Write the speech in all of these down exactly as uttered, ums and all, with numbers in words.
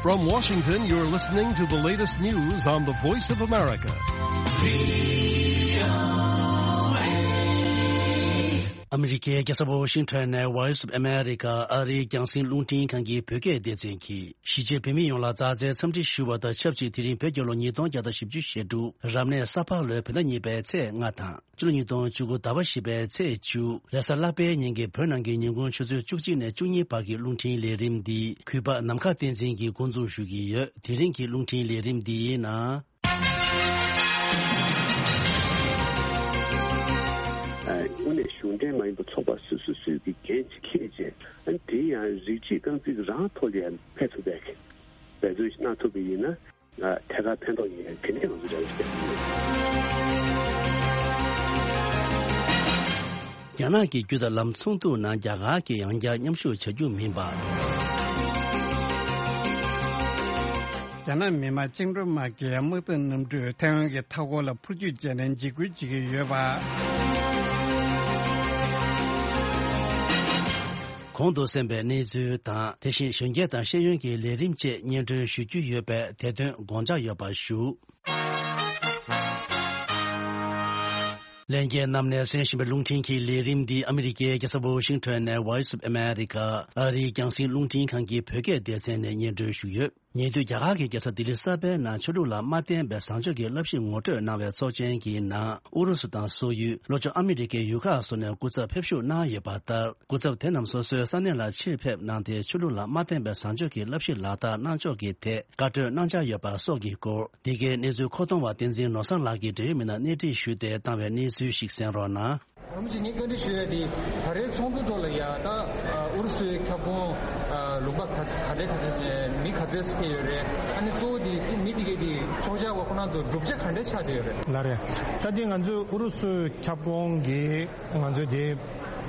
From Washington, you're listening to the latest news on the Voice of America. ཨ་མི་རི་ཀའི་རྒྱལ་ས་ཝོ་ཤིང་ཊོན་ནས་Voice of America ཨ་རིའི་རྒྱང་སྲིང་རླུང་འཕྲིན་ཁང་གི་བོད་སྐད་སྡེ་ཚན་གྱིས། གཞིས་བྱེས་བོད་མི་ཡོངས་ལ་མཛའ་བརྩེའི་འཚམས་འདྲི་ཞུ་བ་དང་ཆབས་ཅིག་དེ་རིང་བོད་རྒྱལ་ལོ་ཉིས་སྟོང་བརྒྱ་དང་བཞི་བཅུ་ཞེ་དྲུག་རབ་གནས་ས་ཕག་ལོའི་བོད་ཟླ་གཉིས་པའི་ཚེས་ལྔ་དང་། ཕྱི་ལོ་ཉིས་སྟོང་བཅུ་དགུ་ཟླ་བ་བཞི་པའི་ཚེས་བཅུ། རེས་གཟའ་ལྷག་པའི་ཉིན་གྱི་བོད་ནང་གི་ཉིན་གུང་ཆུ་ཚོད་བཅུ་གཅིག་ནས་བཅུ་གཉིས་བར་གྱི་རླུང་འཕྲིན་ལས་རིམ་འདི་གུས་པ་ནམ་མཁའ་བསྟན་འཛིན་གྱིས་འགོ་འཛུགས་ཞུ་གི་ཡོད། དེ་རིང་གི་རླུང་འཕྲིན་ལས་རིམ་འདིའི་ནང་། དངོས་གནས་གཞུང་འབྲེལ་མ་ཡིན་པའི་ཚོགས་པ་སོ་སོ་སོས་ཀྱི་འགན་ཅིག་འཁྱེར་བྱས། ཨ་ནི་དེ་ཡང་རིགས་གཅིག་རྐང་འཛིན་རང་ཐོག་ལ་ཡང་ཕན་ཐོགས་པའི་འབད་བརྩོན་ཞིག་གནང་ཐུབ་པ་ཡིན་ན། ཐད་ཀར་ཕན་ཐོགས་ཡིན་ཡང་དེ་ནས་ང་ཚོ་རེ་བ་ཞིག་བྱེད་ཀྱི་ཡོད། རྒྱ་ནག་གི་རྒྱུད་དང་ལམ་ཚོགས་འདུ་ནང་རྒྱ་གར་གྱིས་ཡང་བསྐྱར་མཉམ་ཞུགས་བྱ་རྒྱུ་མིན་པ། རྒྱ་ནག་མི་དམངས་བཅིངས་འགྲོལ་དམག་གིས་དམག་འཐབ་གནམ་གྲུས་ཐའེ་ཝན་གྱི་མཐའ་འཁོར་ལ་འཕུར་སྐྱོད་བྱས་ནས་འཇིགས་སྐུལ་བྱེད་ཀྱི་ཡོད་པ། གོང་དུ་གསན་པའི་གནས་ཚུལ་དང་། དེ་བཞིན་གཞོན་སྐྱེས་དང་ཤེས་ཡོན་གྱི་ལས་རིམ་བཅས་སྙན་སྒྲོན་ཞུ་རྒྱུ་ཡོད་པས། དེ་དོན་དགོངས་འཇགས་ཡོད་པར་ཞུ། ལྷན་རྒྱས་རྣམས་ནས་གསན་བཞིན་པའི་རླུང་འཕྲིན་གྱི་ལས་རིམ་འདི་ཨ་མི་རི་ཀའི་རྒྱལ་ས་ཝོ་ཤིང་ཊོན་ནས་Voice of America ཨ་རིའི་རྒྱང་སྲིང་རླུང་འཕྲིན་ཁང་གི་བོད་སྐད་སྡེ་ཚན་ནས་སྙན་སྒྲོན་ཞུས་ཡོད། ཉེ་དུས་རྒྱ་གར་གྱི་རྒྱལ་ས་ལྡི་ལི་གསར་པའི་ནང་ཆོས་ལུགས་ལ་མ་བརྟེན་པའི་བཟང་སྤྱོད་ཀྱི་བསླབ་གཞི་ངོ་སྤྲོད་གནང་བའི་ཚོགས་ཆེན་གྱི་ནང་ཨུ་རུ་སུ་དང་སོག་ཡུལ། ལྷོ་ཕྱོགས་ཨ་མི་རི་ཀའི་ཡུལ་ཁག་སོགས་ནས་སྐུ་ཚབ་ཕེབས་ཞུགས་གནང་ཡོད་པ་ལྟར། སྐུ་ཚབ་དེ་རྣམས་སོ་སོའི་ས་གནས་ལ་ཕྱིར་ཕེབས་གནང་སྟེ། ཆོས་ལུགས་ལ་མ་བརྟེན་པའི་བཟང་སྤྱོད་ཀྱི་བསླབ་གཞི་ལག་བསྟར་གནང་ཕྱོགས་ཀྱི་ཐད་བཀའ་གྲོས་གནང་འཆར་ཡོད་པ་སོགས་ཀྱི་སྐོར། འདི་གའི་གནས་ཚུལ་མཁོ་གཏོང་བ་བསྟན་འཛིན་ནོར་བཟང་ལགས་ཀྱིས་འབྲེལ་ཡོད་མི་རྣམས་སྣེ་ཁྲིད་ཞུས་ཏེ་བཏང་བའི་གནས་ཚུལ་ཞིག་གསན་རོགས་གནང་། རིན་པོ་ཆེ། ངས་བཀའ་འདྲི་ཞུ་ཡ་དེ། ད་རེས་ཚོགས་འདུ་ཐོག་ལ་ཡ་ད་ཨུ་རུ་སུའི་ཁྱབ་ཁོངས་ལུང་པ་ག་ག་འདྲས་ག་འདྲས། མི་ག་ཚོད་ཕེབས་ཡོད་རེད། ཨ་ནི་གཙོ་བོ་དེ་མི་དེ་གའི་དེ་ཚོགས་བཅར་བ་ཁོ་རང་ཚོ་བསྒྲུབ་བྱ་ག་འདྲས་ཆགས་བསྡད་ཡོད་རེད། ལགས་རེད། ད་དེ་ང་ཚོའི་ཨུ་རུ་སུའི་ཁྱབ་ཁོངས་ཀྱི་ང་ཚོའི་དེ་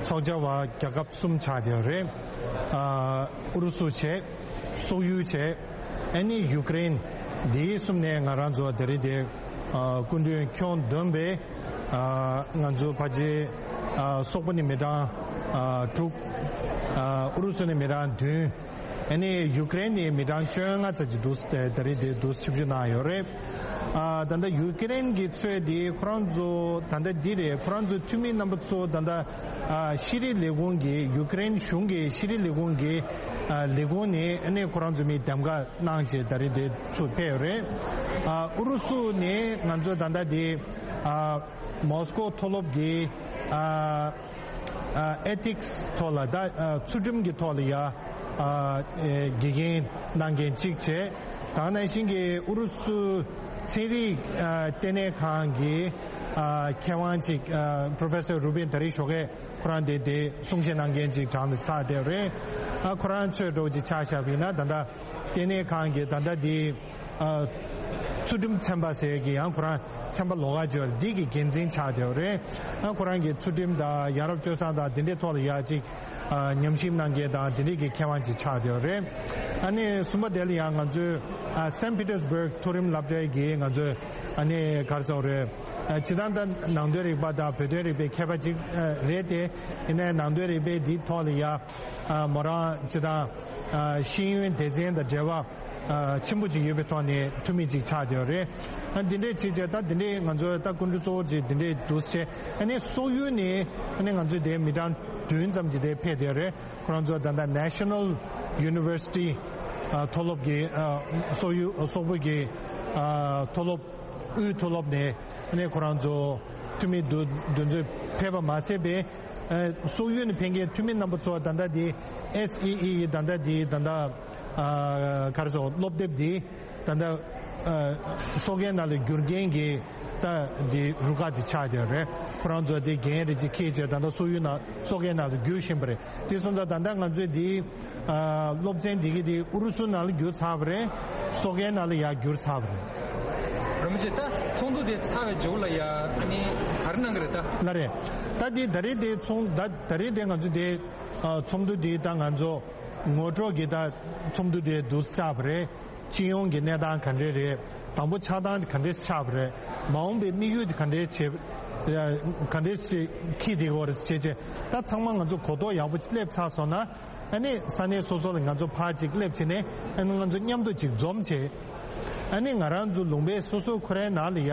ཚོགས་བཅར་བ་རྒྱལ་ཁབ་གསུམ་ཆགས་བསྡད་ཡོད་རེད། ཨུ་རུ་སུ་བྱས། སོག་ཡུལ་བྱས། ཨ་ནི་ཡུ་ཀེ་རེན། འདི་གསུམ་ནས་ང་རང་ཚོ་ད་རེས་དེ་སྐུ་མགྲོན་ཁྱོན་བསྡོམས་པས་ང་ཚོ་ཕལ་ཆེར་སོག་པོ་ནས་མི་གྲངས་དྲུག་ཨུ་རུ་སུ་ནས་མི་གྲངས་བདུན། ཨ་ནི་ཡུ་ཀེ་རེན་ནས་མི་གྲངས་བཅོ་ལྔ་ཙམ་ཅིག་འདུག་ད་རེས་དེ་འདུག་ཆིབས་བསྒྱུར་གནང་ཡོད་རེད། ད་ལྟ་ཡུ་ཀེ་རེན་གྱི་ཚོས་དེ་ཁོ་རང་ཚོ་ད་ལྟ་འདི་རེད། ཁོ་རང་ཚོ་འཐུས་མི་རྣམ་པ་ཚོ་ད་ལྟ་ཤེས་རིག་ལས་ཁུངས་ཀྱི་ཡུ་ཀེ་རེན་གཞུང་གི་ཤེས་རིག་ལས་ཁུངས་ཀྱི་ལས་ཁུངས་ནས་ཨ་ནི་ཁོ་རང་ཚོ་མི་འདེམས་ཀ་གནང་བྱས་ད་རེས་དེ་ཚུར་ཕེབས་ཡོད་རེད། ཨུ་རུ་སུ་ནས་ང་ཚོ་ད་ལྟ་དེ་མོ་སི་ཀོ་མཐོ་སློབ་ཀྱི་ཨེ་ཐིག་སི་ཐོག་ལ་ད་ཚུལ་ཁྲིམས་ཀྱི་ཐོག་ལ་ཡ་དགེ་རྒན་གནང་མཁན་གཅིག་བྱས། ད་ག་ནང་བཞིན་གྱི་ཨུ་རུ་སུ་ཚན་རིག་ལྟེ་གནས་ཁང་གི་མཁས་དབང་གཅིག Professor Rubin ད་རེས་ཞོགས་ཀས་ཁོ་རང་དེ་དེ་གསུང་བཤད་གནང་མཁན་ཅིག་གྲངས་ལ་ཚར་བསྡད་རེད། ཨ་ཁོ་རང་ཚོས་འགྲོ་ཅིག་ཆ་བཞག་པ་ཡིན་ན་ད་ལྟ་ལྟེ་གནས་ཁང་གི་ད་ལྟ་དེ་ཚུལ་ཁྲིམས་ཚན་པ་ཟེར་གི་ཡང་ཁོ་རང་ཚན་པ་ལོགས་ཀ་ཅིག་ཡོད་རེད། འདི་གི་འགན་འཛིན་ཆགས་བསྡད་རེད། ཨ་ཁོ་རང་གི་ཚུལ་ཁྲིམས་དང་ཡ་རབས་སྤྱོད་བཟང་དང་དེ་འདྲའི་ཐོག་ལ་ཡ་ཅིག་ཉམས་ཞིབ་གནང་མཁན་དང་དེ་འདྲའི་གི་མཁས་དབང་ཅིག་ཆགས་བསྡད་རེད། ཨ་ནི་གསུམ་པ་དེ་ལ་ཡང་ང་ཚོའི་Saint Petersburg མཐོ་རིམ་སློབ་གྲྭའི་གི་ང་ཚོའི་ཨ་ནི་ག་རེ་ཟེར་དགོས་རེད། སྤྱིར་བཏང་ད་ནང་དོན་རིག་པ་དང་བོད་དོན་རིག་པའི་མཁས་པ་ཅིག་རེད་དེ། ཡིན་ནའི་ནང་དོན་རིག་པའི་འདིའི་ཐོག་ལ་ཡ་མོ་རང་སྤྱིར་བཏང་ཤེས་ཡོན་སྡེ་ཚན་དང་འབྲེལ་བ་ཆེན་པོ་ཅིག་ཡོད་པའི་ཐོག་ནས་འཐུས་མི་ཅིག་ཆགས་བསྡད་ཡོད་རེད། ཨ་འདི་འདྲས་བྱས་བྱས་ད་འདི་འདྲས་ང་ཚོ་ད་སྐུ་མགྲོན་གཙོ་བོ་ཅིག་འདི་འདྲས་འདུག་སེ། ཨ་ནི་སོག་ཡུལ་ནས་ཨ་ནི་ང་ཚོའི་དེ་མི་གྲངས་བདུན་ཙམ་ཅིག་དེ་ཕེབས་བསྡད་ཡོད་རེད། ཁོ་རང་ཚོ་ད་ལྟ་National University མཐོ་སློབ་ཀྱི་སོག་ཡུལ་སོག་པོ་གི་མཐོ་སློབ་དབུས་མཐོ་སློབ་ནས་ཨ་ནི་ཁོ་རང་ཚོ་འཐུས་མི་འདུ་འདུ་འཛོམས་ཕེབས་པ་མ་ཟད་པའི་སོག་ཡུལ་ནས་ཕེབས་མཁན་འཐུས་མི་རྣམ་པ་ཚོ་ད་ལྟ་དེ་S E E ད་ལྟ་དེ་ད་ལྟ་ག་རེ་ཟེར་སློབ་དེབ་དེ་ད་ལྟ་སོག་རྒན་ནང་ལ་བསྒྱུར་མཁན་གྱི་ད་དེ་རུ་ཁག་དེ་ཆགས་བསྡད་རེད། ཁོ་རང་ཚོ་དེ་འགན་རེ་ཅིག་འཁྱེར་བྱས་ད་ལྟ་སོག་ཡུལ་ནང་སོག་རྒན་ནང་ལ་བསྒྱུར་བཞིན་པ་རེད། དེ་སོང་ཙང་ད་ལྟ་ང་ཚོས་དེ་སློབ་ཚན་དེ་གི་དེ་ཨུ་རུ་སུ་ནང་ལ་བསྒྱུར་ཚར་བ་རེད། སོག་རྒན་ནང་ལ་ཡར་བསྒྱུར་ཚར་བ་རེད། རིན་པོ་ཆེ། ད་ཚོགས་འདུ་དེ་ཚར་བའི་རྗེས་ལ་ཡ་ཨ་ནི་ག་རེ་གནང་གི་རེད་ད། ལགས་རེད། ད་དེ་ད་རེས་དེ་ཚོགས་ད་ད་རེས་དེ་ང་ཚོ་དེ་ཚོགས་འདུ་དེ་ད་ང་ཚོ་ངོ་སྤྲོད་ཀྱི་ད་ཚོགས་འདུ་དེ་བསྡུ་ཚར་བ་རེད། སྤྱི་ཡོངས་ཀྱི་གནས་སྟངས་ག་འདྲས་རེད། དང་པོ་ཆགས་སྟངས་དེ་ག་འདྲས་ཆགས་པ་རེད། མ་འོངས་པའི་དམིགས་ཡུལ་དེ་ག་འདྲས་བྱེད་ ཡ་ག་འདྲས་ཞིག་འཁྱེར་བསྡད་ཀྱི་ཡོད་རེད་ཟེར་བྱས་ད་ཚང་མ་ང་ཚོ་གོ་རྟོགས་ཡག་པོ་སླེབས་ཚར་སོང་ན། ཨ་ནི་ས་གནས་སོ་སོ་ལ་ང་ཚོ་ཕར་ཅིག་སླེབས་བྱས་ནས་ཨ་ནི་ང་ཚོ་མཉམ་དུ་ཅིག་འཛོམས་བྱས། ཨ་ནི་ང་རང་ཚོ་ལུང་པའི་སོ་སོ་ཁོ་རའི་ནང་ལ་ཡ།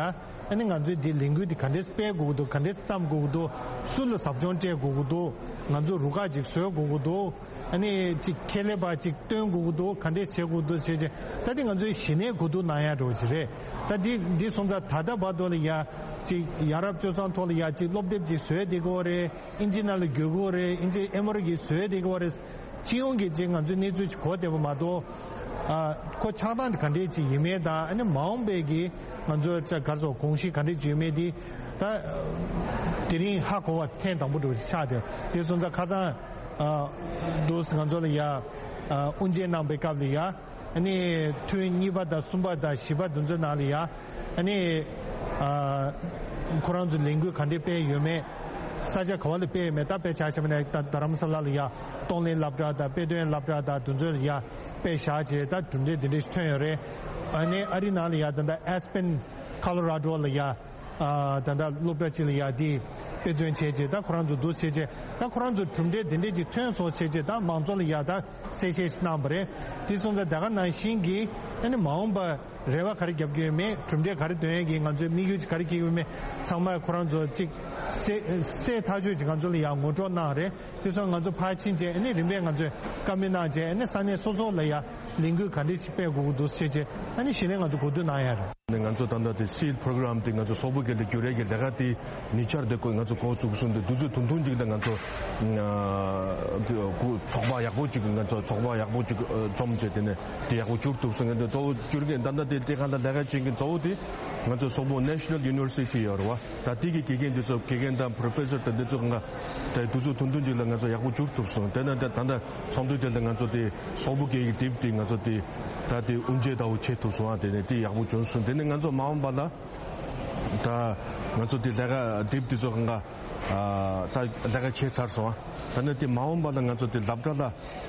ཨ་ནི་ང་ཚོའི་འདི་ལས་འགུལ་འདི་ག་འདྲས་སྤེལ་དགོས་ཀྱི་འདུག་ག་འདྲས་བརྩམ་དགོས་ཀྱི་འདུག་སུ་ལ་ཟབ་སྦྱོང་སྤྲད་དགོས་ཀྱི་འདུག་ང་ཚོ་རུ་ཁག་ཅིག་བཟོ་དགོས་ཀྱི་འདུག་ཨ་ནི་ཅིག་ཁེ་ལས་པ་ཅིག་བཏོན་དགོས་ཀྱི་འདུག་ག་འདྲས་བྱེད་དགོས་ཀྱི་འདུག་བྱས་བྱས་ད་འདི་ང་ཚོའི་གཞི་ནས་གོ་བསྡུར་གནང་ཡ་འདྲ་བོ་ཅིག་རེད། ད་འདི་འདི་སོང་ཙང་ད་ལྟ་བར་དུ་ལ་ཡ་ཅིག་ཡ་རབས་སྤྱོད་བཟང་ཐོག་ལ་ཡ་ཅིག་སློབ་དེབ་ཅིག་བཟོས་བསྡད་ཀྱི་ཡོད་རེད། ཨིན་ཇི་ནང་ལ་བསྒྱུར་གྱི་ཡོད་རེད། ཨིན་ཇི་ཨེ་མོ་རི་གིས་བཟོས་བསྡད་ཀྱི་ཡོད་རེད། སྤྱི་ཡོངས་ཀྱི་ཅིག་ང་ཚོའི་གནས་ཚུལ་ཅིག་གོ་བསྡད་པ་མ་གཏོགས། ཨ་ཁོ་ཆགས་སྟངས་དེ་ག་འདྲས་ཅིག་ཡིན་མིན་དང་ཨ་ནི་མ་འོངས་པའི་གི་ང་ཚོའི་ཅག་ག་རེ་ཟེར་དགོངས་གཞི་ག་འདྲས་ཅིག་ཡོད་མེད་དེ་ད་དེ་རིང་ཧ་གོ་བ་ཐེངས་དང་པོ་འདྲ་བོ་ཅིག་ཆགས་བསྡད་དེ་སོང་ཙང་ཁ་སང་ཨ་འདུག་ང་ཚོ་ལ་ཡ་ཨ་དབུ་འབྱེད་གནང་པའི་སྐབས་ལ་ཡ། ཨ་ནི་ཐུན་གཉིས་པ་དང་གསུམ་པ་དང་བཞི་པ་དེ་ཚོའི་ནང་ལ་ཡ། ཨ་ནི་ཨ་ཁོ་རང་ཚོ་ལས་འགུལ་ག་འདྲས་སྤེལ་ཡོད་མེད། ས་ཆ་ག་བ་ལ་སྤེལ་ཡོད་མེད། ད་དཔེ་ཆ་བཞག་པ་ན་ད་རྡ་རམ་ས་ལ་ལ་ཡ་གཏོང་ལེན་སློབ་གྲྭ་དང་དཔེ་སྟོན་སློབ་གྲྭ་དང་དེ་ཚོ་ལ་ཡ་དཔེ་བཞག་བྱས་ད་གྲུབ་འབྲས་དེ་འདྲས་ཐོན་ཡོད་རེད། ཨ་ནི་ཨ་རི་ནང་ལ་ཡ་ད་ལྟ་ཨེས་པན་ཁ་ལོ་ར་ཌོ་ལ་ཡ། ཨ་ད་ལྟ་སློབ་གྲྭ་གཅིག་ལ་ཡ་དེ་དཔེ་མཚོན་བྱས་རྗེས་ད་ཁོ་རང་ཚོ་འདུག་བྱས་རྗེས་ད་ཁོ་རང་ཚོ་གྲུབ་འབྲས་དེ་འདྲས་ཅིག་ཐོན་སོང་བྱས་རྗེས་ད་མང་ཚོགས་ལ་ཡ་ད་གསལ་བཤད་ཞིག་གནང་བ་རེད། དེ་སོང་ཙང་ད་ག་ནང་བཞིན་གྱི་ཨ་ནི་མ་འོངས་པ་རེ་བ་ག་རེ་རྒྱབ་ཀྱི་ཡོད་མེད། གྲུབ་འབྲས་ག་རེ་འདོན་ཡས་ཀྱི་ང་ཚོའི་དམིགས་ཡུལ་ག་རེ་འཁྱེར་གྱི་ཡོད་མེད་ཚང་མ་ཁོ་རང་ཚོ་ཅིག་གསལ་གསལ་ཐག་ཆོད་ཅིག་ང་ཚོ་ལ་ཡ་ངོ་སྤྲོད་གནང་རེད། དེ་སོང་ང་ཚོ་ཕར་ཕྱིན་བྱས་ཨ་ནི་རིམ་པས་ང་ཚོས་བཀའ་མོལ་གནང་བྱས་ཨ་ནི་ས་གནས་སོ་སོ་ལ་ཡ་ལས་འགུལ་ག་འདྲས་ཤིག་སྤེལ་དགོས་ཀྱི་འདུག་ཟེར་བྱས་ཨ་ནི་གཞི་ནས་ང་ཚོ་གོ་བསྡུར་གནང་ཡ་རེད། ནས་ང་ཚོ་ད་ལྟ་དེ་སིལ་པོ་རོ་གྷི་རམ་དེ་ང་ཚོ་སོག་པོ་སྒེར་ལ་བསྒྱུར་ཡས་ཀྱི་ལས་ཀ་དེ་ཉེ་ཆར་དེ་ཀོ་ང་ཚོ་འགོ་བཙུགས་སོང་། དེ་དུས་ཚོད་ཐུང་ཐུང་ཅིག་ལ་ང་ཚོ་ཚོགས་པ་ཡག་པོ་ཅིག་ང་ཚོ་ཚོགས་པ་ཡག་པོ་ཅིག་འཛོམས་བྱས་དེ་ནས་དེ་ཡག་པོ་བསྒྱུར་ཐུབ་སོང་། ངས་དེ་གཙོ་བོ་བསྒྱུར་མཁན་ད་ལྟ་དེ་དེ་ག་ལ་ལས་ཀ་བྱེད་མཁན་གཙོ་བོ་དེ་ང་ཚོ་སོག་པོ་National University ཡོད་རེད་བ། ད་དེ་གི་དགེ་རྒན་དེ་ཚོ་དགེ་རྒན་དང་པོ་རོ་ཕེ་སར་དང་དེ་ཚོ་གང་ག་དེ་དུས་ཚོད་ཐུང་ཐུང་ཅིག་ལ་ང་ཚོ་ཡག་པོ་བསྒྱུར་ཐུབ་སོང་། དེ་ནས་ད་ད་ལྟ་ཚོགས་འདུ་དེ་ལ་ང་ཚོ་དེ་སོག་པོ་སྒེར་གྱི་དེབ་དེ་ང་ཚོ་དེ་ད་དེ་དབུ་འབྱེད་ལྟ་བུ་བྱེད་ཐུབ་སོང་། ཨ་དེ་ནས་དེ་ཡག་པོ་བྱུང་སོང་། དེ་ནས་ང་ཚོ་མ་འོངས་པ་ལ་ད་ང་ཚོ་དེ་ལས་ཀ་དེབ་དེ་ཚོ་གང་ག་ཨ་ད་ལས་ཀ་བྱས་ཚར་སོང་། ཨ་ད་ནས་དེ་མ་འོངས་པ་ལ་ང་ཚོ་དེ་སློབ་གྲྭ་ལ་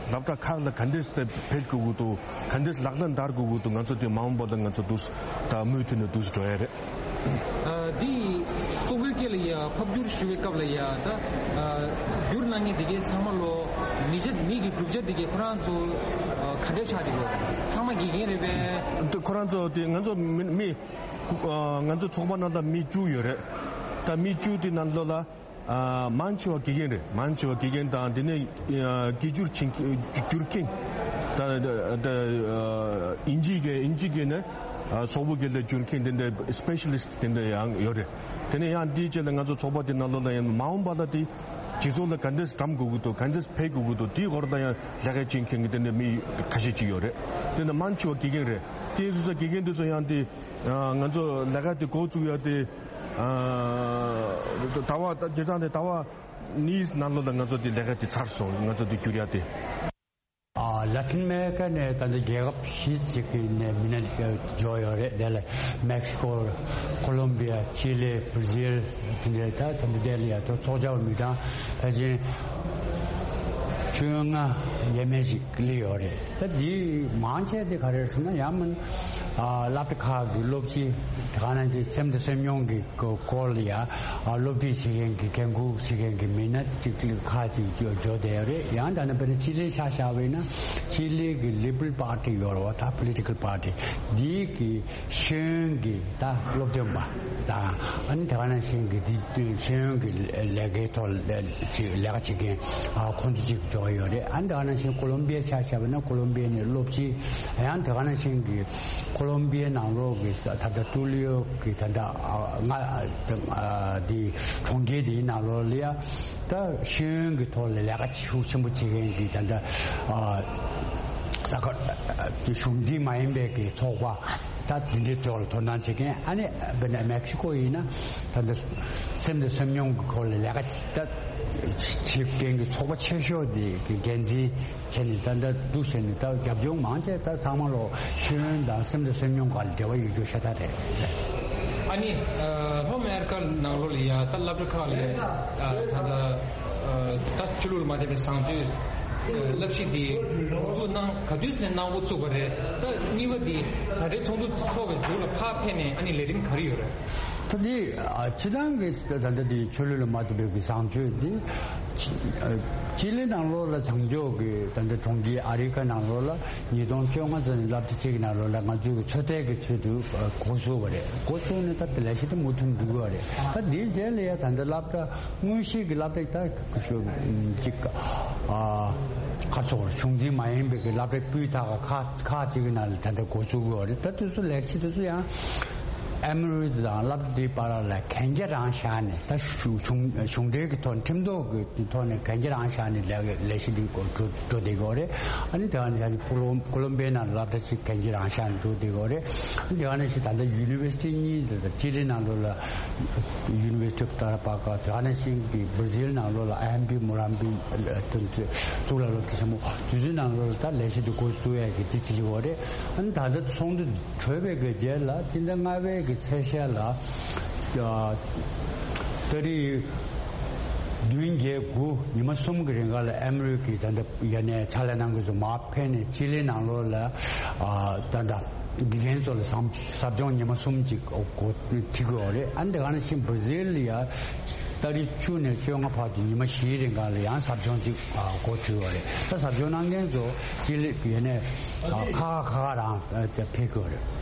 སློབ་གྲྭ་ཁག་ལ་ག་འདྲས་སེ་འཕེལ་དགོས་ཀྱི་འདུག་ག་འདྲས་ལག་ལེན་བསྟར་དགོས་ཀྱི་འདུག་ང་ཚོ་དེ་མ་འོངས་པ་ལ་ང་ཚོ་འདུག་ད་མུ་མཐུད་ནས་འདུག་འགྲོ་ཡ་རེད། ཨ་འདི་སོག་པོའི་སྐད་ལ་ཡ་ཕབ་བསྒྱུར་ཞུ་བའི་སྐབས་ལ་ཡ་ད་ཨ་བསྒྱུར་གནང་མཁན་དེ་གའི་ཚང་མ་ལོ་མི་ཆ་མི་གི་གྲུབ་ཆ་དེ་གའི་ཁོ་རང་ཚོ་ཨ་ག་འདྲས་ཆགས་བསྡད་ཡོད། ཚང་མ་དགེ་རྒན་རེད་པས། འདི་ཁོ་རང་ཚོ་དེ་ང་ཚོ་མི་མི་ཨ་ང་ཚོ་ཚོགས་པ་ནང་ལ་མི་བཅུ་ཡོད་རེད། ད་མི་བཅུ་དེ་ནང་ལོགས་ལ་ཨ་མང་ཆེ་བ་དགེ་རྒན་རེད། མང་ཆེ་བ་དགེ་རྒན་དང་དེ་ནས་ཨ་སྐད་སྒྱུར་བྱེད་སྒྱུར་མཁན་ད་ད་ཨ་དབྱིན་ཇི་སྐད་དབྱིན་ཇི་སྐད་ནས་ཨ་སོག་པོ་སྐད་ལ་སྒྱུར་མཁན་དེ་འདྲ་སི་པེ་ཤ་ལི་སི་ཊི་དེ་འདྲ་ཡང་ཡོད་རེད། དེ་ནས་ཡང་དེའི་རྗེས་ལ་ང་ཚོ་ཚོགས་པ་དེ་ནང་ལོགས་ལ་ཡང་མ་འོངས་པ་ལ་དེ་སྤྱི་ཚོགས་ལ་ག་འདྲས་འགྲམ་དགོས་ཀྱི་འདུག་ག་འདྲས་འཕེལ་དགོས་ཀྱི་འདུག་དེའི་སྐོར་ལ་ཡང་ལས་ཀ་བྱེད་མཁན་གྱི་དེ་འདྲ་མི་ཁ་ཤས་ཅིག་ཡོད་རེད། དེ་ནས་མང་ཆེ་བ་དགེ་རྒན་རེད། དེ་སོང་ཙང་དགེ་རྒན་དེ་ཚོ་ཡང་དེ་ང་ཚོ་ལས་ཀ་དེ་འགོ་བཙུགས་ཡ་དེ། ཨ་ཟླ་བ་ད་སྤྱིར་བཏང་དེ་ཟླ་བ་གཉིས་ནང་ལོགས་ལ་ང་ཚོ་དེ་ལས་ཀ་དེ་ཚར་སོང་། ང་ཚོ་དེ་བསྒྱུར་ཡ་དེ། ཨ་ལ་ཏིན་ཨ་མེ་རི་ཀ་ནས་ད་ལྟ་རྒྱལ་ཁབ་བཞི་ཅིག་གི་ནས་མི་སྣ་འབྱོར་ཡོད་རེད། དེ་ལ་མེག་སི་ཀོ། ཀོ་ལོམ་བི་ཡ། ཅི་ལི། བྷར་ཛིལ། དེ་འདྲ་ད་ད་ལྟ་དེ་ལ་ཡ་ཐོ་ཚོགས་བཅར་མི་གྲངས་ཕལ་ཆེར་བཅོ་ལྔ་ཡས་མས་ཅིག་སླེབས་ཡོད་རེད། ད་འདི་མང་ཆེ་དེ་ག་རེ་རེད་ཟེར་ན་ཡང་མིན་ཨ་སློབ་གྲྭ་ཁག་གི་སློབ་སྤྱི་དེ་ག་ནང་བཞིན་སེམས་དང་སེམས་མྱོང་གི་སྐོར་ལ་ཡ་ཨ་སློབ་ཁྲིད་བྱེད་མཁན་གྱི་འགན་འཁུར་བྱེད་མཁན་གྱི་མི་སྣ་གཅིག་གཅིག་ཁག་ཅིག་འབྱོར་བསྡད་ཡོད་རེད། ཡང་ད་ནི་དཔེར་ན་ཅི་ལིའི་ཆ་བཞག་པ་ཡིན་ན་ཅི་ལི་གི་ལི་བྷ་རལ་པར་ཊི་ཡོད་རེད་བ། ད་པོ་ལི་ཊི་ཀལ་པར་ཊི་འདི་གི་ཤེས་ཡོན་གྱི་ད་སློབ་སྟོན་པ་དང་ཨ་ནི་དེ་ག་ནང་བཞིན་གྱི་འདི་ཤེས་ཡོན་གྱི་ལས་ཀའི་ཐོག་ལ་ཅིག་ལས་ཀ་བྱེད་མཁན་ཨ་ཁོང་ཚོ་ཅིག་འབྱོར་ཡོད་རེད། ཨ་ནི་དེ་ག་ནང་བཞིན་ཀོ་ལོམ་བི་ཡའི་ཆ་བཞག་པ་ན་ཀོ་ལོམ་བི་ཡ་ནས་སློབ་སྤྱི། ཡང་དེ་ག་ནང་བཞིན་གྱི་ཀོ་ལོམ་བི་ཡའི་ནང་ལོགས་ཀྱི་ད་ལྟ་ཏུ་ལིའོ་གི་ད་ལྟ་ཨ་ང་ཨ་འདི་གྲོང་ཁྱེར་འདིའི་ནང་ལོགས་ལ་ཡ་ད་ཤེས་ཡོན་གྱི་ཐོག་ལ་ལས་ཀ་ཤུགས་ཆེན་པོ་བྱེད་མཁན་གྱི་ད་ལྟ་ཨ་ས་ཁ་གཞུང་འཛིན་མ་ཡིན་པའི་གི་ཚོགས་པ་ད་འདི་འདྲའི་ཐོག་ལ་དོ་སྣང་བྱེད་མཁན། ཨ་ནི་དཔེར་ན་མེག་སི་ཀོ་ཡིན་ན་ད་ལྟ་སེམས་དང་སེམས་མྱོང་གི་སྐོར་ལ་ལས་ཀ་ད་བྱེད་མཁན་གྱི་ཚོགས་པ་ཆེ་ཤོས་དེ་གི་འགན་འཛིན་བྱས་ནས་ད་ལྟ་འདུག་བྱས་ནས་ད་རྒྱབ་ལྗོངས་མང་ཆེ་ད་ཚང་མ་ལོ་ཤེས་ཡོན་དང་སེམས་དང་སེམས་མྱོང་སྒང་ལ་འབྲེལ་བ་ཡོད་རྒྱུ་ཤ་སྟག་རེད། ཨ་ནི་ལྷོ་ཨ་མེ་རི་ཀ་ནང་ལོགས་ལ་ཡ་ད་སློབ་གྲྭ་ཁག་ལ་ད་ལྟ་ད་ཆོས་ལུགས་ལ་མ་བརྟེན་པའི་བཟང་སྤྱོད་ བསླབ་གཞི་འདི་འགོ་འཛུགས་གནང་ག་དུས་ནས་གནང་འགོ་ཚུགས་པ་རེད། ད་གཉིས་པ་འདི་ད་ལྟའི་ཚོགས་འདུ་ཚོགས་པའི་མཇུག་ལ་ཕར་ཕེབས་ནས་ཨ་ནི་ལས་རིམ་ག་རེ་ཡོད་རེད། ད་འདི་ཨ་སྤྱི་བཏང་གི་ད་ལྟ་འདི་ཆོས་ལུགས་ལ་མ་ལྟོས་པའི་གི་བཟང་སྤྱོད་འདི་ཅི་ཨ་ཅི་ལི་ནང་ལོགས་ལ་བྱང་ཕྱོགས་ཀྱི་ད་ལྟ་གྲོང་ཁྱེར་ཨ་རི་ཀ་ནང་ལོགས་ལ་ཉིས་སྟོང་བཅོ་ལྔ་ཙམ་ནས་སློབ་གྲྭ་གཅིག་གི་ནང་ལོགས་ལ་ང་ཚོའི་གི་ཚོད་ལྟའི་གི་ཚུལ་དུ་ཨ་འགོ་ཚུགས་པ་རེད། འགོ་ཚུགས་ནས་ད་ལས་གཞི་དེ་མུ་མཐུད་འགྲོ་གི་ཡོད་རེད། ད་འདིའི་རྗེས་ལ་ཡ་ད་ལྟ་སློབ་གྲྭ་དངོས་གཞི་གི་སློབ་གྲྭ་ད་ཤོ་གཅིག་ཨ་ཁ་ཚོར་གཞུང་འཛིན་མ་ཡིན་པའི་གི་སློབ་གྲྭ་སྤུས་དག་ཁག་ཁག་ཅིག་གི་ནང་ལ་ད་ལྟ་འགོ་ཚུགས་ཀྱི་ཡོད་རེད། ད་དེ་ཚོ་ལས་གཞི་དེ་ཚོ་ཡང་ཨེམ་རུལ་དང་སློབ་གྲྭ་དེའི་བར་ལ་གན་རྒྱ་རང་བཞག་ནས་ད་གཞུང་གཞུང་གཞུང་འབྲེལ་གྱི་ཐོག་ཁྲིམས་ཐོག་གི་ཐོག་ནས་གན་རྒྱ་རང་བཞག་ནས་ལས་ལས་གཞི་འདི་འགོ་འགྲོ་འགྲོ་བསྡད་ཀྱི་ཡོད་རེད། ཨ་ནི་དེ་ག་ནས་ཡང་ཀོ་ལོམ་ཀོ་ལོམ་པའི་ནང་ལ་སློབ་གྲྭ་ཅིག་གན་རྒྱ་རང་བཞག་ནས་འགྲོ་བསྡད་ཀྱི་ཡོད་རེད། དེ་ག་ནང་བཞིན་ད་ལྟ་ཡུ་ནི་ཝར་སི་ཊི་གཉིས་དེ་དང་ཅི་ལི་ནང་ལོགས་ལ་ཡུ་ནི་ཝར་སི་ཊི་ཨོཕ་ཏ་ར་པ་ཀ། དེ་ག་ནང་བཞིན་གྱི་བྷར་ཛིལ་ནང་ལོགས་ལ་ཨ་ཧམ་པི་མུ་རམ་པི་གཙུག་ལག་སློབ་གྲྭ་ཆེན་མོ་དེ་ཚོའི་ནང་ལོགས་ལ་ད་ལས་གཞི་དེ་འགོ་བཙུགས་ཡས་ཀྱི་དེ་བྱེད་ཀྱི་ཡོད་རེད། ཨ་ནི་ད་ལྟ་ཚོགས་འདུ་གྲོལ་བའི་གི་རྗེས་ལ་སྤྱི་ཟླ་ལྔ་པའི་གི་ཚེས་ཤར་ལ་ཏ་རིག་བདུན་བརྒྱད་དགུ་ཉི་མ་གསུམ་གྱི་རིང་ག་ལ་ཨེམ་རུལ་གྱི་ད་ལྟ་ཡ་ནས་ཕྱག་ལས་གནང་མཁན་ཚོ་མར་ཕེབས་ནས་ཅི་ལི་ནང་ལོགས་ལ་ཨ་ད་ལྟ་དགེ་རྒན་ཚོ་ལ་ཟབ་ཟབ་སྦྱོང་ཉི་མ་གསུམ་ཅིག་འགོ་ཁྲིད་ཀྱི་ཡོད་རེད། ཨ་ནི་དེ་ག་ནང་བཞིན་བྷར་ཛིལ་ལ་ཡ་ཏ་རིག་བཅུ་ནས་བཅོ་ལྔ་བར་དུ་ཉི་མ་བཞིའི་རིང་ག་ལ་ཡང་ཟབ་སྦྱོང་ཅིག་ཨ་འགོ་ཁྲིད་ཡོད་རེད། ད་ཟབ་སྦྱོང་གནང་མཁན་ཚོ་ཅི་ལི་ཡ་ནས་ཨ་ཁ་ཁ་ཁ་རང་ཨ་ཕེབས་ཀྱི་ཡོད་རེད།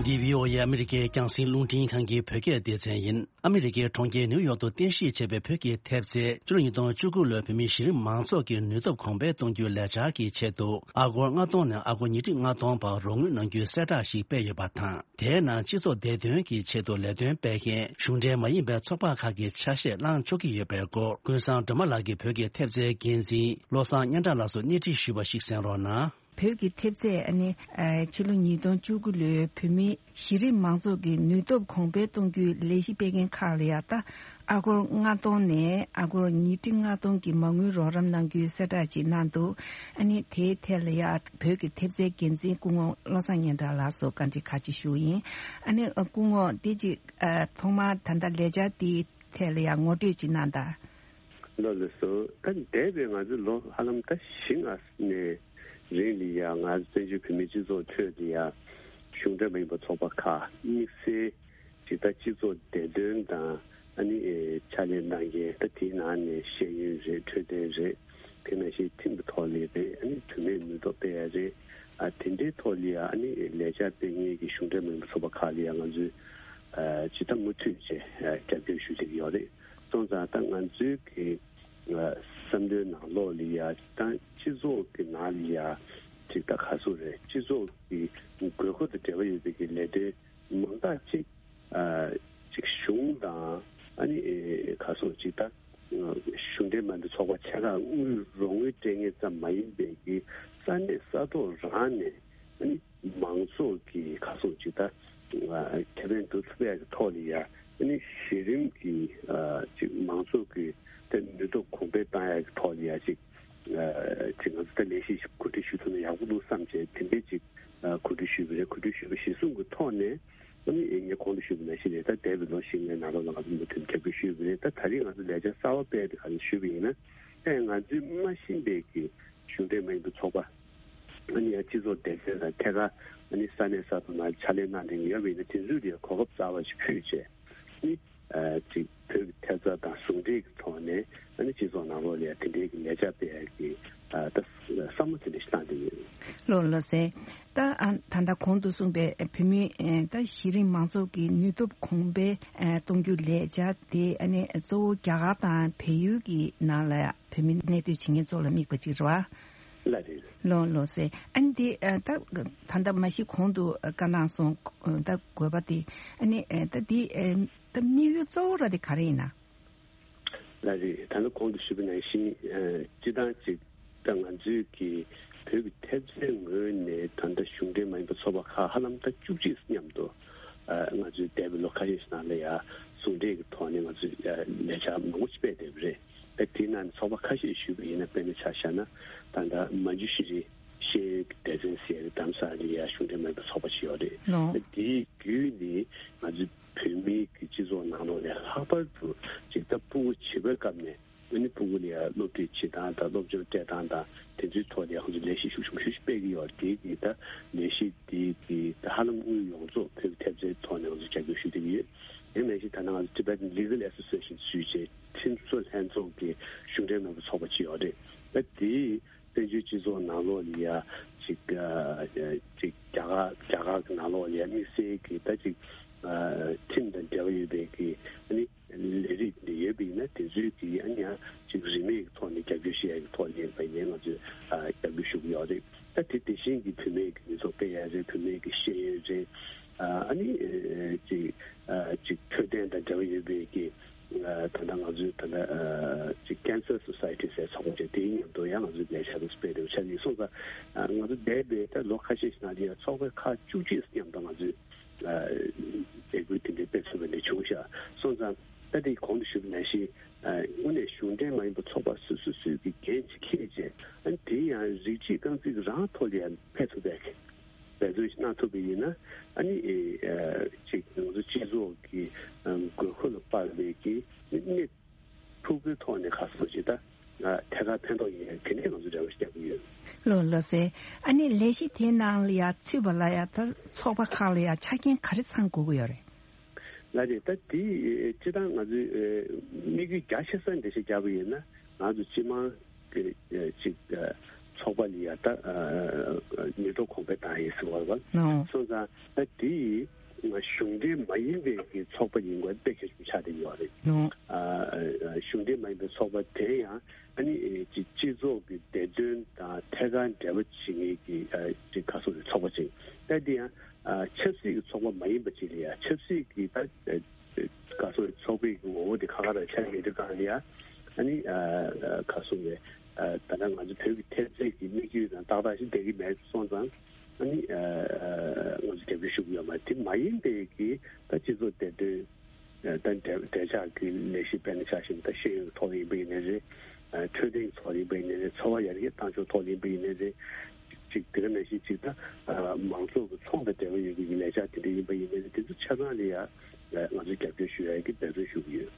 འདི་བྷི་ཨོ་ཨེ་ཨ་མི་རི་ཀའི་རྒྱང་སྲིང་རླུང་འཕྲིན་ཁང་གི་བོད་སྐད་སྡེ་ཚན་ཡིན། ཨ་མི་རི་ཀའི་གྲོང་ཁྱེར་ནིའུ་ཡོག་ཏུ་རྟེན་གཞི་བྱས་པའི་བོད་ཀྱི་ཐེབས་རྩའི་ཕྱི་ལོ་ཉིས་སྟོང་བཅུ་དགུ་ལོའི་བོད་མིའི་གཞི་རིམ་མང་ཚོགས་ཀྱི་ནུས་སྟོབས་གོང་འཕེལ་གཏོང་རྒྱུའི་ལས་འཆར་གྱི་ཆེད་དུ། ཨ་སྒོར་ལྔ་སྟོང་ནས་ཨ་སྒོར་ཉིས་ཁྲི་ལྔ་སྟོང་བར་རོགས་དངུལ་གནང་རྒྱུའི་གསལ་བསྒྲགས་ཤིག་སྤེལ་ཡོད་པ་དང་། དེའི་ནང་སྤྱི་ཚོགས་བདེ་དོན་གྱི་ཆེད་དུ་ལས་དོན་སྤེལ་མཁན་གཞུང་འབྲེལ་མ་ཡིན་པའི་ཚོགས་པ་ཁག་གི་ཆ་ཤས་བླངས་ཆོག་གི་ཡོད་པའི་སྐོར་ཀུན་བཟང་སྒྲོལ་མ་ལགས་ཀྱིས་བོད་ཀྱི་ཐེབས་རྩའི་འགན་འཛིན་བློ་བཟང་སྙན་གྲགས་ལགས་སུ་སྣེ་ཁྲིད་ཞུས་པ་ཞིག་གསན་རོགས་གནང་། བོད་ཀྱི་ཐེབས་རྩས་ཨ་ནི་ཨ་ཕྱི་ལོ་ཉིས་སྟོང་བཅུ་དགུ་ལོའི་བོད་མིའི་གཞི་རིམ་མང་ཚོགས་ཀྱི་ནུས་སྟོབས་གོང་འཕེལ་གཏོང་རྒྱུའི་ལས་གཞི་སྤེལ་མཁན་ཁག་ལ་ཡང་ད་ཨ་སྒོར་ལྔ་སྟོང་ནས་ཨ་སྒོར་ཉིས་ཁྲི་ལྔ་སྟོང་གི་མ་དངུལ་རོགས་རམ་གནང་རྒྱུའི་གསལ་བསྒྲགས་ཅིག་གནང་འདུག་ཨ་ནི་དེའི་ཐད་ལ་ཡང་བོད་ཀྱི་ཐེབས་རྩའི་འགན་འཛིན་སྐུ་ངོ་བློ་བཟང་སྙན་གྲགས་ལགས་སུ་བཀའ་འདྲི་ཁག་ཅིག་ཞུ་ཡིན། ཨ་ནི་སྐུ་ངོ་འདི་ཅིག་ཐོག་མར་ད་ལྟ་ལས་འཆར་འདིའི་ཐད་ལ་ཡང་ངོ་སྤྲོད་ཅིག་གནང་དང་། ལགས་ལགས་སོ། ད་འདས་པའི་ང་ཚོའི་ལོ་ཧ་ལམ་ད་བཞི་ལྔ་ནས་རིང་ལ་ཡ་ང་ཚོ་བཙན་བྱོལ་བོད་མིའི་སྤྱི་ཚོགས་ཁྲོད་དུ་ཡ་གཞུང་འབྲེལ་མ་ཡིན་པ་ཚོགས་པ་ཁག་དམིགས་བསལ་ཅིག་ད་སྤྱི་ཚོགས་བདེ་དོན་དང་ཨ་ནི་ཕྱག་ལས་གནང་མཁན་ད་དེའི་ནང་ནས་ཤེས་ཡོན་རེད། འཕྲོད་བསྟེན་རེད། དེ་ནང་བཞིན་ཁྲིམས་ཀྱི་ཐོག་ལ་རེད། ཨ་ནི་བུད་མེད་ནུས་སྟོབས་སྤེལ་ཡ་རེད། ཨ་དེ་འདྲའི་ཐོག་ལ་ཡ་ཨ་ནི་ལས་འཆར་སྤེལ་མཁན་གྱི་གཞུང་འབྲེལ་མ་ཡིན་པ་ཚོགས་པ་ཁག་ལ་ཡ་ང་ཚོས་ཨ་ཇི་ལྟར་མུ་མཐུད་བྱས་ཨ་རྒྱབ་སྐྱོར་ཞུ་བསྡད་ཀྱི་ཡོད་རེད། སོང་ཙང་ད་ང་ཚོའི་གི་ཨ་བསམ་བློའི་ནང་ལོགས་ལ་ཡ་ད་སྤྱི་ཚོགས་ཀྱི་ནང་ལ་ཡ་ཅིག་ད་ག་ཚོད་རེད། སྤྱི་ཚོགས་ཀྱི་དགོས་མཁོ་དང་འབྲེལ་བ་ཡོད་པའི་གི་ལས་དོན་མང་དག་ཅིག་ཨ་ཅིག་གཞུང་དང་ཨ་ནི་ཨེ་ག་ཚོད་ཅིག་ད་གཞུང་འབྲེལ་མ་ཡིན་པའི་ཚོགས་པ་ཆེ་ཁག་དངུལ་རོགས་དངུལ་སྤྲད་མཁན་ཙམ་མ་ཡིན་པའི་གི་ས་གནས་ས་ཐོག་རང་ནས་ཨ་ནི་མང་ཚོགས་ཀྱི་ག་ཚོད་ཅིག་ད་ཨ་ཁེ་ཕན་འདོགས་ཐུབ་ཡག་གི་ཐོག་ལ་ཡ་ཨ་ནི་གཞི་རིམ་གྱི་ཨ་ཅིག་མང་ཚོགས་ཀྱི་ད་ནུས་སྟོབས་གོང་འཕེལ་བཏང་ཡག་གི་ཐོག་ལ་ཡ་ཅིག་ཨ་ཅིག་ང་ཚོ་ད་ལས་གཞི་ཞིག་གོ་སྒྲིག་ཞུ་ཐུབ་ན་ཡག་པོ་འདུག་བསམ་བྱས་དེ་འདྲའི་ཅིག་ཨ་གོ་སྒྲིག་ཞུས་པ་རེད། གོ་སྒྲིག་ཞུས་པ་གཞིར་བཟུང་གི་ཐོག་ནས་ཨ་ནི་ངས་གོང་དུ་ཞུས་པ་ནང་བཞིན་རེད། ད་འདས་པའི་ལོ་བཞི་ལྔའི་ནང་ལོགས་ལ་ང་ཚོ་མུ་མཐུད་རྒྱབ་སྐྱོར་ཞུས་པ་རེད། ད་ད་རེས་ང་ཚོ་ལས་འཆར་གསར་པ་སྤེལ་ཏེ་ག་རེ་ཞུས་པ་ཡིན་ན་ཨེ་ང་ཚོའི་མ་ཤེས་པའི་གི་གཞུང་འབྲེལ་མ་ཡིན་པའི་ཚོགས་པ་ཨ་ནི་ཡང་སྤྱི་ཚོགས་བདེ་དོན་དང་ཐད་ཀར་ཨ་ནི་ས་གནས་ས་ཐོག་ནང་ཕྱག་ལས་གནང་མཁན་ཡོད་པ་ཡིན་ན་དེ་ཚོའི་ལ་གོ་སྐབས་གསར་པ་ཞིག་ཕུལ་བྱས་ཨ་ནི་ཨ་ཅིག་བོད་ཀྱི་ཐེབས་རྩ་དང་ཟུང་འབྲེལ་གྱི་ཐོག་ནས་ཨ་ནི་སྤྱི་ཚོགས་ནང་ལོགས་ལ་ཡང་དེ་འབྲེལ་གྱི་ལས་འཆར་སྤེལ་ཡག་གི་ཨ་ད་བསམ་བློ་དེ་འདྲ་ཞིག་བཏང་བསྡད་ཡོད། ལགས་ལགས་སེ། ད་ཨ་ད་ལྟ་གོང་དུ་གསུངས་པའི་བོད་མིའི་ཨ་ད་གཞི་རིམ་མང་ཚོགས་ཀྱི་ནུས་སྟོབས་གོང་འཕེལ་ཨ་གཏོང་རྒྱུ་ལས་འཆར་དེ་ཨ་ནི་གཙོ་བོ་རྒྱ་གར་དང་བལ་ཡུལ་གྱི་ནང་ལ་བོད་མི་གནས་སྡོད་བྱེད་མཁན་ཚོ་ལ་དམིགས་པ་ཅིག་རེད་བ། ལགས་རེད། ལགས་ལགས་སེ། ཨ་ནི་དེ་ཨ་ད་ད་ལྟ་མ་གཞི་གོང་དུ་བཀའ་གནང་སོང་། ད་དགོས་པ་དེ་ཨ་ནི་ཨ་ད་དེ་ཨ་ད་དམིགས་ཡུལ་གཙོ་བོ་ར་དེ་ག་རེ་ཡིན་ན། ལགས་རེད། ད་ནི་གོང་དུ་ཞུས་པ་ནང་བཞིན་ཨ་སྤྱི་བཏང་ཅིག་ད་ང་ཚོའི་གི་བོད་ཀྱི་ཐེབས་རྩའི་ངོས་ནས་ད་ལྟ་གཞུང་འབྲེལ་མ་ཡིན་པ་ཚོགས་པ་ཁག་ཧ་ལམ་ད་བཅུ་གཅིག་མཉམ་དུ་ཨ་ང་ཚོའི་འདས་པའི་ལོ་ཁ་ཤས་ཤིག་ནང་ལ་ཡ་ཟུང་འབྲེལ་གྱི་ཐོག་ནས་ང་ཚོས་ཨ་ལས་འཆར་མང་པོ་ཞིག་སྤེལ་བསྡད་པ་རེད། ད་དེའི་ནང་ནས་ཚོགས་པ་ཁ་ཤས་ཞུས་པ་ཡིན་ན་དཔེར་ན་ཆ་བཞག་ན་ད་ལྟ་མ་ཇུ་ཤི་རི་ ཤེས་ཡོན་གྱི་སྡེ་ཚན་ཟེར་གདམ་ས་ལ་ཡ་གཞུང་འབྲེལ་མ་ཡིན་པའི་ཚོགས་པ་ཞིག་ཡོད་རེད། ལོ། དེའི་བརྒྱུད་ནས་ང་ཚོའི་བོད་མིའི་གི་སྤྱི་ཚོགས་ནང་ལོགས་ནས་ལྷག་པར་དུ་ཅིག་ད་ཕྲུ་གུ་བྱིས་པའི་སྐབས་ནས་ཨ་ནི་ཕྲུ་གུ་ལ་ཡ་སློབ་ཁྲིད་བྱེད་སྟངས་དང་སློབ་སྦྱོང་སྤྲད་སྟངས་དང་དེ་ཚོའི་ཐོག་ལ་ཡ་ཁོང་ཚོས་ལས་གཞི་ཤུགས་ཆེན་པོ་ཞིག་སྤེལ་གྱི་ཡོད་རེད། དེ་གི་ད་ལས་གཞི་དེ་གི་ད་ཧ་ལམ་དངུལ་ཡོངས་རྫོགས་བོད་ཀྱི་ཐེབས་རྩའི་ཐོག་ནས་ང་ཚོས་རྒྱབ་སྐྱོར་ཞུ་བསྡད་ཀྱི་ཡོད། དེ་ནང་བཞིན་ད་ནང་Tibetan Legal Association ཞུས་བྱས་ཁྲིམས་བཟོ་ལྷན་ཚོགས་ཀྱི་གཞུང་འབྲེལ་མིན་པའི་ཚོགས་པ་ཅིག་ཡོད་རེད། ད་དེའི་བཙན་བྱོལ་སྤྱི་ཚོགས་ནང་ལོགས་ལ་ཡ་ཅིག་ཨ་ཅིག་རྒྱ་གར་རྒྱ་གར་གྱི་ནང་ལོགས་ལ་ཡ་དམིགས་བསལ་གྱི་ད་ཅིག་ཨ་ཁྲིམས་དང་འབྲེལ་བ་ཡོད་པའི་གི་ཨ་ནི་ལས་རིགས་འདི་ཡོད་པ་ཡིན་ན་དེ་ཚོའི་གི་ཨ་ནི་ཡང་ཅིག་རིན་མེད་ཀྱི་ཐོག་ནས་རྒྱབ་སྐྱོར་ཞུ་ཡ་གི་ཐོག་ནས་ཡིན་པ་ཡིན་ན་ང་ཚོས་ཨ་རྒྱབ་སྐྱོར་ཞུ་གི་ཡོད་རེད། ད་དེ་དེ་བཞིན་གྱི་བུད་མེད་ཀྱི་མི་ཚོགས་སྤེལ་ཡ་རེད། བུད་མེད་ཀྱི་ཤེས་ཡོན་རེད། ཨ་ཨ་ནི་ཨ་ཅིག་ཨ་ཅིག་འཕྲོད་བསྟེན་དང་འབྲེལ་བ་ཡོད་པའི་གི་ཨ་ད་ལྟ་ང་ཚོའི་ད་ལྟ་ཨ་ཅིག་Cancer Society ཟེར་ཚོགས་པ་ཅིག་དེའི་མཉམ་དུ་ཡང་ང་ཚོའི་ལས་འཆར་དུ་སྤེལ་འདུག་ཆ་ནས་སོང་ཙང་ཨ་ང་ཚོ་འདས་པའི་ད་ལོ་ཁ་ཤས་ཤིག་ནང་ལ་ཡང་ཚོགས་པ་ཁག་བཅུ་གཅིག་མཉམ་དུ་ང་ཚོས་ཨ་ལས་འགུལ་དེ་འདྲའི་སྤེལ་ཐུབ་པ་འདི་བྱུང་ཤག་སོང་ཙང་ད་དེ་གོང་དུ་ཞུས་པ་ནང་བཞིན་ཨ་དངོས་གནས་གཞུང་འབྲེལ་མ་ཡིན་པའི་ཚོགས་པ་སོ་སོ་སོའི་གི་འགན་ཅིག་འཁྱེར་བྱས་ཨ་ནི་དེ་ཡང་རིགས་གཅིག་རྐང་འཛིན་གྱི་རང་ཐོག་ལ་ཡང་ཕེབས་ཐུབ་པའི་འབད་བརྩོན་ཞིག་གནང་ཐུབ་པ་ཡིན་ན་ཨ་ནི་ཨ་ཅིག་ང་ཚོ་སྤྱི་ཚོགས་ཀྱི་ཨ་དགོས་མཁོ་ལ་དཔག་པའི་གི་གནས་ཐུབ་པའི་ཐོག་ནས་ཁ་གསོ་ཞིག་ད་ཨ་ཐད་ཀར་ཕན་ཐོགས་ཡིན་ཡང་དེ་ནས་ང་ཚོ་རེ་བ་ཞིག་རྒྱག་གི་ཡོད། ལོ་ལོ་སེ། ཨ་ནི་ལས་གཞི་དེའི་ནང་ལ་ཡ་ཚུད་པ་ལ་ཡ་ད་ཚོགས་པ་ཁག་ལ་ཡ་ཆ་རྐྱེན་ག་རེ་ཚང་དགོས་ཀྱི་ཡོད་རེད། ལགས་རེད། ད་དེ་སྤྱིར་བཏང་ང་ཚོའི་དམིགས་ཡུལ་རྒྱ་ཆེ་ས་འགྲེལ་བཤད་བརྒྱབ་པ་ཡིན་ན་ང་ཚོ་སྤྱི་དམངས་ཀྱི་ཅིག་ཚོགས་པ་ལ་ཡ་ད་མི་ཐོག་གོང་འཕེལ་བཏང་ཡིན་ཟེར་བ་རེད་བ། སོང་ཙང་ད་དེ་གཞུང་འབྲེལ་མ་ཡིན་པའི་གི་ཚོགས་པ་ཡིན་དགོས་དཔེ་གལ་ཆེན་པོ་ཆགས་བསྡད་ཡོད་རེད། གཞུང་འབྲེལ་མ་ཡིན་པའི་ཚོགས་པ་དེ་ཡང་ཨ་ནི་ཅིག་སྤྱི་ཚོགས་ཀྱི་བདེ་དོན་དང་ཐད་ཀར་འབྲེལ་བ་བྱེད་མཁན་གྱི་ཅིག་ག་སོ་རེད་ཚོགས་པ་ཅིག་ད་དེ་ཡང་ཆབ་སྲིད་ཀྱི་ཚོགས་པ་མ་ཡིན་པ་ཅིག་ལ་ཡང་ཆབ་སྲིད་ཀྱི་ད་ག་སོ་རེད་ཚོགས་པའི་ངོ་བོ་དེ་ཁ་ཁ་རང་ཆགས་མེད་དུས་གང་ལ་ཡང་ཨ་ནི་ག་སོ་རེད་ད་ལྟ་ང་ཚོ་བོད་ཀྱི་ཐེབས་རྩའི་གི་དམིགས་ཡུལ་དང་ཏག་ཏག་ཞིག་བསྡད་ཀྱི་མེད་སོང་ཙང་ཨ་ནི་ང་ཚོ་རྒྱབ་སྐྱོར་ཞུ་གི་ཡོད་མ་རེད། དེ་མ་ཡིན་པའི་གི་ད་སྤྱི་ཚོགས་བདེ་དོན། ད་འབྲེལ་འབྲེལ་ཆགས་ཀྱི་ལས་གཞི་སྤེལ་ན་ཆ་བཞིན་ད་ཤེས་ཡོན་ཐོག་ཡིན་པ་ཡིན་ནའི་རེད། འཕྲོད་བསྟེན་ཐོག་ཡིན་པ་ཡིན་ནའི་རེད། འཚོ་བ་ཡར་རྒྱས་གཏང་ཕྱོགས་ཐོག་ཡིན་པ་ཡིན་ནའི་རེད། ཅིག་དེ་ག་ནང་བཞིན་ཅིག་ད་མང་ཚོགས་ཀྱི་ཚོང་དང་འབྲེལ་བ་ཡོད་པའི་ལས་འཆར་དེ་འདྲ་ཡིན་པ་ཡིན་ནའི་རེད། དེ་ཚོ་ཆ་ཚང་ལ་ཡང་ང་ཚོས་རྒྱབ་སྐྱོར་ཞུ་ཡག་གི་འབད་བརྩོན་ཞུ་གི་ཡོད།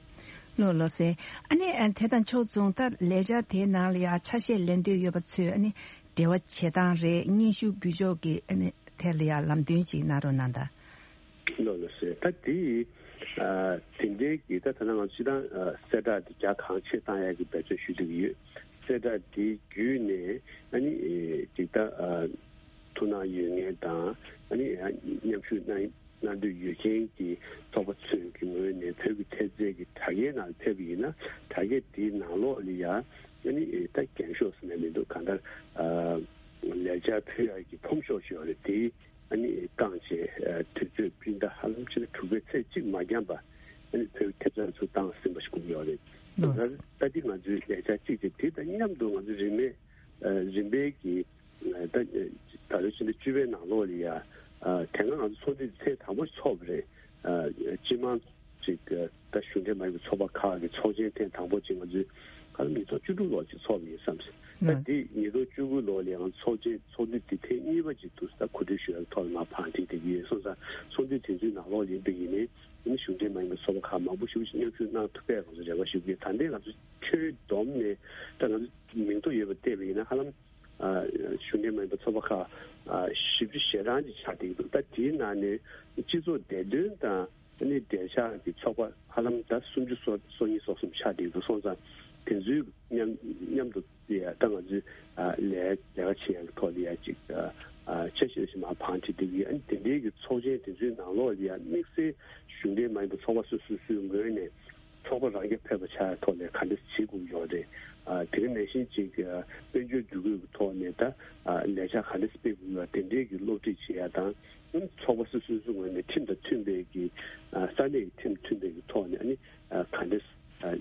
ལོ་ལོ་སེ། ཨ་ནི་དེ་དང་ཕྱོགས་མཚུངས་ད་ལས་འཆར་དེའི་ནང་ལ་ཡང་ཆ་ཤས་ལེན་འདོད་ཡོད་པ་ཚོས་ཨ་ནི་འབྲེལ་བ་བྱེད་སྟངས་རེད། སྙན་ཞུ་འབུལ་ཕྱོགས་ཀྱི་ཨ་ནི་ཐད་ལ་ཡང་ལམ་སྟོན་ཅིག་གནང་རོགས་གནང་དང་། ལོ་ལོ་སེ། ད་དེ་ཨ་དེ་འདྲའི་གི་ད་ཐ་ན་ང་ཚོ་སྤྱིར་བཏང་ཨ་གསལ་བསྒྲགས་དེ་རྒྱ་གང་ཆེ་བཏང་ཡག་གི་འབད་བརྩོན་ཞུ་བསྡད་ཀྱི་ཡོད། གསལ་བསྒྲགས་དེ་བརྒྱུད་ནས་ཨ་ནི་ཨེ་ཅིག་ད་ཨ་ཐུགས་སྣང་ཡོད་མཁན་དང་ཨ་ནི་ཨ་མཉམ་ཞུགས་གནང་གནང་འདོད་ཡོད་མཁན་གྱི་ཚོགས་པ་ཚོས་ཀྱི་ངོས་ནས་བོད་ཀྱི་ཐེབས་རྩའི་གི་དྲ་རྒྱའི་ནང་ཕེབས་པ་ཡིན་ན་དྲ་རྒྱ་དེའི་ནང་ལོགས་ལ་ཡང་ཨ་ནི་ཨེ་ད་འགེངས་ཤོག་ཟེར་ནས་མི་འདུག་གང་ལྟར་ཨ་ལས་འཆར་ཕུལ་ཡག་གི་ཕོམ་ཤོག་ཞིག་ཡོད་རེད། དེ་ཨ་ནི་བཀང་བྱས་ཨ་དུས་ཚོད་སྤྲིན་ཟླ་ཧ་ལམ་ཕྱི་ཟླ་དྲུག་པའི་ཚེས་གཅིག་མ་འཁྱམས་པ་ཨ་ནི་བོད་ཐེབས་རྩ་ཚུར་བཏང་ཟིན་པ་ཞིག་དགོས་ཀྱི་ཡོད་རེད། ལགས། ད་ད་འདི་ང་ཚོའི་ལས་འཆར་གཅིག་དེ་དེ་དང་མཉམ་དུ་ང་ཚོའི་རིན་མེད་ཨ་རིམ་པས་ཀྱི་ཨ་ད་ད་ལོའི་ཕྱི་ཟླ་བཅུ་པའི་ནང་ལོགས་ལ་ཡ་ཨ་དེ་སྔ་ང་ཚོ་ཚོགས་འདུ་ཐེངས་དང་པོ་ཚོགས་པ་རེད། ཨ་སྤྱི་དམངས་ཅིག་ཨ་ད་གཞུང་འབྲེལ་མ་ཡིན་པའི་ཚོགས་པ་ཁག་གི་ཚོགས་ཆེན་ཐེངས་དང་པོ་ཅིག་ང་ཚོས་ག་ལ་ཉིས་སྟོང་བཅུ་དྲུག་ལོར་ཅིག་ཚོགས་པ་ཡིན་བསམ་སོང་། ད་ལགས། འདི་ཉིས་སྟོང་བཅུ་དགུ་ལོ་ལ་ཡང་ཚོགས་ཆེན་ཚོགས་འདུ་འདི་ཐེངས་གཉིས་པ་ཅིག་ཏུ་ད་གོ་སྒྲིག་ཞུ་ཡག་ཐོག་ལ་མར་བང་སྒྲིག་བསྡད་ཀྱི་ཡོད་སོང་ཙང་ཚོགས་འདུ་དེ་ཚོའི་ནང་ལོགས་ཡིན་པ་ཡིན་ནའི་ཨ་ནི་གཞུང་འབྲེལ་མ་ཡིན་པའི་ཚོགས་པ་ཁག་མང་པོ་ཞིག་མཉམ་ཞུགས་གནང་ཐུབ་པའི་ང་ཚོ་རེ་བ་ཞུ་གི་ཡོད། ད་ལྟའི་ང་ཚོ་ཁྱོན་བསྡོམས་ནས་ད་ང་ཚོ་མིང་ཐོ་ཡོད་པ་བལྟས་པ་ཡིན་ན་ཧ་ལམ་ཨ་གཞུང་འབྲེལ་མ་ཡིན་པའི་ཚོགས་པ་ཁག་ཨ་བཞི་བཅུ་ཞེ་གྲངས་ཅིག་ཆགས་བསྡད་ཀྱི་འདུག་ད་དེའི་ནང་ནས་སྤྱི་ཚོགས་བདེ་དོན་དང་ཨ་ནི་འབྲེལ་ཆགས་ཀྱི་ཚོགས་པ་ཧ་ལམ་ད་སུམ་ཅུ་སོ་སོ་གཉིས་སོ་གསུམ་ཆགས་བསྡད་ཀྱི་འདུག་སོང་ཙང་དེ་ཚོའི་མཉམ་མཉམ་དུ་ཡ་ད་ང་ཚོས་ཨ་ལས་ལས་ཀ་བྱེད་ཡག་གི་ཐོག་ལ་ཡ་ཅིག་ཨ་ཨ་འཆར་གཞི་ཞིག་མར་བང་སྒྲིག་བསྡད་ཀྱི་ཡོད། ཨ་ནི་དེ་འདྲའི་གི་ཚོགས་ཆེན་དེ་ཚོའི་ནང་ལོགས་ལ་ཡ་དམིགས་བསལ་གཞུང་འབྲེལ་མ་ཡིན་པའི་ཚོགས་པ་སོ་སོ་སོའི་ངོས་ནས་ཚོགས་པ་རང་རྐྱ་ཕེབས་པ་ཆགས་ཡག་ཐོག་ལ་ག་འདྲ་བྱེད་དགོས་ཡོད་རེད། ཨ་དེ་ག་ནང་བཞིན་ཅིག་ཨ་དཔལ་འབྱོར་བསྡུ་སྒོས་ཀྱི་ཐོག་ནས་ད་ཨ་ལས་འཆར་ག་འདྲ་སྤེལ་དགོས་ཡོད་དེ་འདྲའི་གི་སློབ་ཁྲིད་བྱེད་ཡག་དང་ཨ་ནི་ཚོགས་པ་སོ་སོ་སོའི་ངོས་ནས་ཁྲིམས་དང་མཐུན་པའི་གི་ཨ་ས་གནས་ཀྱི་ཁྲིམས་མཐུན་པའི་གི་ཐོག་ནས་ཨ་ནི་ཨ་ག་འདྲ་ཨ་ཨ་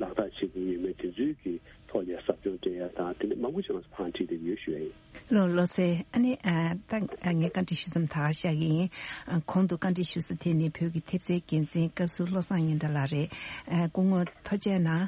ལག་བསྟར་བྱེད་དགོས་ཡོད་མེད་དེ་ཚོའི་གི་ཐོག་ལ་ཟབ་སྦྱོང་སྤྲད་ཡ་དང་དེ་འདྲ་མང་པོ་ཞིག་ང་ཚོ་བང་སྒྲིག་བསྡད་ཀྱི་ཡོད་ཞུ་ཡ་ཡིན། ལོ་ལོ་སེ། ཨ་ནི་ཨ་ད་ཨ་ངས་བཀའ་འདྲི་ཞུ་མཚམས་ད་ག་བཞག་གི་ཡིན། ཨ་གོང་དུ་བཀའ་འདྲི་ཞུ་ས་དེ་ནི་བོད་ཀྱི་ཐེབས་རྩའི་འགན་འཛིན་བཀའ་ཟུར་བློ་བཟང་སྙན་གྲགས་ལགས་རེད། ཨ་སྐུ་ངོ་ཐུགས་རྗེ་གནང་།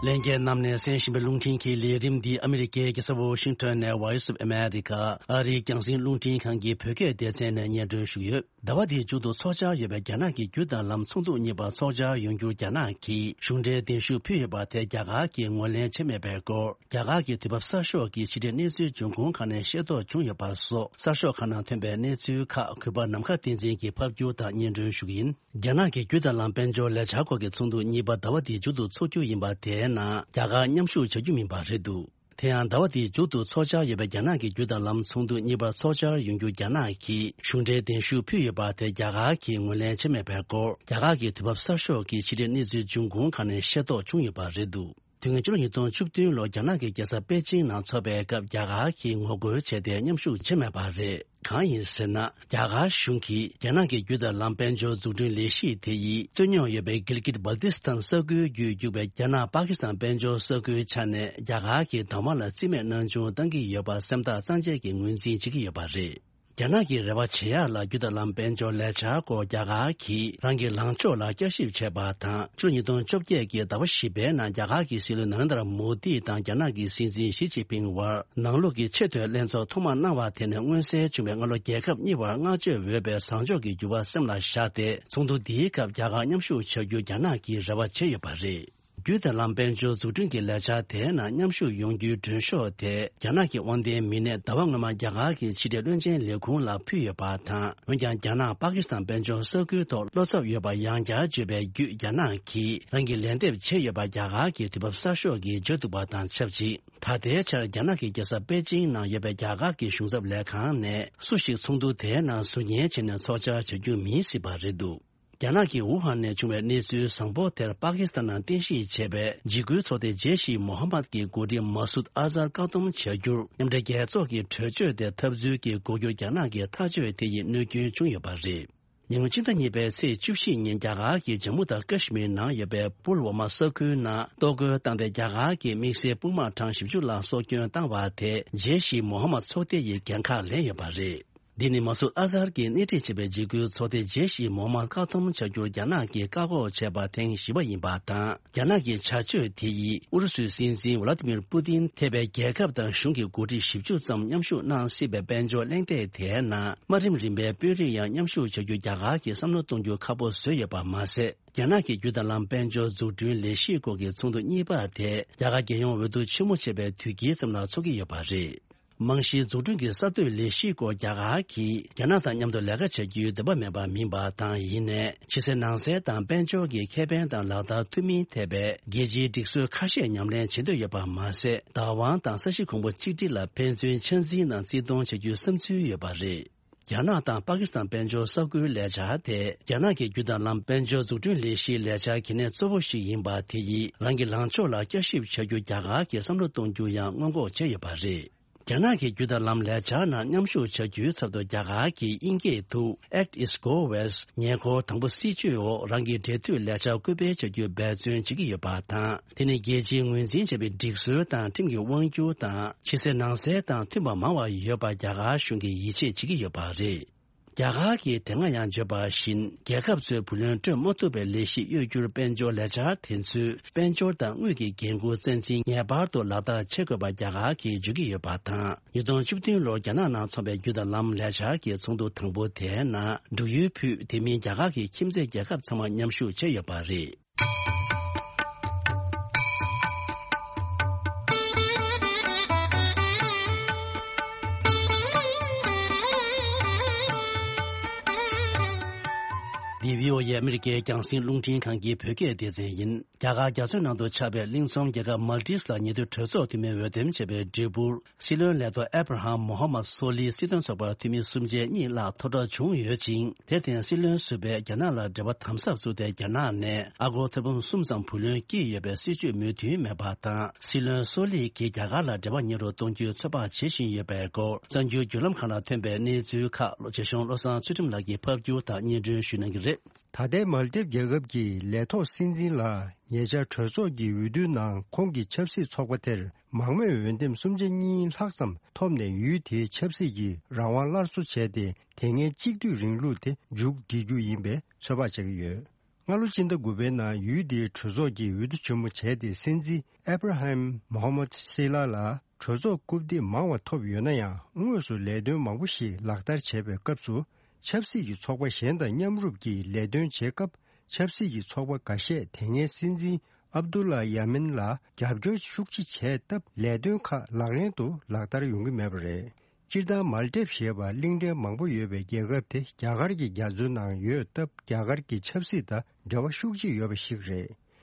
ལྷན་རྒྱས་རྣམས་ནས་གསན་བཞིན་པའི་རླུང་འཕྲིན་གྱི་ལས་རིམ་འདི་ཨ་མི་རི་ཀའི་རྒྱལ་ས་ཝོ་ཤིང་ཊོན་ནས་Voice of America ཨ་རིའི་རྒྱང་སྲིང་རླུང་འཕྲིན་ཁང་གི་བོད་སྐད་སྡེ་ཚན་ནས་སྙན་སྒྲོན་ཞུས་ཡོད། ཟླ་བ་འདིའི་མཇུག་ཏུ་འཚོགས་འཆར་ཡོད་པའི་རྒྱ་ནག་གི་རྒྱུ་དང་ལམ་ཚོགས་འདུ་གཉིས་པ་འཚོགས་འཆར་ཡོང་རྒྱུར་རྒྱ་ནག་གིས་གཞུང་འབྲེལ་གདན་ཞུ་ཕུལ་ཡོད་པ་དེ་རྒྱ་གར་གྱིས་ངོས་ལེན་བྱས་མེད་པའི་སྐོར། རྒྱ་གར་གྱི་དུས་བབ་གསར་ཤོག་གི་ཕྱི་དྲིལ་གནས་ཚུལ་འབྱུང་ཁུངས་ཁག་ནས་ཤེས་རྟོགས་བྱུང་ཡོད་པ་སོགས་གསར་ཤོག་ཁག་ནང་ཐོན་པའི་གནས་ཚུལ་ཁག་གུས་པ་ནམ་མཁའ་བསྟན་འཛིན་གྱིས་ཕབ་སྒྱུར་དང་སྙན་སྒྲོན་ཞུ་གི་ཡིན། རྒྱ་ནག་གི་རྒྱུ་དང་ལམ་དཔལ་འབྱོར་ལས་འཆར་སྐོར་གྱི་ཚོགས་འདུ་གཉིས་པ་ཟླ་བ་འདིའི་མཇུག་ཏུ་འཚོགས་རྒྱུ་ཡིན་པ་དེའི་ནང་རྒྱ་གར་མཉམ་ཞུགས་བྱ་རྒྱུ་མིན་པ་རེད་འདུག་དེ་ཡང་ཟླ་བ་འདིའི་མཇུག་ཏུ་འཚོགས་འཆར་ཡོད་པའི་རྒྱ་ནག་གི་རྒྱུ་དང་ལམ་ཚོགས་འདུ་གཉིས་པར་འཚོགས་འཆར་ཡོང་རྒྱུ་རྒྱ་ནག་གིས་གཞུང་འབྲེལ་གདན་ཞུ་ཕུལ་ཡོད་པ་དེ་རྒྱ་གར་གྱིས་ངོས་ལེན་བྱས་མེད་པའི་སྐོར། རྒྱ་གར་གྱི་དུས་བབ་གསར་ཤོག་གི་ཕྱི་དྲིལ་གནས་ཚུལ་འབྱུང་ཁུངས་ཁག་ནས་ཤེས་རྟོགས་བྱུང་ཡོད་པ་རེད་འདུག་དུས་ངན་ཕྱི་ལོ་ཉིས་སྟོང་བཅུ་བདུན་ལོར་རྒྱ་ནག་གི་རྒྱལ་ས་པེ་ཅིང་ནང་འཚོགས་པའི་སྐབས་རྒྱ་གར་གྱིས་ངོ་རྒོལ་བྱས་ཏེ་མཉམ་ཞུགས་བྱས་མེད་པ་རེད། གང་ཡིན་ཟེར་ན། རྒྱ་གར་གཞུང་གིས་རྒྱ་ནག་གི་རྒྱུ་དང་ལམ་དཔལ་འབྱོར་འཛུགས་སྐྲུན་ལས་གཞི་དེ་ཡིས་རྩོད་རྙོག་ཡོད་པའི་གིལ་གིད་སྦལ་ཏི་སི་ཐན་ས་ཁུལ་བརྒྱུད་རྒྱུག་པའི་རྒྱ་ནག་པ་ཀི་སི་ཐན་དཔལ་འབྱོར་ས་ཁུལ་ཆ་ནས་རྒྱ་གར་གྱི་དང་བ་ལ་རྩིས་མེད་སྣང་ཆུང་བཏང་གི་ཡོད་པ་སེམས་ཐག་གཙང་བཅད་ཀྱིས་ངོས་འཛིན་བྱེད་ཀྱི་ཡོད་པ་རེད། རྒྱ་ནག་གི་རེ་བ་བྱེད་ཡག་ལ་རྒྱུ་དང་ལམ་དཔལ་འབྱོར་ལས་འཆར་སྐོར་རྒྱ་གར་གྱིས་རང་གི་ལངས་ཕྱོགས་ལ་བསྐྱར་ཞིབ་བྱས་པ་དང་། ཕྱི་ལོ་ཉིས་སྟོང་བཅོ་བརྒྱད་ཀྱི་ཟླ་བ་བཞི་པའི་ནང་རྒྱ་གར་གྱི་སྲིད་བློན་ན་རེན་དྲ་མོ་དི་དང་རྒྱ་ནག་གི་སྲིད་འཛིན་ཞི་ཅིན་ཕིང་དབར་ནང་ལོགས་ཀྱི་ཆེས་མཐོའི་ལྷན་ཚོགས་ཐོག་མ་གནང་བ་དེ་ནས་མངོན་གསལ་བྱུང་བའི་སྔ་ལོ་རྒྱལ་ཁབ་གཉིས་བར་བསྔགས་བརྗོད་འོས་པའི་བཟང་ཕྱོགས་ཀྱི་འགྱུར་བ་སེམས་ལ་བཞག་སྟེ། ཚོགས་འདུ་འདིའི་སྐབས་རྒྱ་གར་མཉམ་ཞུགས་བྱ་རྒྱུ་རྒྱ་ནག་གིས་རེ་བ་བྱས་ཡོད་པ་རེད། རྒྱུ་དང་ལམ་དཔལ་འབྱོར་འཛུགས་སྐྲུན་གྱི་ལས་འཆར་དེའི་ནང་མཉམ་ཞུགས་ཡོང་རྒྱུའི་མགྲོན་ཤོག་དེ་རྒྱ་ནག་གི་དབང་ལྡན་མི་སྣས་ཟླ་བ་སྔོན་མ་རྒྱ་གར་གྱི་ཕྱི་དྲིལ་བློན་ཆེན་ལས་ཁུངས་ལ་ཕུལ་ཡོད་པ་དང་། འོན་ཀྱང་རྒྱ་ནག་པ་ཀི་སི་ཐན་དཔལ་འབྱོར་ས་ཁུལ་ཐོག་བློ་འཚབ་ཡོད་པ་ཡང་བསྐྱར་བརྗོད་པའི་བརྒྱུད། རྒྱ་ནག་གིས་རང་གི་ལན་འདེབས་བྱས་ཡོད་པ་རྒྱ་གར་གྱི་དུས་བབ་གསར་ཤོག་གིས་བརྗོད་འདུག་པ་དང་ཆབས་ཅིག་ད་ལྟའི་ཆར་རྒྱ་ནག་གི་རྒྱལ་ས་པེ་ཅིང་ནང་ཡོད་པའི་རྒྱ་གར་གྱི་གཞུང་ཚབ་ལས་ཁང་ནས་སུ་ཞིག་ཚོགས་འདུ་དེའི་ནང་ཟུར་ཉན་བྱས་ནས་ཚོགས་བཅར་བྱ་རྒྱུ་མིན་སྲིད་པ་རེད་འདུག་རྒྱ་ནག་གི་ཝུ་ཧན་ནས་བྱུང་བའི་གནས་ཚུལ་བཟང་པོ་དེར་པ་ཀི་སི་ཐན་ནང་རྟེན་གཞི་བྱས་པའི་འཇིགས་སྐུལ་ཚོགས་སྡེ་ཇེ་ཤི་མོ་ཧམ་མད་ཀྱི་འགོ་ཁྲིད་མ་སུད་ཨ་ཛར་བཀག་སྡོམ་བྱ་རྒྱུར་མཉམ་འབྲེལ་རྒྱལ་ཚོགས་ཀྱི་གྲོས་ཆོད་དེ་འཐབ་རྩོད་ཀྱི་འགོག་རྒྱུར་རྒྱ་ནག་གི་ཐག་གཅོད་དེ་ཡིས་གནོད་སྐྱོན་བྱུང་ཡོད་པ་རེད། ཉེ་སྔོན་ཕྱི་ཟླ་གཉིས་པའི་ཚེས་བཅུ་བཞི་ཉིན་རྒྱ་གར་གྱི་ཇམ་མུ་དང་ཀ་ཤི་མིར་ནང་ཡོད་པའི་པུལ་ཝ་མ་ས་ཁུལ་ནང་གཏོར་རྒོལ་བཏང་སྟེ། རྒྱ་གར་གྱི་དམིགས་བསལ་དཔུང་དམག་གྲངས་བཞི་བཅུ་ལ་སྲོག་སྐྱོན་བཏང་བ་དེ་ཇེ་ཤི་མོ་ཧམ་མད་ཚོགས་སྡེ་ཡིས་འགན་ཁག་ལེན་ཡོད་པ་རེད། འདི་ནི་མ་སུད་ཨ་ཛར་གྱིས་སྣེ་ཁྲིད་བྱས་པའི་འཇིགས་སྐུལ་ཚོགས་སྡེ་ཇེ་ཤི་མོ་ཧམ་མད་བཀག་སྡོམ་བྱ་རྒྱུར་རྒྱ་ནག་གིས་བཀག་འགོག་བྱས་པ་ཐེངས་བཞི་པ་ཡིན་པ་དང་། རྒྱ་ནག་གི་བྱ་སྤྱོད་དེ་ཡིས་ཨུ་རུ་སུའི་སྲིད་འཛིན་ཝ་ལ་ཏི་མིར་པུ་ཏིན་ཐེ་བའི་རྒྱལ་ཁབ་དང་གཞུང་གི་འགོ་ཁྲིད་བཞི་བཅུ་ཙམ་མཉམ་ཞུགས་གནང་སྲིད་པའི་དཔལ་འབྱོར་གླེང་སྟེགས་དེའི་ནང་དམའ་རིམ་རིམ་པའི་དཔོན་རིགས་ཡང་མཉམ་ཞུགས་བྱ་རྒྱུ་རྒྱ་གར་གྱིས་བསམ་བློ་གཏོང་རྒྱུ་ཁག་པོ་བཟོས་ཡོད་པ་མ་ཟད། རྒྱ་ནག་གི་རྒྱུ་དང་ལམ་དཔལ་འབྱོར་འཛུགས་སྐྲུན་ལས་གཞིའི་སྐོར་གྱི་ཚོགས་འདུ་གཉིས་པ་དེ་རྒྱ་གར་རྒྱལ་ཡོངས་འོས་བསྡུ་ཆེན་མོ་བྱས་པའི་དུས་དཀྱིལ་ཙམ་ལ་འཚོགས་ཀྱི་ཡོད་པ་རེད། རྨང་གཞིའི་འཛུགས་སྐྲུན་གྱི་གསར་གཏོད་ལས་གཞིའི་སྐོར་རྒྱ་གར་གྱིས་རྒྱ་ནག་དང་མཉམ་དུ་ལས་ཀ་བྱ་རྒྱུའི་འདོད་པ་མེད་པ་མིན་པ་དང་། ཡིན་ནའི་ཕྱི་གསལ་ནང་གསལ་དང་དཔལ་འབྱོར་གྱི་ཁེ་ཕན་དང་ལག་བསྟར་མཐུན་མིན་ཐད་པའི་རྒྱལ་སྤྱིའི་སྒྲིག་སྲོལ་ཁ་ཤས་ཉམས་ལེན་བྱེད་འདོད་ཡོད་པ་མ་ཟད། བདག་དབང་དང་ས་གཞི་གོང་བུ་གཅིག་སྒྲིལ་ལ་ཕན་ཚུན་ཆ་འཛིན་དང་བརྩི་མཐོང་བྱ་རྒྱུའི་བསམ་ཚུལ་ཡོད་པ་རེད། རྒྱ་ནག་དང་པ་ཀི་སི་ཐན་དཔལ་འབྱོར་ས་ཁུལ་ལས་འཆར་དེ་རྒྱ་ནག་གི་རྒྱུ་དང་ལམ་དཔལ་འབྱོར་འཛུགས་སྐྲུན་ལས་གཞིའི་ལས་འཆར་གལ་གནད་གཙོ་བོ་ཞིག་ཡིན་པ་དེ་ཡིས་རང་གི་ལངས་ཕྱོགས་ལ་བསྐྱར་ཞིབ་བྱ་རྒྱུ་རྒྱ་གར་གྱིས་བསམ་བློ་གཏོང་རྒྱུ་ཡང་སྔོན་འགོག་བྱས་ཡོད་པ་རེད། རྒྱ་ནག་གི་རྒྱུ་དང་ལམ་ལས་འཆར་ནང་མཉམ་ཞུགས་བྱ་རྒྱུའི་ཚབ་ཏུ་རྒྱ་གར་གྱིས་དབྱིན་སྐད་དུ་Act East Go West ཉེ་འཁོར་དང་པོ་སྲིད་བྱུས་འོག་རང་གི་འབྲེལ་མཐུད་ལས་འཆར་སྐུལ་སྤེལ་བྱ་རྒྱུའི་འབད་བརྩོན་བྱེད་ཀྱི་ཡོད་པ་དང་། དེ་ནི་རྒྱལ་སྤྱིའི་ངོས་འཛིན་བྱས་པའི་སྒྲིག་སྲོལ་དང་ཁྲིམས་ཀྱི་དབང་སྒྱུར་དང་ཕྱི་གསལ་ནང་གསལ་དང་མཐུན་པ་མང་བ་ཡོད་པར་རྒྱ་གར་གཞུང་གིས་ཡིད་ཆེས་བྱེད་ཀྱི་ཡོད་པ་རེད། རྒྱ་གར་གྱིས་དེ་སྔ་ཡང་བརྗོད་པ་བཞིན། རྒྱལ་ཁབ་ཚོས་བུ་ལོན་སྤྲོད་མ་ཐུབ་པའི་ལས་གཞི་གཡོ་སྒྱུར་དཔལ་འབྱོར་ལས་འཆར་དེ་ཚོས་དཔལ་འབྱོར་དང་དངུལ་གྱི་འགན་འཁུར་ཚད་འཛིན་ངེས་པར་དུ་ལག་བསྟར་བྱེད་དགོས་པ་རྒྱ་གར་གྱིས་བརྗོད་ཀྱི་ཡོད་པ་དང་། ཉིས་སྟོང་བཅུ་བདུན་ལོར་རྒྱ་ནག་ནང་འཚོགས་པའི་རྒྱུ་དང་ལམ་ལས་འཆར་གྱི་ཚོགས་འདུ་དང་པོ་དེའི་ནང་འབྲུག་ཡུལ་ཕུད། དེ་མིན་རྒྱ་གར་གྱི་ཁྱིམ་མཚེས་རྒྱལ་ཁབ་ཚང་མ་མཉམ་ཞུགས་བྱས་ཡོད་པ་རེད། འདི་བྷི་ཨོ་ཨེ་ཨ་མི་རི་ཀའི་རྒྱང་སྲིང་རླུང་འཕྲིན་ཁང་གི་བོད་སྐད་སྡེ་ཚན་ཡིན། རྒྱ་གར་རྒྱ་མཚོའི་ནང་དུ་ཆགས་པའི་གླིང་ཚོམ་རྒྱལ་ཁབ་མལ་ཏིབ་ལ་ཉེ་དུས་གྲོས་ཚོགས་འཐུས་མིའི་འོས་འདེམས་བྱས་པའི་འབྲས་བུར། སྲིད་བློན་ལས་ཐོག་ཨེབ་ར་ཧམ་མོ་ཧ་མད་སོ་ལི་སྲིད་དོན་ཚོགས་པར་འཐུས་མི་སུམ་ཆའི་གཉིས་བརླག་མཐོ་གྲགས་བྱུང་ཡོད་ཅིང་། དེར་བརྟེན་སྲིད་བློན་ཟུར་པས་རྒྱ་ནག་ལ་འབྲེལ་བ་དམ་ཟབ་བཙུགས་ཏེ། རྒྱ་ནག་ནས་ཨ་སྒོར་ཐེར་འབུམ་གསུམ་ཙམ་བུ་ལོན་བསྐྱིས་ཡོད་པའི་སྲིད་བྱུས་མོས་མཐུན་མེད་པ་དང་། སྲིད་བློན་སོ་ལི་གིས་རྒྱ་གར་ལ་འབྲེལ་བ་ཉེ་རུ་གཏོང་རྒྱུའི་ཚོད་དཔག་བྱེད་བཞིན་ཡོད་པའི་སྐོར། གསར་འགྱུར་བརྒྱུད་ལམ་ཁག་ལ་ཐོན་པའི་གནས་ཚུལ་ཁག་ལོ་རྗེ་གཞུང་བློ་བཟང་ཚུལ་ཁྲིམས་ལགས་ཀྱིས་ཕབ་བསྒྱུར་དང་སྙན་སྒྲོན་ཞུ་གནང་གི་རེད། ད་ལྟའི་མལ་དིབ་རྒྱལ་ཁབ་ཀྱི་ལས་ཐོག་སྲིད་འཛིན་ལ་ཉེ་ཆར་གྲོས་ཚོགས་ཀྱི་འོས་བསྡུའི་ནང་ཁོང་གི་ཆབ་སྲིད་ཚོགས་པ་དེར་མང་མོས་འོས་འདེམས་སུམ་ཆ་གཉིས་ལྷག་ཙམ་ཐོབ་ནས། ཡུལ་དེའི་ཆབ་སྲིད་ཀྱི་རང་དབང་སླར་གསོ་བྱས་ཏེ། དེ་སྔའི་གཅིག་སྡུད་རིང་ལུགས་དེ་མཇུག་སྒྲིལ་རྒྱུ་ཡིན་པའི་ཚོད་དཔག་བྱེད་ཀྱི་ཡོད། སྔ་ལོ་སྤྱི་ཟླ་དགུ་པའི་ནང་ཡུལ་དེའི་གྲོས་ཚོགས་ཀྱི་འོས་བསྡུ་ཆེན་མོ་བྱས་ཏེ། སྲིད་འཛིན་ཨེབ་ར་ཧམ་མོ་ཧམ་མད་སི་ལ་ལ་གྲོས་ཚོགས་རྐུབ་སྟེགས་མང་བ་ཐོབ་ཡོད་ན་ཡང་། དངོས་སུ་ལས་དོན་མང་པོ་ཞིག་ལག་བསྟར་བྱེད་པའི་སྐབས་སུ། ཆབ་སྲིད་ཀྱི་ཚོགས་པ་གཞན་དང་མཉམ་རུབ་ཀྱིས་ལས་དོན་བྱེད་སྐབས། ཆབ་སྲིད་ཀྱི་ཚོགས་པ་འགའ་ཤས་དེ་སྔའི་སྲིད་འཛིན་ཨབ་དུ་ལ་ཡ་མིན་ལ་རྒྱབ་སྐྱོར་ཤུགས་ཆེ་བྱས་སྟབས། ལས་དོན་ཁག་ལག་ལེན་དུ་ལག་བསྟར་ཡོང་གི་མེད་པ་རེད། སྤྱིར་བཏང་མཱལ་ཏེབ་ཞེས་པ་གླིང་ཕྲན་མང་པོ་ཡོད་པའི་རྒྱལ་ཁབ་དེ་རྒྱ་གར་གྱི་རྒྱ་མཚོའི་ནང་ཡོད་སྟབས། རྒྱ་གར་གྱི་ཆབ་སྲིད་དང་འབྲེལ་བ་ཤུགས་ཆེ་ཡོད་པ་ཞིག་རེད།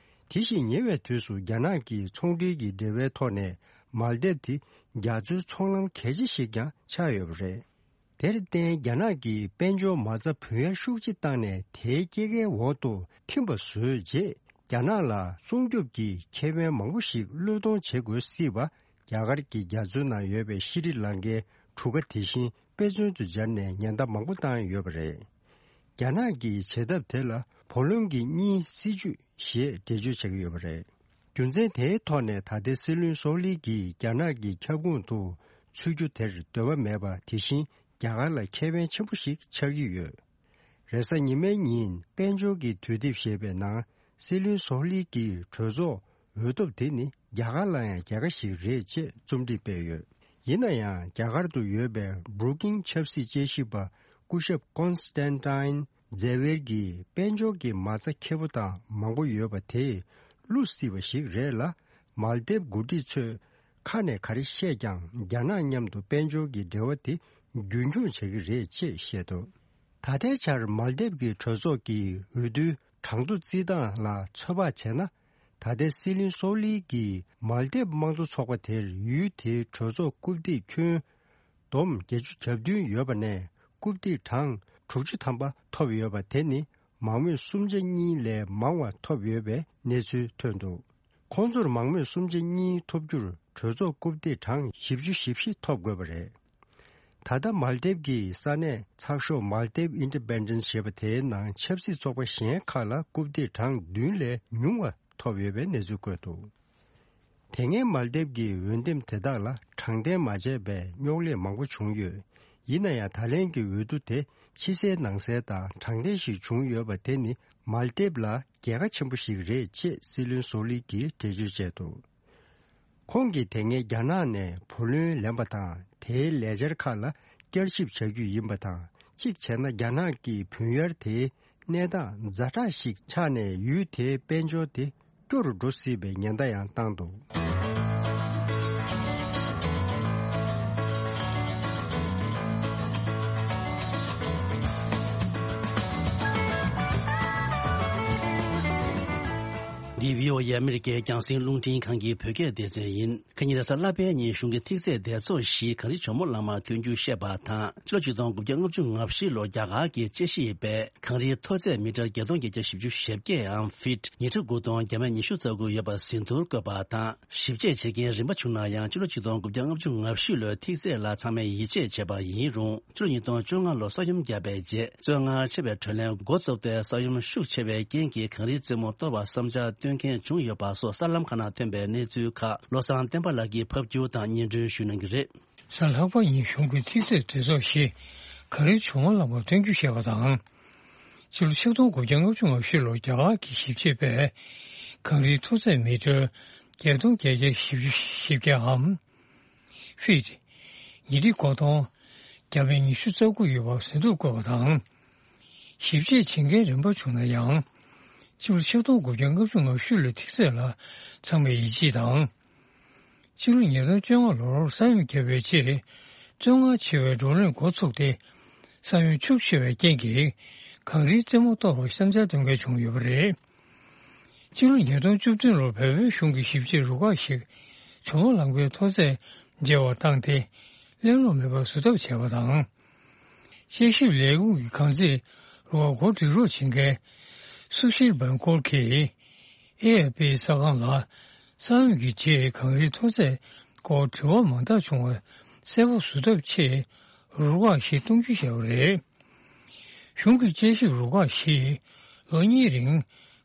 དེ་བཞིན་ཉེ་བའི་དུས་སུ་རྒྱ་ནག་གི་ཚོང་འབྲེལ་གྱི་འབྲེལ་བའི་ཐོག་ནས་མཱལ་ཏེབ་དེ་རྒྱ་མཚོའི་ཚོང་ལམ་གལ་ཆེ་ཞིག་ཀྱང་ཆགས་ཡོད་པ་རེད། དེར་བརྟེན་རྒྱ་ནག་གིས་དཔལ་འབྱོར་མ་རྩ་བུན་གཡར་ཤུགས་ཆེ་བཏང་ནས། དེའི་སྐྱེད་ཀའི་འོག་ཏུ་ཐིམ་པ་བཟོས་རྗེས། རྒྱ་ནག་ལ་སྲུང་སྐྱོབ་ཀྱི་ཁེ་ཕན་མང་པོ་ཞིག་བློས་གཏོང་བྱེད་དགོས་སྲིད་པ། རྒྱ་གར་གྱི་རྒྱ་མཚོའི་ནང་ཡོད་པའི་ཤྲི་ལང་ཀའི་གྲུ་ཁ་དེ་བཞིན་དཔེ་མཚོན་དུ་སྦྱར་ནས་ཉེན་བརྡ་མང་པོ་བཏང་ཡོད་པ་རེད། རྒྱ་ནག་གིས་བྱེད་ཐབས་དེ་ལ་བུ་ལོན་གྱི་གཉིས་སྲིད་ཇུས་ཞེས་འགྲེལ་བརྗོད་བྱེད་ཀྱི་ཡོད་པ་རེད། རྒྱུ་མཚན་དེའི་ཐོག་ནས་ད་ལྟའི་སྲིད་བློན་སོག་ལི་གིས་རྒྱ་ནག་གི་ཁྱབ་ཁོངས་དུ་ཚུད་རྒྱུ་དེར་འདོད་པ་མེད་པ། དེ་བཞིན་རྒྱ་གར་ལ་ཁེ་ཕན་ཆེན་པོ་ཞིག་ཆགས་ཀྱི་ཡོད། རེས་གཟའ་ཉི་མའི་ཉིན་དཔལ་འབྱོར་གྱི་དུས་དེབ་ཞེས་པའི་ནང་། སྲིད་བློན་སོག་ལི་གིས་གྲོས་ཚོགས་འོས་ཐོབ་དེ་ནི་རྒྱ་གར་ལ་ཡང་རྒྱལ་ཁ་ཞིག་རེད་ཅེས་རྩོམ་སྒྲིག་སྤེལ་ཡོད། ཡིན་ན་ཡང་རྒྱ་གར་དུ་ཡོད་པའི་Brookings་ཆབ་སྲིད་དཔྱད་ཞིབ་པ་སྐུ་ཞབས་Constantine་ཛེ་ཝེར་གྱིས། དཔལ་འབྱོར་གྱི་མ་རྩ་ཁེ་པོ་དང་མང་པོ་ཡོད་པ་དེས་བསླུ་སྲིད་པ་ཞིག་རེད་ལ། མཱལ་ཏེབ་འགོ་ཁྲིད་ཚོས་ཁ་ནས་ག་རེ་བཤད་ཀྱང་། རྒྱ་ནག་མཉམ་དུ་དཔལ་འབྱོར་གྱི་འབྲེལ་བ་དེ་རྒྱུན་འཁྱོངས་བྱེད་ཀྱི་རེད་ཅེས་བཤད་འདུག་ད་ལྟའི་ཆར་མཱལ་ཏེབ་ཀྱི་གྲོས་ཚོགས་ཀྱི་འོས་བསྡུའི་གྲངས་ཐོ་བརྩི་སྟངས་ལ་ཚོད་དཔག་བྱས་ན། ད་ལྟའི་སྲིད་བློན་སོག་ལི་གིས་མཱལ་ཏེབ་དམངས་གཙོ་ཚོགས་པ་དེར་ཡུལ་དེའི་གྲོས་ཚོགས་རྐུབ་སྟེགས་ཁྱོན་བསྡོམས་བརྒྱད་ཅུ་གྱ་བདུན་ཡོད་པ་ནས། རྐུབ་སྟེགས་གྲངས་དྲུག་ཅུ་ཐམ་པ་ཐོབ་ཡོད་པ་དེ་ནི་མང་མོས་གསུམ་ཆ་གཉིས་ལས་མང་བ་ཐོབ་ཡོད་པའི་གནས་ཚུལ་ཐོན་འདུག་ཁོང་ཚོར་མང་མོས་གསུམ་ཆ་གཉིས་ཐོབ་རྒྱུར་གྲོས་ཚོགས་རྐུབ་སྟེགས་གྲངས་བཞི་བཅུ་ཞེ་བཞི་ཐོབ་དགོས་པ་རེད། ད་ལྟ་མཱལ་ཏེབ་ཀྱི་ས་གནས་ཚགས་ཤོག་Maldives Independent་ཞེས་པ་དེའི་ནང་ཆབ་སྲིད་ཚོགས་པ་གཞན་ཁག་ལ་རྐུབ་སྟེགས་གྲངས་བདུན་ལས་ཉུང་བ་ཐོབ་ཡོད་པའི་གནས་ཚུལ་བཀོད་འདུག་དེ་སྔའི་མཱལ་ཏེབ་ཀྱི་འོས་འདེམས་དེ་དག་ལ་དྲང་བདེན་མ་བྱས་པའི་རྙོག་གླེང་མང་པོ་བྱུང་ཡོད། ཡིན་ན་ཡང་། ད་ལན་གྱི་འོས་བསྡུ་དེ་ཕྱི་གསལ་ནང་གསལ་དང་དྲང་བདེན་ཞིག་བྱུང་ཡོད་པ་དེ་ནི་མཱལ་ཏེབ་ལ་རྒྱལ་ཁ་ཆེན་པོ་ཞིག་རེད་ཅེས་སྲིད་བློན་སོག་ལི་གིས་འགྲེལ་བརྗོད་བྱས་འདུག་ཁོང་གིས་དེ་སྔའི་རྒྱ་ནག་ནས་བུ་ལོན་ལེན་པ་དང་། དེའི་ལས་འཆར་ཁག་ལ་བསྐྱར་ཞིབ་བྱ་རྒྱུ་ཡིན་པ་དང་། གཅིག་བྱས་ན། རྒྱ་ནག་གིས་བུན་གཡར་དེའི་གནས་སྟངས་ཛ་དྲག་ཞིག་ཆགས་ནས། ཡུལ་དེའི་དཔལ་འབྱོར་དེ་སྐྱོ་རུ་འགྲོ་སྲིད་པའི་ཉེན་བརྡ་ཡང་བཏང་འདུག་འདི་བྷི་ཨོ་ཨེ་ཨ་མི་རི་ཀའི་རྒྱང་སྲིང་རླུང་འཕྲིན་ཁང་གི་བོད་སྐད་སྡེ་ཚན་ཡིན། ཁ་ཉིན་རེས་གཟའ་ལྷག་པའི་ཉིན་གཞུང་གི་ཐིག་ཚད་སྡེ་ཚོགས་བཞིས་གངས་རི་ཇོ་མོ་གླང་མ་ཐོན་རྒྱུ་བཤད་པ་དང་། ཕྱི་ལོ་ཆིག་སྟོང་དགུ་བརྒྱ་ལྔ་བཅུ་ང་བཞི་ལོར་རྒྱ་གར་གྱི་དཔྱད་ཞིབ་པས་གངས་རིའི་མཐོ་ཚད་མི་ཊར་བརྒྱད་སྟོང་བརྒྱད་བརྒྱ་བཞི་བཅུ་ཞེ་བརྒྱད་འམ་ཕིཊ་ཉི་ཁྲི་དགུ་སྟོང་བརྒྱ་མེད་ཉི་ཤུ་རྩ་དགུ་ཡོད་པ་ཟིན་ཐོར་བཀོད་པ་དང་། ཞིབ་དཔྱད་བྱེད་མཁན་རིམ་པ་བྱུང་ན་ཡང་། ཕྱི་ལོ་ཆིག་སྟོང་དགུ་བརྒྱ་ལྔ་བཅུ་ང་བཞི་ལོའི་ཐིག་ཚད་ལ་ཚང་མས་ཡིད་ཆེས་བྱས་པ་ཡིན་རུང་། ཕྱི་ལོ་ཉིས་སྟོང་བཅོ་ལྔ་ལོར་ས་ཡོམ་བརྒྱབ་པའི་རྗེས། བཙོན་ལྔ་ཆེ་བའི་དྲོད་ལན་འགོ་བཙུགས་ཏེ། ས་ཡོམ་ཤུགས་ཆེ་བའི་རྐྱེན་གྱིས་གངས་རིའི་རྩེ་མོ་གཏོར་བར་བསམ་འཆར་བཏོན་མཁན་བྱུང་ཡོད་པ་སོགས་གསར་ལམ་ཁག་ནང་ཐོན་པའི་གནས་ཚུལ་ཁག་བློ་བཟང་བསྟན་པ་ལགས་ཀྱིས་ཕབ་སྒྱུར་དང་སྙན་སྒྲོན་ཞུ་གནང་གི་རེད། གཟའ་ལྷག་པ་ཉིན་གཞུང་གི་ཐིག་ཚད་སྡེ་ཚོགས་བཞིས་གངས་རིའི་ཇོ་མོ་གླང་མ་ཐོན་རྒྱུ་བཤད་པ་དང་། ཕྱི་ལོ་ཆིག་སྟོང་དགུ་བརྒྱ་ལྔ་བཅུ་ང་བཞི་ལོར་རྒྱ་གར་གྱི་ཞིབ་དཔྱད་པས་གངས་རིའི་མཐོ་ཚད་མི་ཊར་བརྒྱད་སྟོང་བརྒྱད་བརྒྱ་བཞི་བཅུ་ཞེ་བརྒྱད་འམ། ཕིཊ་ཉི་ཁྲི་དགུ་སྟོང་བརྒྱ་མེད་ཉི་ཤུ་རྩ་དགུ་ཡོད་པ་ཟིན་ཐོར་བཀོད་པ་དང་། ཞིབ་དཔྱད་བྱེད་མཁན་རིམ་པ་བྱུང་ན་ཡང་། ཕྱི་ལོ་ཆིག་སྟོང་དགུ་བརྒྱ་ལྔ་བཅུ་ང་བཞི་ལོའི་ཐིག་ཚད་ལ་ཚང་མས་ཡིད་ཆེས་དང་། ཕྱི་ལོ་ཉིས་སྟོང་བཅོ་ལྔ་ལོར་ས་ཡོམ་བརྒྱབ་པའི་རྗེས། བཙོན་ཁང་ཆེ་བའི་བགྲོ་གླེང་འགོ་ཚུགས་ཏེ། ས་ཡོམ་ཤུགས་ཆེ་བའི་རྐྱེན་གྱིས་གངས་རིའི་རྩེ་མོ་གཏོར་བར་བསམ་འཆར་འདོན་མཁན་བྱུང་ཡོད་པ་རེད། ཕྱི་ལོ་ཉིས་སྟོང་བཅུ་བདུན་ལོར་བལ་པོའི་གཞུང་གི་ཞིབ་དཔྱད་རུ་ཁག་ཞིག་ཇོ་མོ་གླང་མའི་མཐོ་ཚད་འཇལ་བར་བཏང་སྟེ། གླེང་སློང་མེད་པར་བཟོ་ཐབས་བྱས་པ་དང་། དཔྱད་ཞིབ་ལས་ཁུངས་ཀྱི་གངས་རྩིས་རུ་ཁག་འགོ་འདྲེན་རོགས་བྱེད་མཁན་སུ་ཤིལ་བན་ཀོལ་གྱིས་ཨེ་ཨེ་པི་གསར་ཁང་ལ། ས་ཡོམ་གྱི་རྗེས་གངས་རིའི་མཐོ་ཚད་སྐོར་དྲི་བ་མང་དག་བྱུང་བ་གསལ་པོ་བཟོ་ཐབས་ཆེད། རུ་ཁག་བཞི་གཏོང་རྒྱུ་བྱས་པ་རེད། གཞུང་གི་དཔྱད་ཞིབ་རུ་ཁག་བཞིས་ལོ་གཉིས་རིང་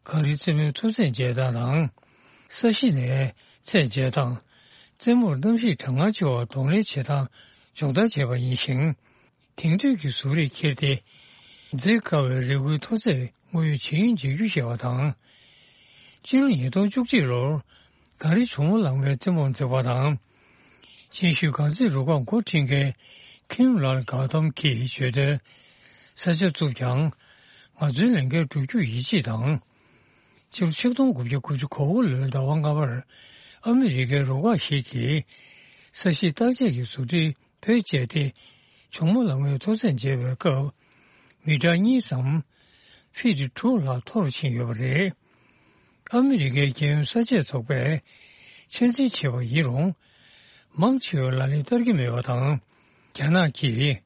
གངས་རིའི་རྩེ་མོའི་མཐོ་ཚད་འཇལ་སྟངས་དང་། ས་གཞི་ནས་ཚད་འཇལ་སྟངས། རྩེ་མོར་གནམ་གཤིས་གྲང་ངར་ཆེ་བར་གདོང་ལེན་བྱེད་སྟངས་སྦྱོང་བརྡར་བྱས་པ་ཡིན་ཞིང་། དེང་དུས་ཀྱི་གཟུགས་རིས་འཁྱེར་ཏེ། འཛེག་དཀའ་བའི་རི་ཁུལ་མཐོ་ཚད་དངོས་ཡོད་ཇི་ཡིན་མཇལ་རྒྱུ་བྱས་པ་དང་། སྤྱི་ལོ་ཉིས་སྟོང་བཅུ་གཅིག་ལོར་གངས་རི་ཇོ་མོ་གླང་མའི་རྩེ་མོར་འཛེགས་པ་དང་། ཆེ་ཤོས་གངས་འཛེག་རུ་ཁག་འགོ་ཁྲིད་མཁན་ཁིམ་ལཱལ་གྷ་ཐོམ་གྱིས་བརྗོད་དོན། ས་ཆ་བཙུགས་ཀྱང་ང་ཚོའི་ལས་འགན་སྒྲུབ་རྒྱུར་ཡིད་ཆེས་དང་། ཕྱི་ལོ་ཆིག་སྟོང་དགུ་བརྒྱ་དགུ་བཅུ་གོ་དགུ་ལོའི་ཟླ་བ་ལྔ་པར་ཨ་མི་རི་ཀའི་རུ་ཁག་ཞིག་གིས་ས་གཞི་བརྟག་དཔྱད་ཀྱི་བཟོ་སྒྲིག་བེད་སྤྱད་དེ། ཇོ་མོ་གླང་མའི་མཐོ་ཚད་འཇལ་བའི་སྐབས་མི་ཊར་གཉིས་ཙམ་ཕིཊ་དྲུག་ལྷག་མཐོ་རུ་ཕྱིན་ཡོད་པ་རེད། ཨ་མི་རི་ཀའི་རྒྱལ་ཡོངས་ས་དཔྱད་ཚོགས་པས་ཆ་འཛིན་བྱས་པ་ཡིན་རུང་། མང་ཆེ་བས་ལག་ལེན་བསྟར་གྱི་མེད་པ་དང་། རྒྱ་ནག་གིས་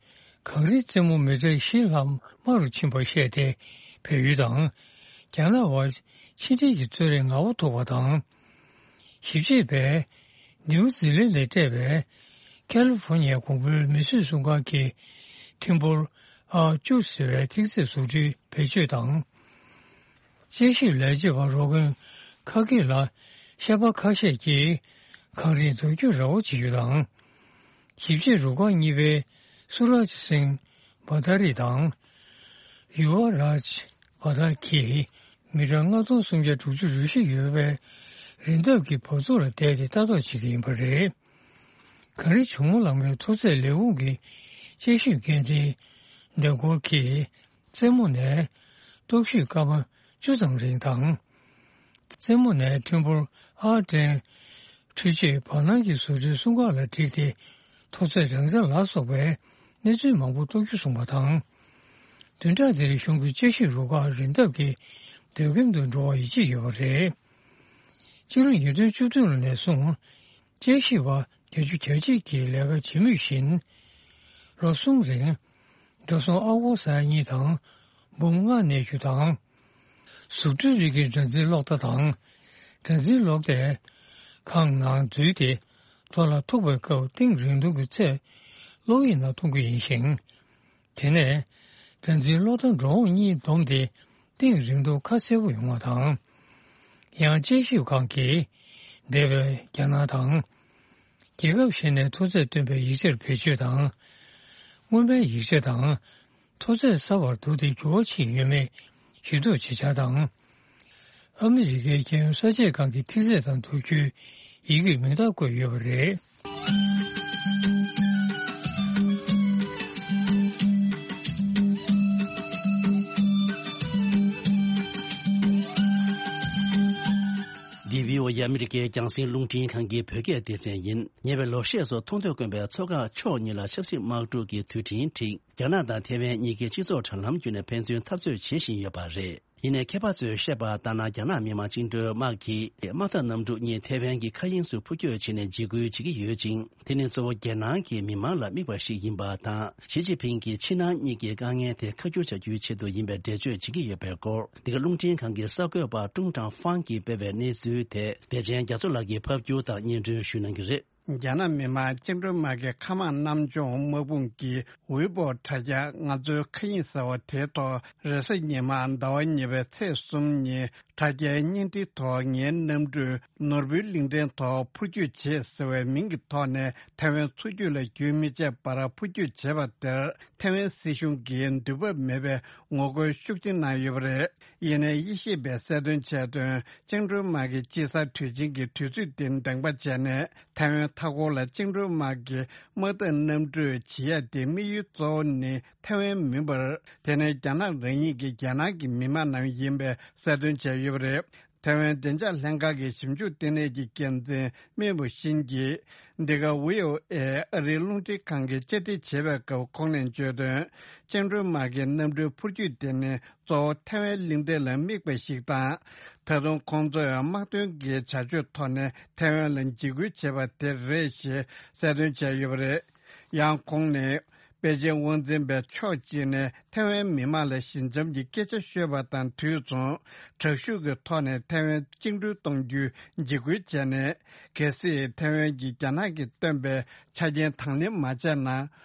གངས་རིའི་རྩེ་མོ་མི་ཊར་བཞི་ལྷག་དམའ་རུ་ཕྱིན་པར་བཤད་དེ། བལ་ཡུལ་དང་རྒྱ་ནག་དབར་ཕྱི་འབྲེལ་གྱི་རྩོད་རེས་ངར་པོ་ཐུག་པ་དང་། ཞིབ་དཔྱད་པས་ནིའུ་ཛི་ལན་ལས་སྤྲད་པའི་ཁ་ལི་ཧྥོ་ནི་ཡའི་གོང་བུའི་མིས་བཟོས་སྲུང་སྐར་གྱི་ཐིམ་ཕུལ་ཨར་བཅུ་ཟེར་བའི་ཐིག་ཚད་བཟོ་སྐྲུན་བེད་སྤྱོད་དང་། དཔྱད་ཞིབ་ལས་བྱེད་པ་རོ་ཀོན་ཁ་གེ་ལ་ཤ་པ་ཁ་ཤས་ཀྱིས་གངས་རིའི་འཛུགས་སྐྲུན་ར་བ་བྱེད་རྒྱུ་དང་། ཞིབ་དཔྱད་རུ་ཁག་གཉིས་པའི་སུ་རཱཇ་སིང་བྷ་ཏཱ་རི་དང་། ཡུ་བ་རཱཇ་བྷ་ཏཱ་རི་གིས་མི་ཊར་ལྔ་སྟོང་སུམ་བརྒྱ་དྲུག་ཅུ་རེ་བཞི་ཡོད་པའི་རི་འདབས་ཀྱི་བབས་ཚུགས་ལ་བསྡད་དེ་ལྟ་རྟོག་བྱེད་ཀྱི་ཡིན་པ་རེད། གངས་རི་ཇོ་མོ་གླང་མའི་མཐོ་ཚད་ལས་ཁུངས་ཀྱི་དཔྱད་ཞིབ་འགན་འཛིན་ཌེ་གོར་གྱིས། རྩེ་མོ་ནས་སྟོབས་ཤུགས་སྐར་མ་བཅུ་ཙམ་རིང་དང་། རྩེ་མོ་ནས་ཐིམ་ཕུལ་ཨར་ཊེན་འཕྲུལ་ཆས་བར་སྣང་གི་བཟོ་སྐྲུན་སྲུང་སྐར་ལ་བསྒྲིགས་ཏེ། མཐོ་ཚད་རང་འཇགས་ལ་སོགས་པའི་གནས་ཚུལ་མང་པོ་རྟོགས་རྒྱུ་གསུངས་པ་དང་། བདུན་ཕྲག་འདིར་གཞུང་གི་དཔྱད་ཞིབ་རུ་ཁག་རི་འདབས་ཀྱི་སྡོད་ཁྱིམ་དུ་འགྲོ་བར་ཡིད་ཆེས་ཡོད་པ་རེད། ཕྱི་ལོ་ཉིས་སྟོང་བཅུ་བདུན་ལོ་ནས་བཟུང་དཔྱད་ཞིབ་པ་བརྒྱད་ཅུ་གྱ་གཅིག་གིས་ལས་ཀ་བྱེད་མུས་བཞིན། ལོ་གསུམ་རིང་འགྲོ་སོང་ཨ་སྒོར་ས་ཡ་གཉིས་དང་འབུམ་ལྔ་གནས་རྒྱུ་དང་། གཟུགས་འཕྲུལ་རིགས་ཀྱི་སྒྲ་འཛིན་གློག་བརྡ་དང་། སྒྲ་འཛིན་གློག་དེ་ཁང་ནང་འཛུལ་ཏེ་རྡོ་ལ་ཐུག་པའི་སྐབས་གཏིང་རིང་ཐུང་གི་ཚད་གློག་ཡིག་ནང་གཏོང་གི་ཡིན་ཞིང་། དེ་ནས་སྒྲ་འཛིན་གློག་བརྡ་འགྲོ་འོང་གཉིས་བསྡོམས་ཏེ་གཏིང་རིང་ཐུང་ཁ་གསལ་པོ་ཡོང་བ་དང་། ཡང་དཔྱད་ཞིབ་ཁང་གིས་འདས་པའི་རྒྱ་ནག་དང་། རྒྱལ་ཁབ་གཞན་ནས་མཐོ་ཚད་སྟོན་པའི་ཡིག་ཆར་བེད་སྤྱོད་དང་། སྔོན་མའི་ཡིག་ཆ་དང་མཐོ་ཚད་གསར་བར་བསྡུར་ཏེ་འགྱུར་བ་ཕྱིན་ཡོད་མེད་ཞིབ་འཚོལ་བྱེད་འཆར་དང་། ཨ་མི་རི་ཀའི་རྒྱལ་ཡོངས་ས་དཔྱད་ཁང་གི་ཐིག་ཚད་དང་བསྡུར་རྒྱུའི་ཡི་གེར་མིང་རྟགས་བཀོད་ཡོད་པ་རེད། འདི་བྷི་ཨོ་ཨེ་ཨ་མི་རི་ཀའི་རྒྱང་སྲིང་རླུང་འཕྲིན་ཁང་གི་བོད་སྐད་སྡེ་ཚན་ཡིན། ཉེ་བའི་ལོ་ཤས་སུ་མཐོང་ཐོས་དཀོན་པའི་མཚོ་འགག་ཕྱོགས་གཉིས་ལ་ཆབ་སྲིད་དམག་འཁྲུག་གི་དུས་དྲན་འཁྲིགས། རྒྱ་ནག་དང་ཐེ་ཝན་གཉིས་ཀའི་སྤྱི་ཚོགས་དྲ་ལམ་བརྒྱུད་ནས་ཕན་ཚུན་འཐབ་རྩོད་བྱེད་བཞིན་ཡོད་པ་རེད། ཡིན་ནའི་མཁས་པ་ཚོས་བཤད་པ་ལྟར་ན། རྒྱ་ནག་མི་དམངས་བཅིངས་འགྲོལ་དམག་གིས་དམག་འཐབ་གནམ་གྲུ་གཉིས་ཐེ་ཝན་གྱི་མཁའ་དབྱིངས་སུ་འཕུར་སྐྱོད་བྱས་ནས་འཇིགས་སྐུལ་བྱེད་ཀྱི་ཡོད་ཅིང་། དེ་ནི་གཙོ་བོ་རྒྱལ་ནང་གི་མི་མང་ལ་དམིགས་པ་ཞིག་ཡིན་པ་དང་། ཞི་ཅིན་ཕིང་གིས་ཕྱི་ནང་གཉིས་ཀྱི་དཀའ་ངལ་དེ་ཁ་བསྒྱུར་བྱ་རྒྱུའི་ཆེད་དུ་ཡིན་པའི་འགྲེལ་བརྗོད་བྱེད་ཀྱི་ཡོད་པའི་སྐོར། འདི་ག་རླུང་འཕྲིན་ཁང་གི་གསར་འགོད་པ་ཀྲུང་ཀྲང་ཧྥང་གིས་སྤེལ་བའི་གནས་ཚུལ་དེ། བདེ་ཆེན་རྒྱ་མཚོ་ལགས་ཀྱིས་ཕབ་སྒྱུར་དང་སྙན་སྒྲོན་ཞུ་གནང་གི་རེད། རྒྱ་ནག་མི་དམངས་བཅིངས་འགྲོལ་དམག་གི་མཁའ་དམག་གནམ་མཆོང་དམག་དཔུང་གིས་ཝེ་པོ་དྲ་རྒྱ་ང་ཚོའི་མཁའ་དབྱིངས་ཟེར་བ་དེའི་ཐོག་རེས་གཟའ་ཉི་མ་ཟླ་བ་གཉིས་པའི་ཚེས་གསུམ་ཉིན་དྲ་རྒྱའི་བརྙན་འཕྲིན་ཐོག་ངའི་གནམ་གྲུས་ནོར་བུའི་གླིང་ཕྲན་ཐོག་འཕུར་སྐྱོད་བྱས་ཟེར་བའི་མིང་གི་ཐོག་ནས་ཐའེ་ཝན་མཚོ་རྒྱུད་ལ་རྒྱུན་མི་ཆད་པར་འཕུར་སྐྱོད་བྱས་པ་དེར་ཐའེ་ཝན་སྲིད་གཞུང་གིས་འདོད་བབ་མེད་པའི་ངོ་རྒོལ་ཤུགས་ཆེན་གནང་ཡོད་པ་རེད། ཡིན་ནའི་དབྱེ་ཞིབ་པས་གསལ་སྟོན་བྱས་དོན། བཅིངས་འགྲོལ་དམག་གི་དཔྱིད་གསར་དུས་ཆེན་གྱི་དུས་ཚོད་དེ་འདེངས་པ་བྱས་ནས། ཐའེ་ཝན་མཐའ་འཁོར་ལ་བཅིངས་འགྲོལ་དམག་གི་དམག་འཐབ་གནམ་གྲུས་བྱེད་ཡ་དེ་དམིགས་ཡུལ་གཙོ་བོ་ནི་ཐའེ་ཝན་མིན་པར། དེ་ནི་རྒྱ་ནག་རང་ཉིད་ཀྱི་རྒྱལ་ནང་གི་མི་དམངས་རྣམས་ཡིན་པའི་གསལ་སྟོན་བྱས་ཡོད་པ་རེད། ཐའེ་ཝན་བདེ་འཇགས་ལྷན་ཁང་གི་ཞིབ་འཇུག་ལྟེ་གནས་ཀྱི་འགན་འཛིན་མེ་བུ་ཤིན་གྱིས། འདི་ག་ཝི་ཨོ་ཨེ་ཨ་རིའི་རླུང་འཕྲིན་ཁང་གིས་བཅར་འདྲི་བྱས་པའི་སྐབས་ཁོང་ནས་བརྗོད་དོན། བཅིངས་འགྲོལ་དམག་གི་གནམ་གྲུའི་འཕུར་སྐྱོད་དེ་ནི། གཙོ་བོ་ཐའེ་ཝན་གླིང་ཕྲན་ལ་དམིགས་པ་ཞིག་དང་། ད་དུང་ཁོང་ཚོས་དམག་དོན་གྱི་བྱ་སྤྱོད་ཐོག་ནས་ཐའེ་ཝན་ལ་འཇིགས་སྐུལ་བྱས་པ་དེ་རེད་ཞེས་གསལ་སྟོན་བྱས་ཡོད་པ་རེད། ཡང་ཁོང་ནས། པེ་ཅིན་དབང་འཛིན་པས་ཕྱོགས་གཅིག་ནས་ཐའེ་ཝན་མི་དམངས་ལ་ཞི་འཇམ་གྱི་སྐད་ཆ་ཤོད་པ་དང་དུས་མཚུངས། དྲག་ཤུགས་ཀྱི་ཐོག་ནས་ཐའེ་ཝན་བཅིངས་འགྲོལ་གཏོང་རྒྱུའི་འཇིགས་སྐུལ་བྱས་ནས། གལ་སྲིད་ཐའེ་ཝན་གྱིས་རྒྱ་ནག་གིས་བཏོན་པའི་ཆ་རྐྱེན་དང་ལེན་མ་བྱས་ན།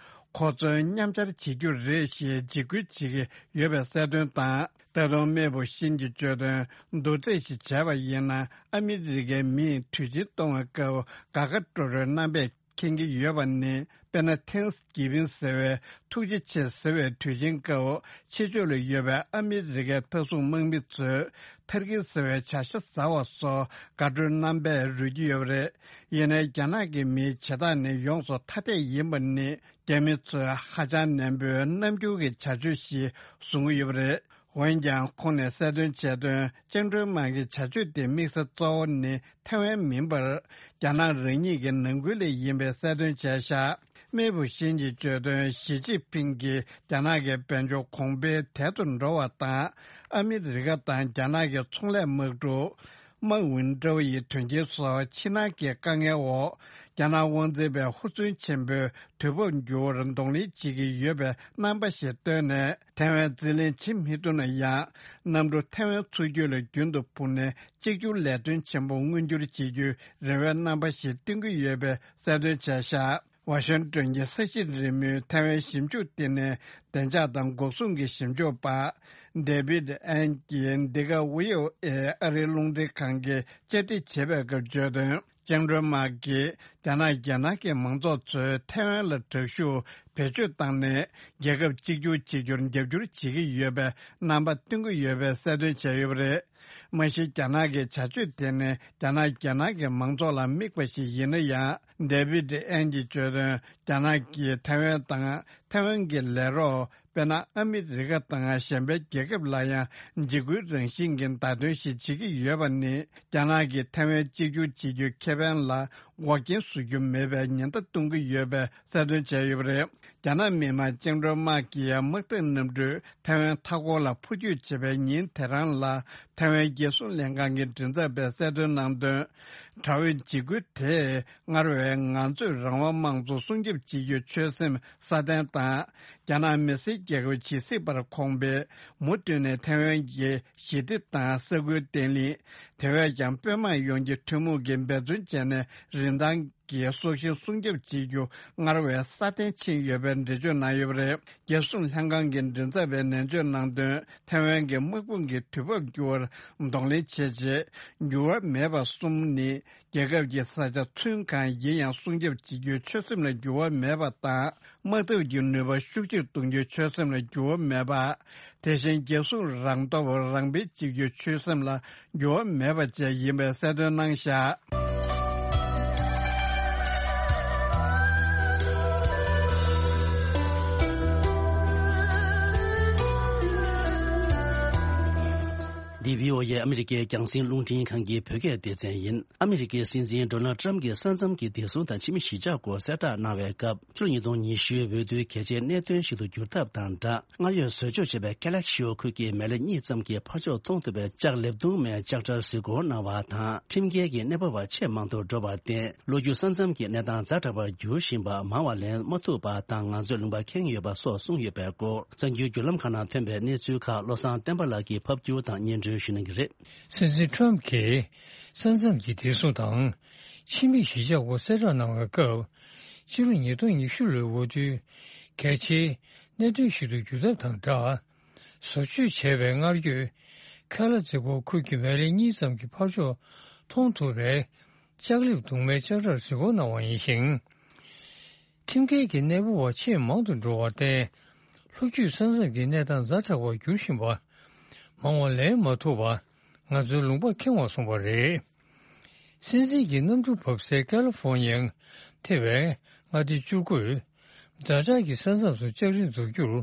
ཁོ་ཚོས་མཉམ་ཆར་བྱེད་རྒྱུ་རེད་ཞེས་འཇིགས་སྐུལ་བྱེད་ཀྱི་ཡོད་པའི་གསལ་སྟོན་དང་། ད་དུང་མེ་བུ་ཤིན་གྱིས་བརྗོད་དོན། མདོར་བསྡུས་ཤིག་བྱས་པ་ཡིན་ན། ཨ་མི་རི་ཀའི་མིས་དུས་ཆེན་གཏོང་བའི་སྐབས་དགའ་དགའ་སྤྲོ་སྤྲོའི་རྣམ་པས་མཁྱེན་གྱི་ཡོད་པ་ནི། དཔེར་ན། ཐེངས་གི་བིན་ཟེར་བའི་ཐུགས་རྗེ་ཆེ་ཟེར་བའི་དུས་ཆེན་སྐབས་ཕྱི་ཕྱོགས་ལ་ཡོད་པའི་ཨ་མི་རི་ཀའི་མཐའ་སྲུང་དམག་མི་ཚོས་ཐར་ཀི་ཟེར་བའི་བྱ་ཤ་ཟ་བ་སོགས་དགའ་སྤྲོའི་རྣམ་པས་རོལ་གྱི་ཡོད་པ་རེད། ཡིན་ནའི་རྒྱ་ནག་གི་མིའི་བྱེད་སྟངས་ནི་ཡོངས་སུ་ཐ་དད་ཡིན་པ་ནི་རྒྱ་མི་ཚོས་ཧ་ཅང་ནན་པོའི་རྣམ་འགྱུར་གྱི་བྱ་སྤྱོད་ཞིག་བཟུང་གི་ཡོད་པ་རེད། འོན་ཀྱང་ཁོང་ནས་གསལ་སྟོན་བྱས་དོན། ཅང་ཀྲུང་མང་གི་བྱ་སྤྱོད་དེ་དམིགས་ས་གཙོ་བོ་ནི་ཐའེ་ཝན་མིན་པར། རྒྱ་ནག་རང་ཉིད་ཀྱི་ནང་ཁུལ་ལ་ཡིན་པའི་གསལ་སྟོན་བྱས་ཤག་མེ་བུ་ཤིན་གྱིས་བརྗོད་དོན། ཞི་ཅིན་ཕིང་གིས་རྒྱ་ནག་གི་དཔལ་འབྱོར་གོང་འཕེལ་དལ་དུ་འགྲོ་བ་དང་། ཨ་མི་རི་ཀ་དང་རྒྱ་ནག་གི་ཚོང་ལས་དམག་འཁྲུག་མའོ་ཝུན་ཀྲོའུ་ཡི་དོན་རྐྱེན་སོགས་ཕྱི་ནང་གི་དཀའ་ངལ་འོག་རྒྱ་ནག་དབང་འཛིན་པས་ཧུར་བརྩོན་ཆེན་པོས་དུས་བབ་འགྱུར་བར་གདོང་ལེན་བྱེད་ཀྱི་ཡོད་པའི་རྣམ་པ་ཞིག་བཏོན་ནས། ཐའེ་ཝན་རྩིས་ལེན་བྱེད་མི་ཐུབ་ན་ཡང་། གནམ་གྲུ་ཐའེ་ཝན་མཚོ་རྒྱུད་ལ་རྒྱུན་དུ་འཕུར་ནས་གཅིག་གྱུར་ལས་དོན་ཆེན་པོ་མངོན་འགྱུར་བྱེད་རྒྱུའི་རེ་བའི་རྣམ་པ་ཞིག་སྟོན་གྱི་ཡོད་པའི་གསལ་སྟོན་བྱས་ཤག་ཝ་ཤིང་ཏོན་གྱི་ས་གཞི་རིལ་མོའི་ཐའེ་ཝན་ཞིབ་འཇུག་ལྟེ་གནས་བདེ་འཇགས་དང་འགོག་སྲུང་གི་ཞིབ་འཇུག་པ་ཌེ་བིད་ཨན་གྱིས་འདི་ག་ཝི་ཨོ་ཨེ་ཨ་རིའི་རླུང་འཕྲིན་ཁང་གིས་བཅར་འདྲི་བྱས་པའི་སྐབས་བརྗོད་དོན། ཅང་ཀྲུང་མ་གིས་རྒྱ་ནག་རྒྱལ་ནང་གི་མང་ཚོགས་ཚོས་ཐའེ་ཝན་ལ་དྲག་ཤུགས་བེད་སྤྱོད་བཏང་ནས་རྒྱལ་ཁབ་གཅིག་གྱུར་བྱེད་རྒྱུར་རྒྱབ་སྐྱོར་བྱེད་ཀྱི་ཡོད་པའི་རྣམ་པ་སྟོན་གྱི་ཡོད་པའི་གསལ་སྟོན་བྱས་ཡོད་པ་རེད། མ་གཞི་རྒྱ་ནག་གི་བྱ་སྤྱོད་དེ་ནི་རྒྱ་ནག་རྒྱལ་ནང་གི་མང་ཚོགས་ལ་དམིགས་པ་ཞིག་ཡིན་ན་ཡང་། ཌེ་བིད་ཨན་གྱིས་བརྗོད་དོན། རྒྱ་ནག་གིས་ཐའེ་ཝན་དང་ཐའེ་ཝན་གྱི་ལས་རོགས། དཔེར་ན། ཨ་མི་རི་ཀ་དང་གཞན་པའི་རྒྱལ་ཁབ་ལ་ཡང་འཇིགས་སྐུལ་རང་བཞིན་གྱི་བརྡ་སྟོན་ཞིག་བྱེད་ཀྱི་ཡོད་པ་ནི། རྒྱ་ནག་གིས་ཐའེ་ཝན་གཅིག་གྱུར་བྱེད་རྒྱུའི་ཁེ་ཕན་ལ་འགོག་རྐྱེན་བཟོ་རྒྱུ་མེད་པའི་ཉེན་བརྡ་གཏོང་གི་ཡོད་པའི་གསལ་སྟོན་བྱས་ཡོད་པ་རེད། རྒྱ་ནག་མི་དམངས་ཅང་ཀྲུང་དམག་གིས་དམག་འཐབ་གནམ་གྲུས་ཐའེ་ཝན་མཐའ་འཁོར་ལ་འཕུར་སྐྱོད་བྱེད་པའི་ཉིན་དེ་རང་ལ། ཐའེ་ཝན་རྒྱལ་སྲུང་ལྷན་ཁང་གི་མགྲིན་ཚབ་པས་གསལ་སྟོན་གནང་དོན། དྲག་པོའི་འཇིགས་སྐུལ་དེས་སྔར་བས་ང་ཚོས་རང་དབང་དམངས་གཙོ་སྲུང་སྐྱོབ་བྱེད་རྒྱུའི་ཆོད་སེམས་སྲ་བརྟན་དང་། རྒྱ་ནག་མི་སེར་རྒྱལ་ཁབ་ཇི་སྲིད་བར་གོང་འཕེལ། མུ་མཐུད་ནས་ཐའེ་ཝན་གྱི་ཞི་བདེ་དང་ས་ཁུལ་བརྟན་ལྷིང་། དེ་བས་ཀྱང་དཔོན་དམག་ཡོངས་ཀྱི་ཐུན་མོང་གིས་འབད་བརྩོན་བྱས་ནས་རིན་ཐང་གི་སྲོག་ཤིང་སྲུང་སྐྱོབ་བྱེད་རྒྱུ་སྔར་བས་སྲ་བརྟན་ཕྱིན་ཡོད་པའི་འགྲེལ་བརྗོད་གནང་ཡོད་པ་རེད། རྒྱལ་སྲུང་ལྷན་ཁང་གི་མགྲིན་ཚབ་པས་ནན་བརྗོད་གནང་དོན། ཐའེ་ཝན་གྱི་དམག་དཔུང་གི་དུས་བབ་འགྱུར་བར་གདོང་ལེན་བྱས་རྗེས། འགྱུར་བ་མེད་པ་གསུམ་ནི། རྒྱལ་ཁབ་ཀྱི་ས་ཆ་ཚུན་གང་ཡིན་ཡང་སྲུང་སྐྱོབ་བྱེད་རྒྱུའི་ཆོད་སེམས་ལ་འགྱུར་བ་མེད་པ་དང་། དམག་འཐབ་ཀྱི་ནུས་པ་ཤུགས་ཆེར་གཏོང་རྒྱུའི་ཆོད་སེམས་ལ་འགྱུར་བ་མེད་པ། དེ་བཞིན་རྒྱལ་སྲུང་རང་སྟོབས་རང་སྤེལ་བྱེད་རྒྱུའི་ཆོད་སེམས་ལ་འགྱུར་བ་མེད་པ་བཅས་ཡིན་པའི་གསལ་སྟོན་གནང་བཞག་འདི་བྷི་ཨོ་ཨེ་ཨ་མི་རི་ཀའི་རྒྱང་སྲིང་རླུང་འཕྲིན་ཁང་གི་བོད་སྐད་སྡེ་ཚན་ཡིན། ཨ་མི་རི་ཀའི་སྲིད་འཛིན་ཌོ་ནལ་ཊམ་གྱིས་ས་མཚམས་ཀྱི་བདེ་སྲུང་དང་ཕྱི་མི་གཞིས་ཆགས་སྐོར་གསལ་བསྒྲགས་གནང་བའི་སྐབས། ཕྱི་ལོ་ཉིས་སྟོང་ཉི་ཤུའི་འོས་བསྡུའི་གལ་ཆེའི་གནད་དོན་ཞིག་ཏུ་འགྱུར་ཐབས་དང་སྦྲགས། སྔར་ཡོད་བཟོ་བཅོས་བྱས་པའི་ཀ་ལེག་ཤིའོ་ཁུལ་གྱི་མེ་ལེ་གཉིས་ཙམ་གྱི་ཕར་ཕྱོགས་མཐོང་ཐུབ་པའི་ལྕགས་ལེབ་དུང་མའི་ལྕགས་དྲ་གཟིགས་སྐོར་གནང་བ་དང་། ཁྲིམས་འགལ་གྱི་གནས་སྤོ་བ་ཆེས་མང་དུ་འགྲོ་བར་བརྟེན། ལོ་རྒྱུས་ས་མཚམས་ཀྱི་གནས་སྟངས་ཛ་དྲག་པར་འགྱུར་བཞིན་པ་མང་བ་ལེན་མ་ཐུབ་པ་དང་། ང་ཚོས་ལུང་པ་ཁེངས་ཡོད་པ་སོགས་གསུངས་ཡོད་པའི་སྐོར། གསར་འགྱུར་བརྒྱུད་ལམ་ཁག་ནང་ཐོན་པའི་གནས་ཚུལ་ཁག་བློ་བཟང་བསྟན་པ་ལགས་ཀྱིས་ཕབ་བསྒྱུར་དང་སྙན་སྒྲོན་ཞུ་གནང་གི་རེད། སྲིད་འཛིན་ཊམ་གྱིས་ས་མཚམས་ཀྱི་བདེ་སྲུང་དང་ཕྱི་མི་གཞིས་ཆགས་སྐོར་གསལ་བསྒྲགས་གནང་བའི་སྐབས། ཕྱི་ལོ་ཉིས་སྟོང་ཉི་ཤུ་ལོའི་འོས་བསྡུའི་གལ་ཆེའི་གནད་དོན་ཞིག་ཏུ་འགྱུར་ཐབས་དང་སྦྲགས། བཟོ་བཅོས་བྱས་པའི་སྔར་ཡོད་ཁ་ལ་ཛེ་གོ་ཁུལ་གྱི་མེ་ལེ་གཉིས་ཙམ་གྱི་ཕར་ཕྱོགས་མཐོང་ཐུབ་པའི་ལྕགས་ལེབ་དུང་མའི་ལྕགས་དྲར་གཟིགས་སྐོར་གནང་བ་ཡིན་ཞིང་། ཁྲིམས་འགལ་གྱི་གནས་སྤོ་བ་ཆེས་མང་དུ་འགྲོ་བར་བརྟེན། ལྷོ་རྒྱུད་ས་མཚམས་ཀྱི་གནས་སྟངས་ཛ་དྲག་པར་འགྱུར་བཞིན་པ། མང་བ་ལེན་མ་ཐུབ་པ། ང་ཚོའི་ལུང་པ་ཁེངས་པར་སོང་བ་རེད། སྲིད་འཛིན་གྱི་གནམ་གྲུ་བབས་སའི་ཀ་ལི་ཧྥོ་ནི་ཡའི་ཐེ་བའི་མངའ་སྡེ་བཅུ་དགུས། ཛ་དྲག་གི་ས་མཚམས་སུ་ལྕགས་རི་འཛུགས་རྒྱུར།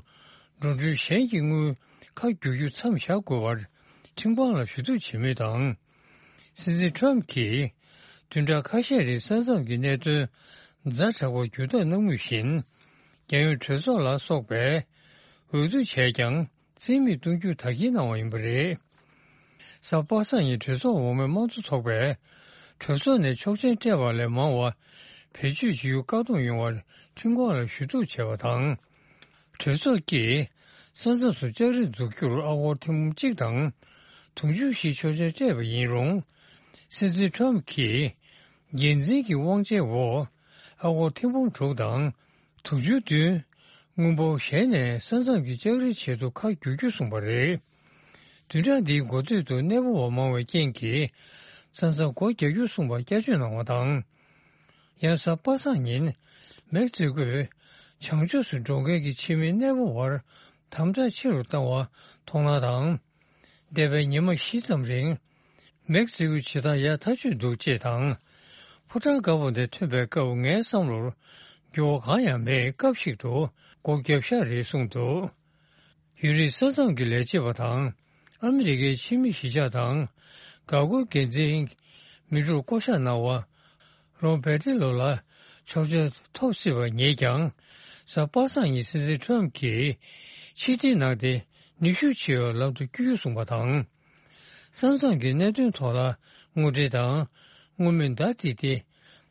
འགྲོ་གྲོན་གཞན་གྱི་དངུལ་ཁག་བསྒྱུར་རྒྱུ་མཚམས་བཞག་དགོས་པར་ཁྲིམས་ཁང་ལ་ཞུ་གཏུག་བྱེད་མུས་དང་། སྲིད་འཛིན་ཊམ་གྱིས། བདུན་ཕྲག་ཁ་ཤས་རིང་ས་མཚམས་ཀྱི་གནད་དོན་ཛ་དྲག་པར་འགྱུར་ཐབས་གནང་མུས་བཞིན། རྒྱལ་ཡོངས་གྲོས་ཚོགས་ལ་སོགས་པས་འོས་བསྡུ་བྱས་ཀྱང་རྩིས་མེད་གཏོང་རྒྱུ་དག་སྐྱེལ་གནང་བ་ཡིན་པ་རེད། གཟའ་པ་སངས་ཉིན་གྲོས་ཚོགས་འོག་མའི་དམངས་གཙོ་ཚོགས་པས་གྲོས་ཚོགས་ནས་ཆོག་མཆན་སྤྲད་པ་ལས་མང་བ་བེད་སྤྱོད་བྱེད་རྒྱུ་བཀག་སྡོམ་ཡོང་བར་ཁྲིམས་ཁང་ལ་ཞུ་གཏུག་བྱས་པ་དང་། གྲོས་ཚོགས་ཀྱིས་ས་མཚམས་སུ་ལྕགས་རི་འཛུགས་རྒྱུར་ཨ་སྒོར་ཐེར་འབུམ་གཅིག་དང་དུང་ཕྱུར་བཞི་ཆོག་མཆན་སྤྲད་པ་ཡིན་རུང་། སྲིད་འཛིན་ཊམ་གྱིས་འགན་འཛིན་གྱི་དབང་ཆའི་འོག་ཨ་སྒོར་ཐེར་འབུམ་དྲུག་དང་དུང་ཕྱུར་བདུན་དངུལ་འབོར་གཞན་ནས་ས་མཚམས་ཀྱི་ལྕགས་རིའི་ཆེད་དུ་ཁ་བསྒྱུར་རྒྱུ་གསུངས་པ་རེད། བདུན་ཕྲག་འདིའི་འགོ་སྟོད་དུ་གནས་སྤོ་བ་མང་བའི་རྐྱེན་གྱིས་ས་མཚམས་སྒོ་རྒྱག་རྒྱུ་གསུངས་པ་བསྐྱར་བཅོས་གནང་བ་དང་། ཡང་གཟའ་པ་སངས་ཉིན་ མེག་སི་ཀོས་བྱང་ཕྱོགས་སུ་འགྲོ་མཁན་གྱི་ཕྱི་མི་གནས་སྤོ་བར་དམ་དྲག་ཆེ་རུ་བཏང་བ་མཐོང་སྣང་དང་། འདས་པའི་ཉི་མ་བཞི་ཙམ་རིང་། མེག་སི་ཀོའི་བྱེད་སྟངས་ཡག་ཐག་ཆོད་འདུག་ཅེས་དང་། ཕོ་བྲང་དཀར་པོ་ནས་ཐོན་པའི་སྐབས་ངའི་བསམ་བློར་འགྱུར་བ་གང་ཡང་མེད། སྐབས་ཤིག་ཏུ་སྒོ་བརྒྱབ་ཤག་རེད་གསུངས་འདུག་ཡུན་རིང་ས་མཚམས་ཀྱི་ལས་བྱེད་པ་དང་ཨ་མི་རི་ཀའི་ཕྱི་མི་གཞིས་ཆགས་དང་འགག་སྒོའི་འགན་འཛིན་མི་དྲུག་བསྐོ་གཞག་གནང་བ། རོན་པེ་ཏི་ལོ་ལ་ཆོག་མཆན་ཐོབ་སྲིད་པ་ཉིད་ཀྱང་། གཟའ་པ་སངས་ཉིན་སྲིད་འཛིན་ཁྲོམ་གྱིས་ཕྱིར་འཐེན་གནང་སྟེ་ནུས་ཤུགས་ཆེ་བའི་ལམ་དུ་བསྐྱོད་རྒྱུ་གསུངས་པ་དང་། ས་མཚམས་ཀྱི་གནད་དོན་ཐོག་ལ་དངོས་འབྲེལ་དང་དངོས་མིན་བརྡ་སྤྲད་དེ་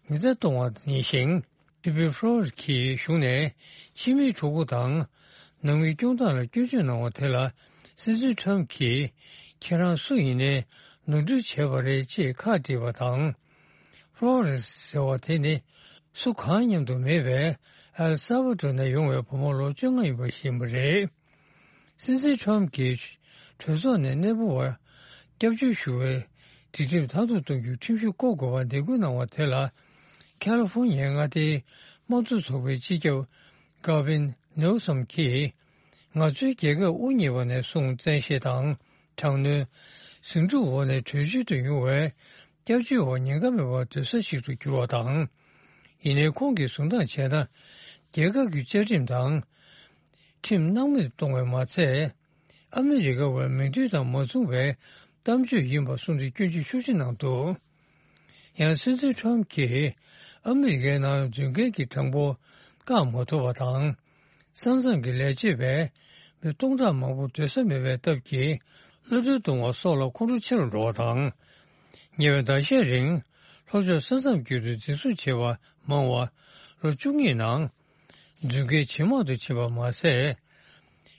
ཉེན་བརྡ་གཏོང་བ་ཡིན་ཞིང་། སི་པི་ཕོ་རོ་གིས་གཞུང་ནས་ཕྱི་མིའི་གྲོགས་པོ་དང་ནང་མིའི་སྐྱོང་སྟངས་ལ་སྐྱོན་བརྗོད་གནང་བ་དེ་ལ་སྲིད་འཛིན་ཁྲོམ་གྱིས་ཁྱེད་རང་སུ་ཡིན་ནའི་ནོར་འཁྲུལ་བྱས་པ་རེད་ཅེས་ཁག་དཀྲིས་པ་དང་། ཕོ་རོ་ཟེར་བ་དེ་ནི་སུ་གང་མཉམ་དུ་མེད་པའི་ཨེལ་ས་བ་ཏོ་ནས་ཡོང་བའི་བུ་མོ་ལོ་བཅོ་ལྔ་ཡིན་པ་ཤེས་པ་རེད། སྲིད་འཛིན་ཁྲོམ་གྱིས་གྲོས་ཚོགས་ནས་གནས་སྤོ་བར་སྐྱབས་བཅོལ་ཞུ་བའི་སྒྲིག་ཁྲིམས་མཐར་ཐུག་གཏོང་རྒྱུའི་ཁྲིམས་གཞི་བསྐོ་དགོས་པར་འདེད་སྐུལ་གནང་བ་དེ་ལ། ཁ་ལི་ཧྥོ་ཉི་ཡའི་མངའ་སྡེའི་དམངས་གཙོ་ཚོགས་པའི་སྤྱི་ཁྱབ་གྷ་ཝིན་ནེའུ་སོམ་གྱིས། ང་ཚོའི་རྒྱལ་ཁབ་དབུ་བརྙེས་པ་ནས་བཟུང་བཙན་ཤེད་དང་དྲག་གནོན། ཟིང་འཁྲུག་འོག་ནས་བྲོས་བྱོལ་དུ་ཡོང་བའི་སྐྱབས་བཅོལ་བ་ཉེན་ཁ་མེད་པར་སྡོད་ས་ཞིག་ཏུ་གྱུར་བ་དང་། ཡིན་ནའི་ཁོང་གིས་བཟུང་སྟངས་བྱས་ན། རྒྱལ་ཁབ་ཀྱི་བཅའ་ཁྲིམས་དང་། ཁྲིམས་སྣང་མེད་གཏོང་བས་མ་ཚད། ཨ་མི་རི་ཀ་བའི་མིང་དོན་དང་མ་མཚུངས་པའི་གཏམ་བརྗོད་ཡིན་པ་གསུངས་ཏེ་སྐྱོན་བརྗོད་ཤུགས་ཆེ་གནང་འདུག་ཡང་སྲིད་འཛིན་ཁྲོམ་གྱིས་ཨ་མི་རི་ཀའི་ནང་འཛུལ་མཁན་གྱི་གྲངས་འབོར་བཀག་མ་ཐུབ་པ་དང་། ས་མཚམས་ཀྱི་ལས་བྱེད་པས་མི་སྟོང་ཕྲག་མང་པོ་སྡོད་ས་མེད་པའི་སྟབས་ཀྱིས་གློད་གྲོལ་གཏོང་བ་སོགས་ལ་ཁོང་ཁྲོ་ཆེ་རུ་འགྲོ་བ་དང་། ཉེ་བའི་ཟླ་ཤས་རིང་ལྷོ་ཕྱོགས་ས་མཚམས་བརྒྱུད་དུ་འཛིན་བཟུང་བྱས་པ་མང་བ་ལོ་བཅུ་གཉིས་ནང་འཛུལ་མཁན་ཇེ་མང་དུ་ཕྱིན་པ་མ་ཟད།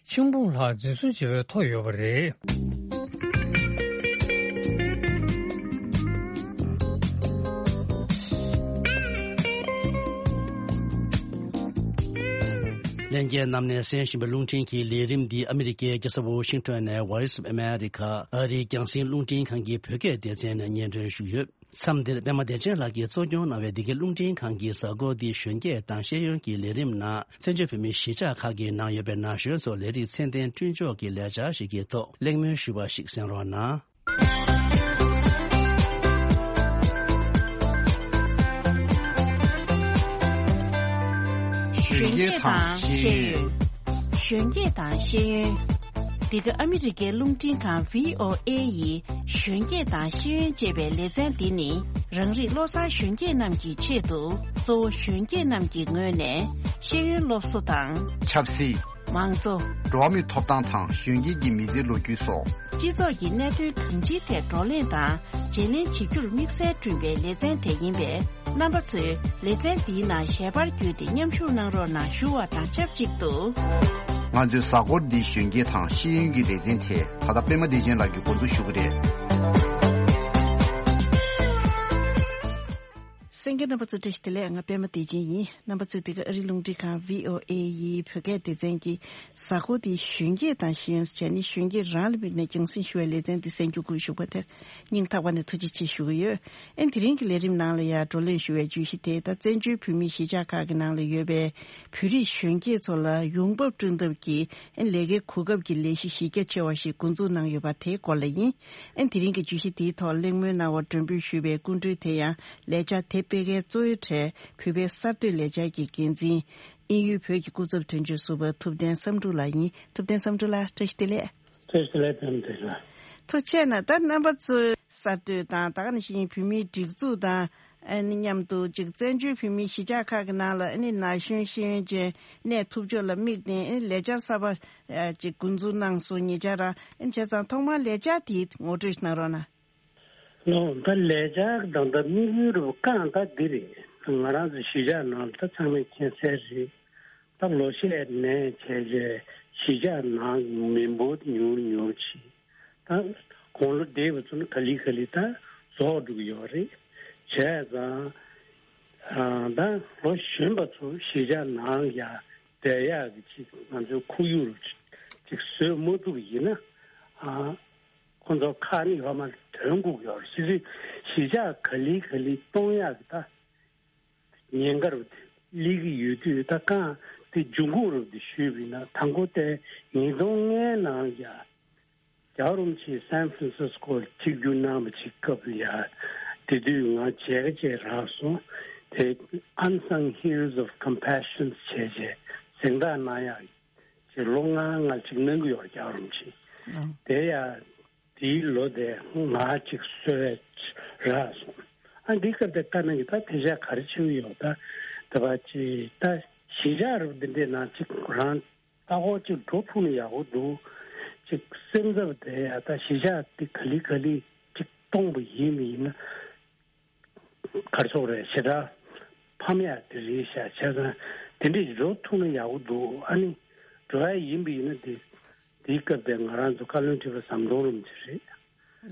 ཆིག་འབུམ་ལྷག་འཛིན་བཟུང་བྱས་པའི་ཐོ་ཡོད་པ་རེད། ལྷན་རྒྱས་རྣམས་ནས་གསན་བཞིན་པའི་རླུང་འཕྲིན་གྱི་ལས་རིམ་འདི་ཨ་མི་རི་ཀའི་རྒྱལ་ས་ཝོ་ཤིང་ཊོན་ནས་Voice of America ཨ་རིའི་རྒྱང་སྲིང་རླུང་འཕྲིན་ཁང་གི་བོད་སྐད་སྡེ་ཚན་ནས་སྙན་སྒྲོན་ཞུས་ཡོད། མཚམས་འདིར་པད་མ་བདེ་ཆེན་ལགས་ཀྱིས་གཙོ་སྐྱོང་གནང་བའི་འདི་གའི་རླུང་འཕྲིན་ཁང་གི་གཟའ་འཁོར་འདི་གཞོན་སྐྱེས་དང་ཤེས་ཡོན་གྱི་ལས་རིམ་ནང་བཙན་བྱོལ་བོད་མིའི་གཞིས་ཆགས་ཁག་གི་ནང་ཡོད་པའི་ན་གཞོན་ཚོར་ལས་རིགས་ཚད་ལྡན་བསྐྲུན་ཕྱོགས་ཀྱི་ལས་འཆར་ཞིག་གི་ཐོག་གླེང་མོལ་ཞུས་པ་ཞིག་གསན་རོགས་གནང་། གཞོན་སྐྱེས་དང་ཤེས་ཡོན། གཞོན་སྐྱེས་དང་ཤེས་ཡོན། འདི་ག་ཨ་མི་རི་ཀའི་རླུང་འཕྲིན་ཁང་བྷི་ཨོ་ཨེ་ཡི་གཞོན་སྐྱེས་དང་ཤེས་ཡོན་ཅེས་པའི་ལེ་ཚན་འདི་ནི། རང་རིགས་བློ་བཟང་གཞོན་སྐྱེས་རྣམས་ཀྱི་ཆེད་དུ། གཙོ་བོ་གཞོན་སྐྱེས་རྣམས་ཀྱི་ངོས་ནས་ཤེས་ཡོན་སློབ་གསོ་དང་། ཆབ་སྲིད། མང་གཙོ། འགྲོ་བ་མིའི་ཐོབ་ཐང་དང་གཞོན་སྐྱེས་ཀྱི་མི་ཚེའི་ལོ་རྒྱུས་སོགས། སྤྱི་ཚོགས་ཀྱི་གནད་དོན་གང་ཅིའི་ཐད་བགྲོ་གླེང་དང་བརྗེ་ལེན་བྱེད་རྒྱུར་དམིགས་བསལ་བསྐྲུན་པའི་ལེ་ཚན་དེ་ཡིན་པས། རྣམ་པ་ཚོས་ལེ་ཚན་འདིའི་ནང་ཞལ་པར་བརྒྱུད་དེ་མཉམ་ཞུགས་གནང་རོགས་གནང་ཞུ་བ་དང་ཆབས་ཅིག་ཏུ། ང་ཚོའི་གཟའ་འཁོར་འདིའི་གཞོན་སྐྱེས་དང་ཤེས་ཡོན་གྱི་ལེ་ཚན་དེ་ད་ལྟ་པད་མ་བདེ་ཆེན་ལགས་ཀྱིས་འགོ་འཛུགས་ཞུ་གི་རེད། གསན་མཁན་རྣམ་པ་ཚོ་བཀྲ་ཤིས་བདེ་ལེགས། ང་པད་མ་བདེ་ཆེན་ཡིན། རྣམ་པ་ཚོས་འདི་ག་ཨ་རིའི་རླུང་འཕྲིན་ཁང་བྷི་ཨོ་ཨེ་ཡི་བོད་སྐད་སྡེ་ཚན་གྱི་གཟའ་འཁོར་འདིའི་གཞོན་སྐྱེས་དང་ཤེས་ཡོན་ཟེར་བྱས་ནས་གཞོན་སྐྱེས་རང་ལ་དམིགས་ནས་རྒྱང་སྲིང་ཞུ་བའི་ལེ་ཚན་འདི་གསན་རྒྱུ་བཀོད་བཞག་པ་དེར་སྙིང་ཐག་པ་ནས་ཐུགས་རྗེ་ཆེ་ཞུ་གི་ཡོད། ཨེ་དེ་རིང་གི་ལས་རིམ་ནང་ལ་ཡང་བགྲོ་གླེང་ཞུ་བའི་བརྗོད་གཞི་དེ་ད་བཙན་བྱོལ་བོད་མིའི་གཞིས་ཆགས་ཁག་གི་ནང་ལ་ཡོད་པའི་བོད་རིགས་གཞོན་སྐྱེས་ཚོ་ལ་ཡོང་འབབ་བསྐྲུན་ཐབས་ཀྱི་ཨེ་ལས་ཀའི་གོ་སྐབས་ཀྱི་ལས་གཞི་གཞི་རྒྱ་ཆེ་བ་ཞིག་འགོ་འཛུགས་གནང་ཡོད་པ་དེའི་སྐོར་ལ་ཡིན། ཨེ་དེ་རིང་གི་བརྗོད་གཞི་དེའི་ཐོག་གླེང་མོལ་གནང་བར་མགྲོན་འབོད་ཞུས་པའི་སྐུ་མགྲོན་དེ་ཡང་ལས་འཆར་དེ་སྤེལ་མཁན་གཙོ་བོའི་གྲས་བོད་པའི་གསར་གཏོད་ལས་འཆར་གྱི་འགན་འཛིན། དབྱིན་ཡུལ་བོད་ཀྱི་སྐུ་ཚབ་དོན་གཅོད་ཟུར་པ་ཐུབ་བསྟན་བསམ་འགྲུབ་ལགས་ཡིན། ཐུབ་བསྟན་བསམ་འགྲུབ་ལགས་བཀྲ་ཤིས་བདེ་ལེགས། བཀྲ་ཤིས་བདེ་ལེགས། ཐུབ་བསྟན་བདེ་ལེགས། ཐུགས་རྗེ་གནང་། ད་རྣམ་པ་ཚོའི་གསར་གཏོད་དང་ད་ག་ནང་བཞིན་བོད་མིའི་སྒྲིག་འཛུགས་དང་ཨ་ནི་མཉམ་དུ་ཅིག་བཙན་བྱོལ་བོད་མིའི་གཞིས་ཆགས་ཁག་གི་ནང་ལ་ཨ་ནི་ན་གཞོན་ཤེས་ཡོན་ཅན་གནས་ཐུབ་ཕྱོགས་ལ་དམིགས་ནས་ཨ་ནི་ལས་འཆར་གསར་པ་ཨ་ཅིག་འགོ་འཛུགས་གནང་སོང་། ཉེ་ཆར་རང་ཨ་ནི་བྱས་ཙང་ཐོག་མར་ལས་འཆར་དེ་ངོ་སྤྲོད་གནང་རོགས་གནང་། ལོ། ད་ལས་འཆར་དང་ད་དམིགས་ཡུལ་རུ་རྐང་ད་འདི་རེད། ང་རང་ཚོ་གཞིས་ཆགས་ནང་ད་ཚང་མས་མཁྱེན་གསལ་རེད། ད་ལོ་ཤས་ནས་བྱས་རྗེས་གཞིས་ཆགས་ནང་མི་འབོར་ཉུང་ཉུང་ཕྱིན། ད་དགུང་ལོ་བགྲེས་པ་ཚོ་ནི་ག་ལེ་ག་ལེ་ད་རྫོགས་འགྲོ་གི་ཡོད་རེད། བྱས་ཙང་ཨ་ད་ལོ་གཞོན་པ་ཚོ་གཞིས་ཆགས་ནང་ཡ་བསྡད་ཡག་གི་ཅིག་ང་ཚོའི་ཁོར་ཡུག་ཅིག་བཟོས་མ་ཐུབ་པ་ཡིན་ན་ཨ། ཁོ་ཚོ་ཁག་ནི་ཡོད་མ་རེད། དོན་སྒུག་ཡོད་རེད། སྲིད་སྲིད་གཞིས་ཆགས་ག་ལེ་ག་ལེ་གཏོང་ཡག་གི་ད་ཉེན་ཁ་རུ་ སླེབས་ཀྱི་ཡོད་དུས། ད་གང་དེ་འབྱུང་ཁུངས་རབ་དེ་ཞུས་པ་ཡིན་ན། དང་པོ་དེ་ཉིས་སྟོང་ལྔའི་ནང་ཡ་རྒྱལ་བ་རིན་པོ་ཆེ་སན་ཧྥ་རན་སིས་ཀོ་ཆིབས་བསྒྱུར་གནང་བ་ཅིག་སྐབས་ལ་ཡ། དེ་དུས་ང་མཇལ་ཁ་ཅིག་རག་སོང་། དེ་Unsung Heroes of Compassion བྱས་བྱས་གཟེངས་རྟགས་གནང་ཡག་ཅིག་ལོ་ལྔ་ལྔ་ཅིག་གནང་གི་ཡོད། རྒྱལ་བ་རིན་པོ་ཆེ། ཨང་། དེ་ཡ་དེའི་ལོ་དེ་ང་ཅིག་གསོལ་བ་རག་སོང་། ཨ། འདི་སྐབས་དེ་བཀའ་གནང་གི། ད་དེ་ཤ་ག་རེ་བྱེད་ཀྱི་ཡོད། ད་དེ་བ་ཅི་ད་གཞིས་ཆགས་རུ་འདི་འདྲའི་ནང་ཅིག་རང་ལྟ་སྐོར་ཅིག་འགྲོ་ཐུབ་ན་ཡག་པོ་འདུག། ཅིག་སེམས་འཚབ་དེ་ཡ། ད་གཞིས་ཆགས་འདི་ག་ལེ་ག་ལེ་ཅིག་སྟོང་པ་ཡིན་མི་ཡིན་ན། གར་སོགས་རེད། ཞེ་དྲག་ཕམ་ཡག་དེ་རེད་ཤག། བྱས་ཙང་དེ་འདྲས་འགྲོ་ཐུབ་ན་ཡག་པོ་འདུག། ཨ་ནི་འགྲོ་ཡ་ཡིན་པ་ཡིན་ན། དེ་དེའི་སྐབས་དེ་ང་རང་ཚོ་བཀའ་བློན་ཁྲི་པ་ཟམ་གདོང་རིན་པོ་ཆེ་རེད།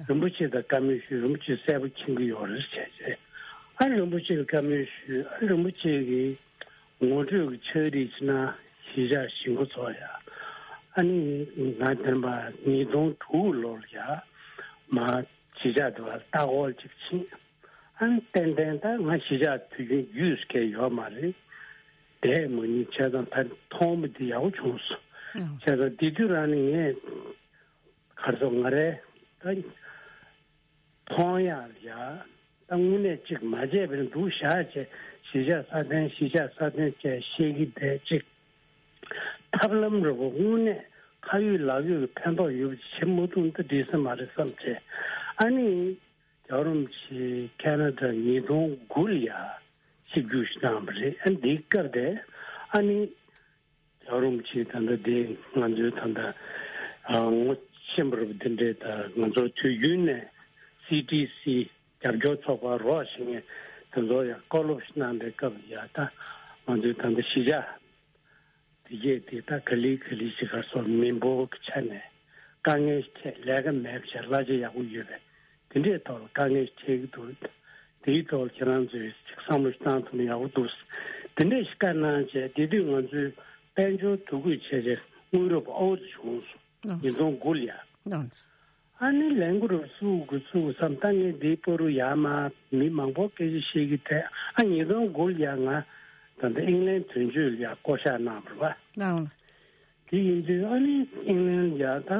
རིན་པོ་ཆེ་དང་བཀའ་མོལ་ཞུས། རིན་པོ་ཆེ་གསལ་པོ་མཁྱེན་གྱི་ཡོད་རེད་བྱས་བྱས། ཨ། རིན་པོ་ཆེ་ལ་བཀའ་མོལ་ཞུས། ཨ། རིན་པོ་ཆེ་གིས་ངོ་སྤྲོད་ཀྱི་ཕྱག་བྲིས་ཅིག་གནང་། གཞིས་ཆགས་གཞིས་འགོ་ཚོ་ཡ། ཨ་ནི་ང་དེ་བ་ཉིས་སྟོང་དྲུག་ལོར་ཡ་མ་གཞིས་ཆགས་དེ་བ་ལྟ་སྐོར་ཅིག་ཕྱིན། ཨ་ནི་ཏན་ཏན་ད་ང་གཞིས་ཆགས་དུས་རྒྱུན་རྒྱུས་སུ་སྐྱེལ་ཡོད་མ་རེད། བསྡད་མ་མྱོང་། བྱས་ཙང་ད་མཐོང་བ་འདི་ཡག་པོ་བྱུང་སོང་། ཨང་། བྱས་ཙང་དེ་དུས་རང་ནས་ངས་གར་སོགས་ང་རེ་ད་མཐོང་ཡག་ལ་ཡ། ད་དངོས་གནས་ཅིག་མ་བྱས་པའི་འདུག་བཞག་བྱས། གཞིས་ཆགས་སྲ་བརྟན་གཞིས་ཆགས་སྲ་བརྟན་བྱས་བཤད་ཀྱི་བསྡད་ཅིག། ཐབས་ལམ་རུ་པོ་དངོས་གནས་ཁ་ཡོད་ལག་ཡོད་ཀྱི་ཕན་ཐོགས་ཡོད་པ་ཅིག་བྱེད་མ་ཐུབ་ན་ད་འགྲིག་ས་མ་རེད་བསམ་བྱས། ཨ་ནི་རྒྱལ་བ་རིན་པོ་ཆེ་ཁེ་ན་ཌ་ཉིས་སྟོང་དགུ་ལ་ཡ་ཆིབས་བསྒྱུར་ཞིག་གནང་བ་རེད། ཨ། འདིའི་སྐབས་དེ་ཨ་ནི་རྒྱལ་བ་རིན་པོ་ཆེ་ད་ལྟ་དེ་ང་ཚོའི་ད་ལྟ་ཨ་ངོ་ཤེས་པ་རུ་དེ་འདྲས། ད་ང་ཚོ་དུས་རྒྱུན་ནས་སི་ཊི་སི་རྒྱབ་སྐྱོར་ཚོགས་པ་རོགས་བྱེད་མཁན་དེ་ཚོ་ཡང་བཀའ་སློབ་ཞིག་གནང་པའི་སྐབས་ལ་ཡ། ད་ང་ཚོའི་ད་ལྟ་གཞིས་ཆགས་དེ་གས་དེ་ད་ག་ལེ་ག་ལེ་ཞིག་གར་སོགས་མི་འབོར་གྱི་ཆ་ནས་དཀའ་ངལ་ཞིག་འཕྲད། ལས་ཀ་མེད་པ་བྱས། གླ་ཆ་ཡག་པོ་ཡོད་པའི་དེ་འདྲའི་ཐོག་ལ་དཀའ་ངལ་ཞིག་འཕྲད་ཀྱི་འདུག། དེའི་ཐོག་ལ་ཁྱེད་རང་ཚོས་ཅིག་བསམ་བློ་བཏང་ཐུབ་ན་ཡག་པོ་འདུག། དེ་འདྲས་ཞིག་བཀའ་གནང་བྱས། དེ་དུས་ང་ཚོས་དཔལ་འབྱོར་འདུ་འགོད་བྱས་བྱས་དངུལ་རབས་ཨོ་ཙི་བྱུང་སོང་། ཨང་། ཉིས་སྟོང་དགུ་ལ་ཡ། ཨང་། ཨ་ནི་ལས་འགུལ་རུ་བཙུགས་དགོས་བཙུགས་དགོས་བསམ། ད་ངས་འདིའི་པོ་རུ་ཡར་མར་མི་མང་པོ་སྐད་ཆ་བཤད་ཀྱི་བསྡད། ཨ། ཉིས་སྟོང་དགུ་ལ་ཡ་ང་ད་ལྟ་ཨིང་ལན་དོན་གཅོད་ལ་ཡ་བསྐོ་བཞག་གནང་བ་རེད་པ། ཨང་། དེ་ཡིན་དུས་ཨ་ནི་ཨིང་ལན་ལ་ཡ་ད་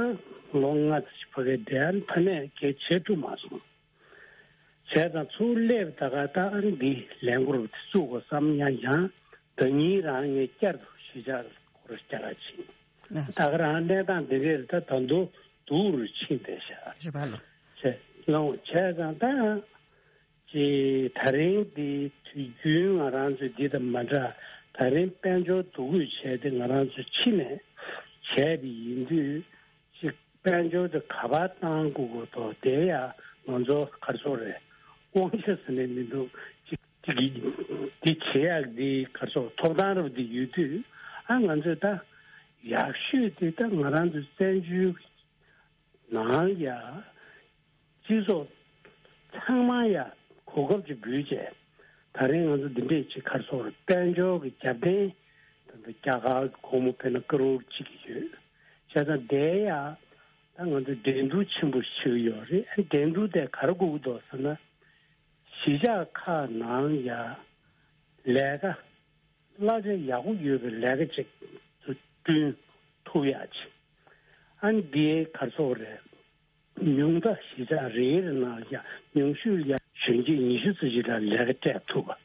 ལོ་ལྔ་ཙམ་ཞིག་ཕ་གིར་བསྡད། ཨ་ནི་ཕ་ནས་སྐད་ཆ་བྱེད་ཐུབ་མ་སོང་། བྱས་ཙང་ཚུར་སླེབས། ད་ག་ད་ཨ་ནི་འདི་ལས་འགུལ་རུ་བཙུགས་དགོས་བསམ། ཡང་ཡང་ཟླ་ཉིན་རང་ངས་བསྐྱར་དུ་གཞིས་ཆགས་སྐོར་བསྐྱར་ཕྱིན། ད་ག་རང་གནས་སྟངས་འདི་གས་རེད། ད་ད་དུང་སྡུག་རུ་ཕྱིན་བསྡད་ཤག། རེད་པ་ལགས། བྱས་ལོང་བྱས་ཙང་ད་ཅེ་ད་རིང་འདི་དུས་རྒྱུན་ང་རང་ཚོའི་འདི་དང་མ་འདྲ། ད་རིང་དཔལ་འབྱོར་འདུ་འགོད་བྱས་ཏེ་ང་རང་ཚོ་ཕྱི་ནས་བྱས་པ་ཡིན་དུས། ཅིག་དཔལ་འབྱོར་དེ་ག་པར་བཏང་དགོས་དགོས་དོ། དེ་ཡང་ང་ཚོ་ག་རེ་ཟེར་དགོས་རེད། དབང་ཆ་ཟེར་ནས་མི་འདུག། ཅིག་ཅིག་གིས་འདི་བྱེད་ཡག་འདི་ག་རེ་ཟེར་དགོས། ཐོབ་ཐང་རབ་འདི་ཡོད་དུས། ཨ། ང་ཚོས་ད་ཡག་ཤོས་དེ་ད་ང་རང་ཚོའི་བཙན་བྱོལ་ནང་ཡ་སྤྱི་ཚོགས་ཚང་མ་ཡ་གོ་སྐབས་ཅིག་འབུལ་བྱས། ད་རིང་ང་ཚོ་འདི་འདྲས་ཅིག་ག་རེ་ཟེར་དགོས་རེད། དཔལ་འབྱོར་གྱི་རྒྱབ་རྟེན་ད་ལྟ་རྒྱ་གར་གྱི་སྒོར་མོ་དཔེར་ན་ཀ་རོར་གཅིག་ཡོད། བྱས་ཙང་དེ་ཡ་ད་ང་ཚོས་འགྲན་བསྡུར་ཆེན་པོ་ཞིག་ཡོད་རེད། འགྲན་བསྡུར་དེ་ག་རེ་དགོས་ཀྱི་འདུག་ཟེར་ན། གཞིས་ཆགས་ཁག་ནང་ཡ་ལས་ཀ་གླ་ཆ་ཡག་པོ་ཡོད་པའི་ལས་ཀ་ཅིག་བསྐྲུན་ཐུབ་ཡག་ཅིག། ཨ་ནི་འདི་ག་རེ་ཟེར་དགོས་རེད། ཉུང་མཐའ་གཞིས་ཆགས་རེ་རེ་ནང་ཡ་ཉུང་ཤོས་ལ་ཡ་གཞོན་སྐྱེས་ཉི་ཤུ་ཙམ་ཞིག་ལ་ལས་ཀ་སྤྲད་ཐུབ་པ།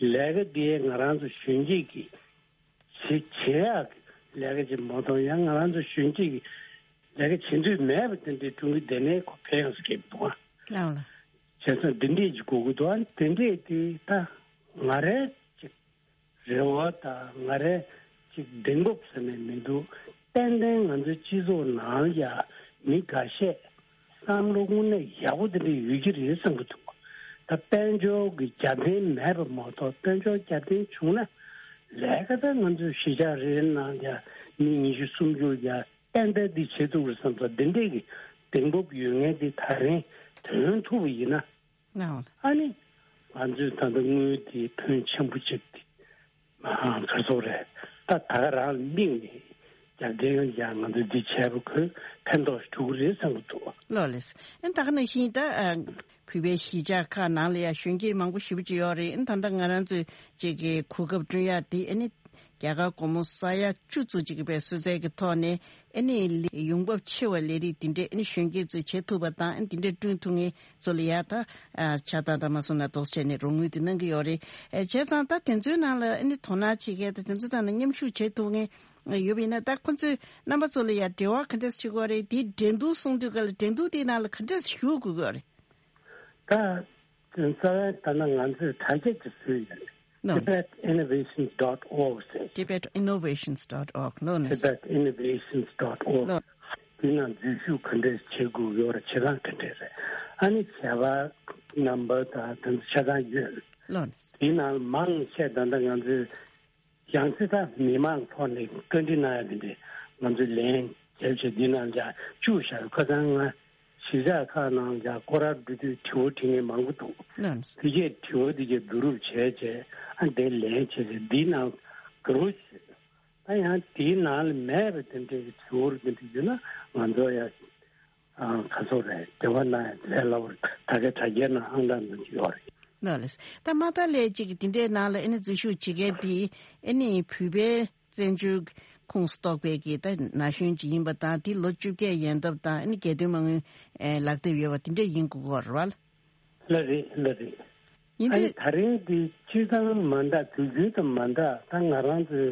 ལས་ཀ་འདི་ང་རང་ཚོ་གཞོན་སྐྱེས་ཀྱི་བྱེད་བྱེད་ཡག་ལས་ཀ་ཅིག་མ་གཏོགས། ཡང་ང་རང་ཚོ་གཞོན་སྐྱེས་ཀྱི་ལས་ཀ་བྱེད་འདོད་མེད་པ་དེ་འདྲའི་སྒྲུང་གི་དེ་ནས་ཁོ་ཕན་ཡོང་སྐད་འདུག་ཨ། ལགས་ལགས། བྱས་ཙང་འདི་འདྲས་ཅིག་དགོས་ཀྱི་འདུག་ཨ། དེ་འདྲས་དེ་ད་ང་རའི་ཅིག་རེ་བ་དང་ང་རའི་ཅིག་གདེང་སྤོབས་ཟེར་ནས་མི་འདུག། ཏན་ཏན་ང་ཚོའི་སྤྱི་ཚོགས་ནང་ཡ་མི་འགའ་ཤས་བསམ་བློ་དངོས་གནས་ཡག་པོ་དེ་འདྲ་ཡོད་ཀྱི་རེད་བསམ་གྱི་འདུག། ད་དཔལ་འབྱོར་གྱི་རྒྱབ་རྟེན་མེད་པ་མ་གཏོགས། དཔལ་འབྱོར་རྒྱབ་རྟེན་བྱུང་ན་ལས་ཀ་ད་ང་ཚོའི་གཞིས་ཆགས་རེ་རེ་ནང་ཡ་མི་ཉི་ཤུ་སུམ་ཅུ་ཡ་ཏན་ཏན་འདི་བྱེད་ཐུབ་རེད་བསམ་ཙང་། འདི་འདྲས་ཀྱི་གདེང་སྤོབས་ཡོད་མཁན་འདི་ད་རིང་ཐོན་ཐུབ་པ་ཡིན་ན། ཨ་ནི་ང་ཚོས་ད་ལྟ་དངུལ་དེ་ཕོན་ཆེན་པོ་ཅིག་དེ་མ་ག་ཚོད་རེད། ད་ད་ག་རང་ལ་དམིགས་ནས་ རྒྱབ་རྟེན་ཡང་ང་ཚོས་འདི་བྱས་པ་ཁོས་ཕན་ཐོགས་ཤིག་འགྲོ་གི་རེད་བསམ་གྱི་འདུག་ལགས་ལགས། ཨ་ནི་ད་ག་ནང་བཞིན་ད་ཨ་བོད་པའི་གཞིས་ཆགས་ཁག་ནང་ལ་ཡང་གཞོན་སྐྱེས་མང་པོ་ཞེ་པོ་ཅིག་ཡོད་རེད། ཨ་ནི་ད་ལྟ་ང་རང་ཚོས་ཅིག་གི་གོ་སྐབས་བསྐྲུན་ཡག་འདི་ཨ་ནི་རྒྱ་གར་སྒོར་མོ་ས་ཡ་བཅུ་ཙམ་ཅིག་གི་པའི་གསོལ་སྩལ་གྱི་ཐོག་ནས་ཨ་ནི་ལས་ཡོང་འབབ་ཆེ་བ་ལས་རིགས་འདི་འདྲས་ཨ་ནི་གཞོན་སྐྱེས་ཚོས་བྱེད་ཐུབ་པ་དང་ཨ་ནི་འདི་འདྲས་བསྐྲུན་ཐུབ་མཁན་ཚོ་ལ་ཡ་ད་ཨ་ཆ་ཚང་ད་མ་སོང་ན་དོགས་བྱས་ནས་རོགས་དངུལ་དེ་གནང་གི་ཡོད་རེད། ཨ་བྱས་ཙང་ད་དེ་ཚོའི་ནང་ལ་ཨ་ནི་དོ་སྣང་བྱེད་མཁན་དང་དེ་ཚོའི་ཐོག་ནས་མཉམ་ཞུགས་བྱེད་ཐུབ་མཁན་ཡོད་པ་ཡིན་ན། ད་ཁོང་ཚོས་རྣམ་པ་ཚོ་ལ་ཡང་འབྲེལ་བ་ག་འདྲས་བྱེད་དགོས་རེད། དེའི་འགྲན་བསྡུར་གསུང་དུས་ག་ལ་འགྲན་བསྡུར་དེའི་ནང་ལ་ག་འདྲས་ཞུགས་དགོས་ཀྱི་རེད། ད་རྩ་བའི་ད་ནང་ང་ཚོས་དྲ་རྒྱ་ཅིག་བཟོས་ཡོད་རེད། ལགས། Tibet Innovations dot org ཟེར། Tibet Innovations dot org ལགས་ནས། Tibet Innovations dot org ལགས། དེ་ནང་འཛུལ་ཞུགས་ག་འདྲས་བྱེད་དགོས་ཡོད་རེད། བྱེད་སྟངས་ག་འདྲས་རེད། ཨ་ནི་བྱ་བ་རྣམ་པ་དང་དེ་ཚོ་ཆ་ཚང་ཡོད། ལགས་ནས། དེ་ནང་མང་ཆེ་ད་ལྟ་ང་ཚོས་ཡང་སྲིད་ད་མི་མང་ཐོག་ནས་བཀའ་འདྲི་གནང་ཡ་དེ་འདྲས་ང་ཚོས་ལན་བརྒྱབ་བྱས་འདི་ནང་ལ་བཅུག་བཞག་ཁ་སང་ང་གཞིས་ཆགས་ཁག་ནང་ལ་སྐོར་ར་འགྲོ་དུས་དྲི་བ་དྲི་མཁན་མང་པོ་འདུག་ལགས། དེ་གས་དྲི་བ་དེ་གས་བསྡུ་རུབ་བྱས་བྱས་ཨ་འདི་ལན་བྱས་བྱས་འདི་ནང་བསྡུ་རུབ་བྱས། ད་ཡང་དེའི་ནང་ལ་མེད་པའི་དེ་འདྲའི་གི་དྲི་བ་དེ་འདྲ་ཡོད་ན་ང་ཚོ་ཡང་ཨ་ག་ཚོད་རེད། འབྲེལ་བ་གནང་ཡ་ལས་སླ་པོ་རེད། ད་ག་དྲ་རྒྱའི་ནང་ཨང་གྲངས་འདོན་གྱི་ཡོད་རེད། ལགས་ལགས། ད་མ་མཐའ་ལས་གཅིག་གི་དེ་འདྲའི་ནང་ལ་ཨ་ནི་འཛུལ་ཞུགས་བྱེད་མཁན་དེ་ཨ་ནི་བོད་པའི་བཙན་བྱོལ་ཁོངས་སུ་གཏོགས་པའི་གི་ད་ན་གཞོན་ཅིག་ཡིན་པ་དང་། དེ་ལོ་བཅོ་བརྒྱད་ཡན་འདབ་དང་ཨ་ནི་རྒྱལ་དོན་མ་དངུལ་ཨེ་ལག་དེབ་ཡོད་པ་དེ་འདྲ་ཡིན་དགོས་ཀྱི་ཡོད་རེད་བ། ལགས་རེད། ལགས་རེད། ཡིན་ཨ་ནི་དུས་ད་རེས་འདི་སྤྱིར་བཏང་མ་འདྲ། དུས་རྒྱུན་དང་མ་འདྲ། ད་ང་རང་ཚོའི་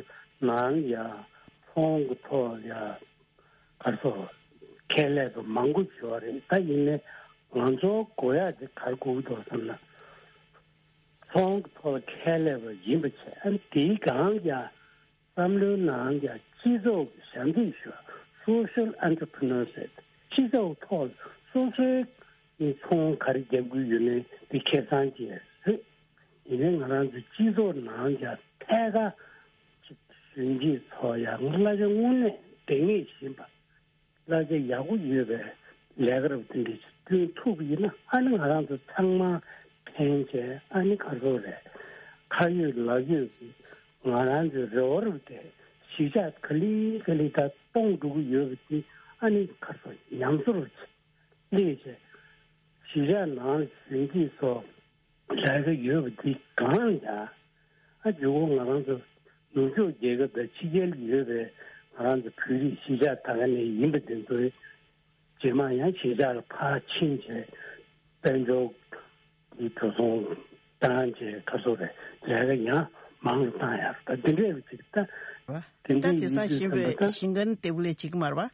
ནང་ཡ་ཚོང་གི་ཐོག་ཡ་ག་རེ་ཟེར་ཁེ་ལས་དང་མང་པོ་ཡོད་རེད། ད་ཡིན་ནའི་ང་ཚོ་དགོས་ཡ་དེ་ག་རེ་དགོས་ཀྱི་འདུག་བསམ་ན། ཚོང་གི་ཐོག་ལ་ཁེ་ལས་པ་ཡིན་པ་བྱས། ཨ་ནི་དེའི་སྒང་ཡ་བསམ་བློའི་ནང་ཡ་སྤྱི་ཚོགས་ཀྱི་ཞབས་འདེགས་ཞུ་བ། Social Entrepreneur ཟེར། སྤྱི་ཚོགས་ཐོག་སོ་སོའི་ཚོང་ག་རེ་རྒྱབ་ཀྱི་ཡོད་མེད་དེ་ཁེ་བཟང་ཅིག་རེད། ཡིན་ནའི་ང་རང་ཚོའི་སྤྱི་ཚོགས་ནང་ཡ་ཐད་ཀར་ཅིག་གཞོན་སྐྱེས་ཚོ་ཡ་གླ་ཆ་དངོས་གནས་འདང་ངེས་བཞིན་པ། གླ་ཆ་ཡག་པོ་ཡོད་པའི་ལས་ཀ་རབ་དེ་འདྲ་ཞིག་བསྐྲུན་ཐུབ་པ་ཡིན་ན། ཨ་ནི་ང་རང་ཚོ་ཚང་མ་ཕན་བྱས། ཨ་ནི་ག་རེ་ཟེར་རེད། ཁ་ཡོད་ལག་ཡོད་ཀྱི་ང་རང་ཚོའི་རེ་བ་རབ་དེ་གཞིས་ཆགས་ག་ལེ་ག་ལེ་ད་སྟོང་འགྲོ་གི་ཡོད་པ་དེ་ཨ་ནི་ག་རེ་ཟེར་ཉམས་གསོ་རུ་སླེབས་བྱས། གཞིས་ཆགས་ནང་ལ་གཞོན་སྐྱེས་ཚོ་ལས་ཀ་ཡོད་པ་འདི་གང་ཡང་ཨ་ཇོ་བོ་ང་རང་ཚོ་ནུབ་ཕྱོགས་རྒྱལ་ཁབ་དང་ཕྱི་རྒྱལ་ཡོད་པའི་ང་རང་ཚོ་བོད་རིགས་གཞིས་ཆགས་ད་ག་ནས་ཡིན་པ་དེ་ཚོའི་རྗེས་མ་ཡང་གཞིས་ཆགས་ལ་ཕར་ཕྱིན་བྱས་དཔལ་འབྱོར་གྱི་འགྲོ་སོང་བཏང་བྱས་ག་ཚོད་རེད་ལས་ཀ་ཡང་མང་རུ་བཏང་ཡག་ད་འདི་འདྲས་ཅིག་ད་དེ་ད་འདྲས་དེང་སང་ཡིན་དུས་ཤིང་ཙམ་པའི་པ་ད་ཤིང་ཀན་ཏེ་བུ་ལེ་ཅིག་མར་བ།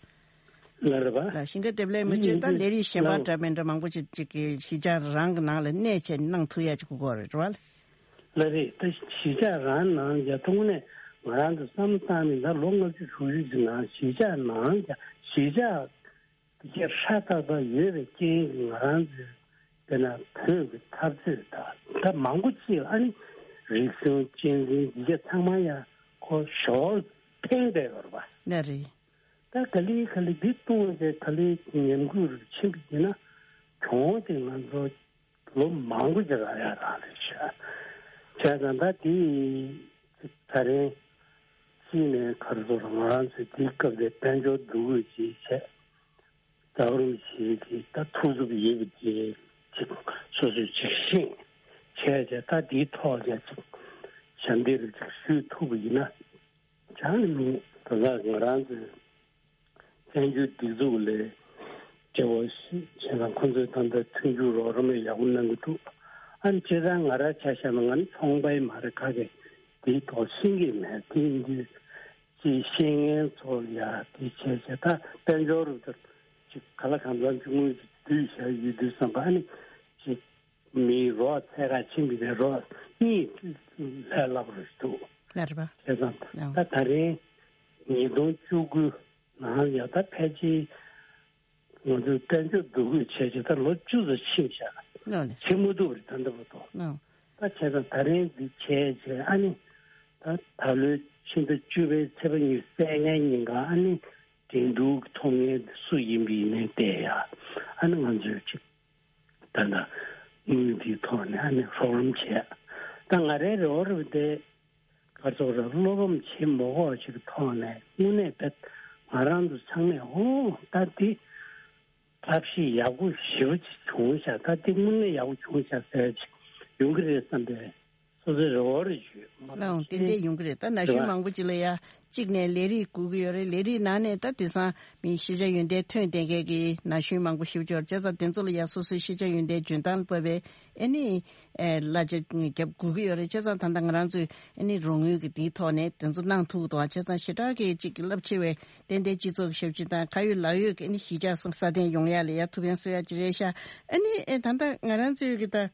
ལ་རེད་པ། ལ་ཤིང་ཀ་ཏེ་བུ་ལེ་མི་ཡིན་བྱེད་ད་ཡིན་ལས་རིགས་གཞན་པ་ལ་འདྲ་མི་འདྲ་མང་པོ་ཅིག་ཅིག་གི་གཞིས་ཆགས་རང་གི་ནང་ལ་གནས་བྱས་གནང་ཐུབ་ཡ་ཅིག་དགོས་རེད་བ། ལ་རེད་ད་གཞིས་ཆགས་རང་ནང་ཡ་ཐོག་ནས་ང་རང་ཚོ་བསམ་བློ་བཏང་ནས་ད་ལོ་ལྔ་བཅུ་དྲུག་ཅུ་ཅིག་ནང་གཞིས་ཆགས་ནང་ཡ་གཞིས་ཆགས་དེ་གས་ཧྲ་ཏག་ཏག་ཡོད་པའི་རྐྱེན་གྱིས་ང་རང་ཚོའི་དཔེར་ན་བོད་ཀྱི་འཐབ་རྩོད་དང་ད་མང་པོ་ཅིག་ཨ་ནི་རིག་གཞུང་གཅེས་འཛིན་འདི་གས་ཚང་མ་ཡ་ཁོ་ཞོར་འཕེན་བསྡད་ཡོད་རེད་པ། ལ་རེད། ད་ག་ལེ་ག་ལེ་འདི་གཏོང་བྱས་ག་ལེ་ཉམས་རྒུད་རུ་ཕྱིན་པ་ཡིན་ན་གྱོང་དེ་ང་ཚོ་ལོ་མང་པོ་ཅིག་རག་ཡ་རག་ལས་བྱས། བྱས་ཙང་ད་དེ་ད་རིང་གཅིག་ནས་ག་རེ་ཟེར་ང་རང་ཚོས་དེའི་སྐབས་དེ་དཔལ་འབྱོར་འདུ་འགོད་ཅིག་བྱས། རྒྱལ་བ་རིན་པོ་ཆེ་གི་ད་ཐུགས་འཚབ་ཡོད་པ་དེ་ཅིག་སོ་སོས་ཅིག་ཤེས་བྱས་བྱས་ད་དེའི་ཐོག་ལ་ཅིག་ཞབས་འདེགས་རུ་ཅིག་ཞུ་ཐུབ་པ་ཡིན་ན། ཅང་མིན། ད་ལྟ་ང་རང་ཚོའི་བཙན་བྱོལ་སྒྲིག་འཛུགས་ལས་བྱེད་པ་ཞིག་བྱས་ན་ཁོང་ཚོས་ད་ལྟ་མཐུན་འགྱུར་རོགས་རམ་ཡག་པོ་གནང་གི་འདུག་ཨ་ནི་སྤྱིར་བཏང་ང་རང་ཆ་བཞག་ན་ང་ནི་ཚོང་པ་མ་རེད། ག་གེ་དེའི་ཐོག་ཤེས་ཀྱི་མེད། དེ་ཡིན་དུས་ཅིག་ཤེས་མཁན་ཚོ་ལ་ཡ་དེ་བྱས་བྱས་ད་དཔལ་འབྱོར་རུ་ད་ཅིག་ག་ལ་གང་འཚམ་ཅིག་དངུལ་ཅིག་བསྡུས་བཞག་ཡོད་དུས་ཙམ་པ་ཨ་ནི་ཅིག་མིའི་རོགས་འཚོལ་ག་ཕྱིན་པའི་རོགས་གཉིས་ལས་སླ་པོ་རེད་འདུག་ལགས་རེད་པ། བྱས་ཙང་ལགས། ད་ད་རིང་ཉིས་སྟོང་བཅུ་དགུ་ནང་ཡ་ད་ཕལ་ཆེར་ང་ཚོས་དཔལ་འབྱོར་འདུ་འགོད་བྱས་བྱས་ད་ལོ་བཅུ་ཙམ་ཕྱིན་བཞག་ལགས་ལགས། བྱེད་མ་ཐུབ་པ་རེད་ད་ལྟ་བར་དུ། ལགས། ད་བྱས་ཙང་ད་རིང་འདི་བྱས་བྱས་ཨ་ནི་ད་ད་ལོའི་ཕྱི་ཟླ་བཅུ་པའི་ཚེས་པ་ཉི་ཤུ་རྩ་ལྔའི་ཉིན་ཀ་ཨ་ནི་འགྲན་བསྡུར་ཐོབ་མཁན་སུ་ཡིན་པ་ཡིན་ནའི་བལྟས་ཡ་ཨ་ནི་ང་ཚོས་ཅིག་ད་ལྟ་དངུལ་འདིའི་ཐོག་ནས་ཨ་ནི་རོགས་རམ་བྱས། ད་ང་རའི་རེ་བ་རེ་བ་དེ་ག་ཚོད་རེད། བློ་ཕམ་བྱེད་མ་དགོས་པ་ཞིག་གི་ཐོག་ནས་དངོས་གནས་དཔེ་ ང་རང་ཚོ་ཚང་མས་ཨོ་ད་འདི་ཐབས་ཤེས་ཡག་པོ་ཞེ་པོ་ཅིག་བྱུང་ཤག་ད་འདི་དངོས་གནས་ཡག་པོ་བྱུང་ཤག་ཟེར་ཅིག་ཡོང་གི་རེད་བསམ་པའི་སོ་སོའི་རེ་བ་རེ་ཞུས། ལའང་ཏན་ཏན་ཡོང་གི་རེད། ད་ན་གཞོན་མང་པོ་ཅིག་ལ་ཡ་གཅིག་ནས་ལས་རིགས་དགོས་ཀྱི་ཡོད་རེད། ལས་རིགས་ནང་ནས་ད་དེང་སང་མི་ཤེས་བྱ་ཡོན་ཏན་ཐོན་བསྡད་མཁན་གྱི་ན་གཞོན་མང་པོ་ཞིག་ཡོད་རེད། བྱས་ཙང་དེ་ཚོ་ལ་ཡ་སོ་སོའི་ཤེས་བྱ་ཡོན་ཏན་འཇོན་ཐང་ལ་བབས་པའི་ཨ་ནི་ཨེ་གླ་ཆ་རྒྱབ་དགོས་ཀྱི་ཡོད་རེད། བྱས་ཙང་ད་ལྟ་ང་རང་ཚོས་ཨ་ནི་རོགས་དངུལ་གྱི་དེའི་ཐོག་ནས་དེ་ཚོ་གནང་ཐུབ་ཀྱི་འདུག་བྱས་ཙང་ཞེ་དྲག་གི་ཅིག་རླབས་ཆེ་བའི་ཏན་ཏན་སྤྱི་ཚོགས་ཀྱི་ཞབས་ཕྱི་དང་ཁ་ཡོད་ལག་ཡོད་ཀྱི་ཨ་ནི་གཞིས་ཆགས་སོགས་སྲ་བརྟན་ཡོང་ཡ་ལ་ཡ་ཐུགས་ཕན་གསོས་ཡ་ཅིག་རེད་ཤག་ཨ་ནི་ཨེ་ད་ལྟ་ང་རང་ཚོའི་གི་ད་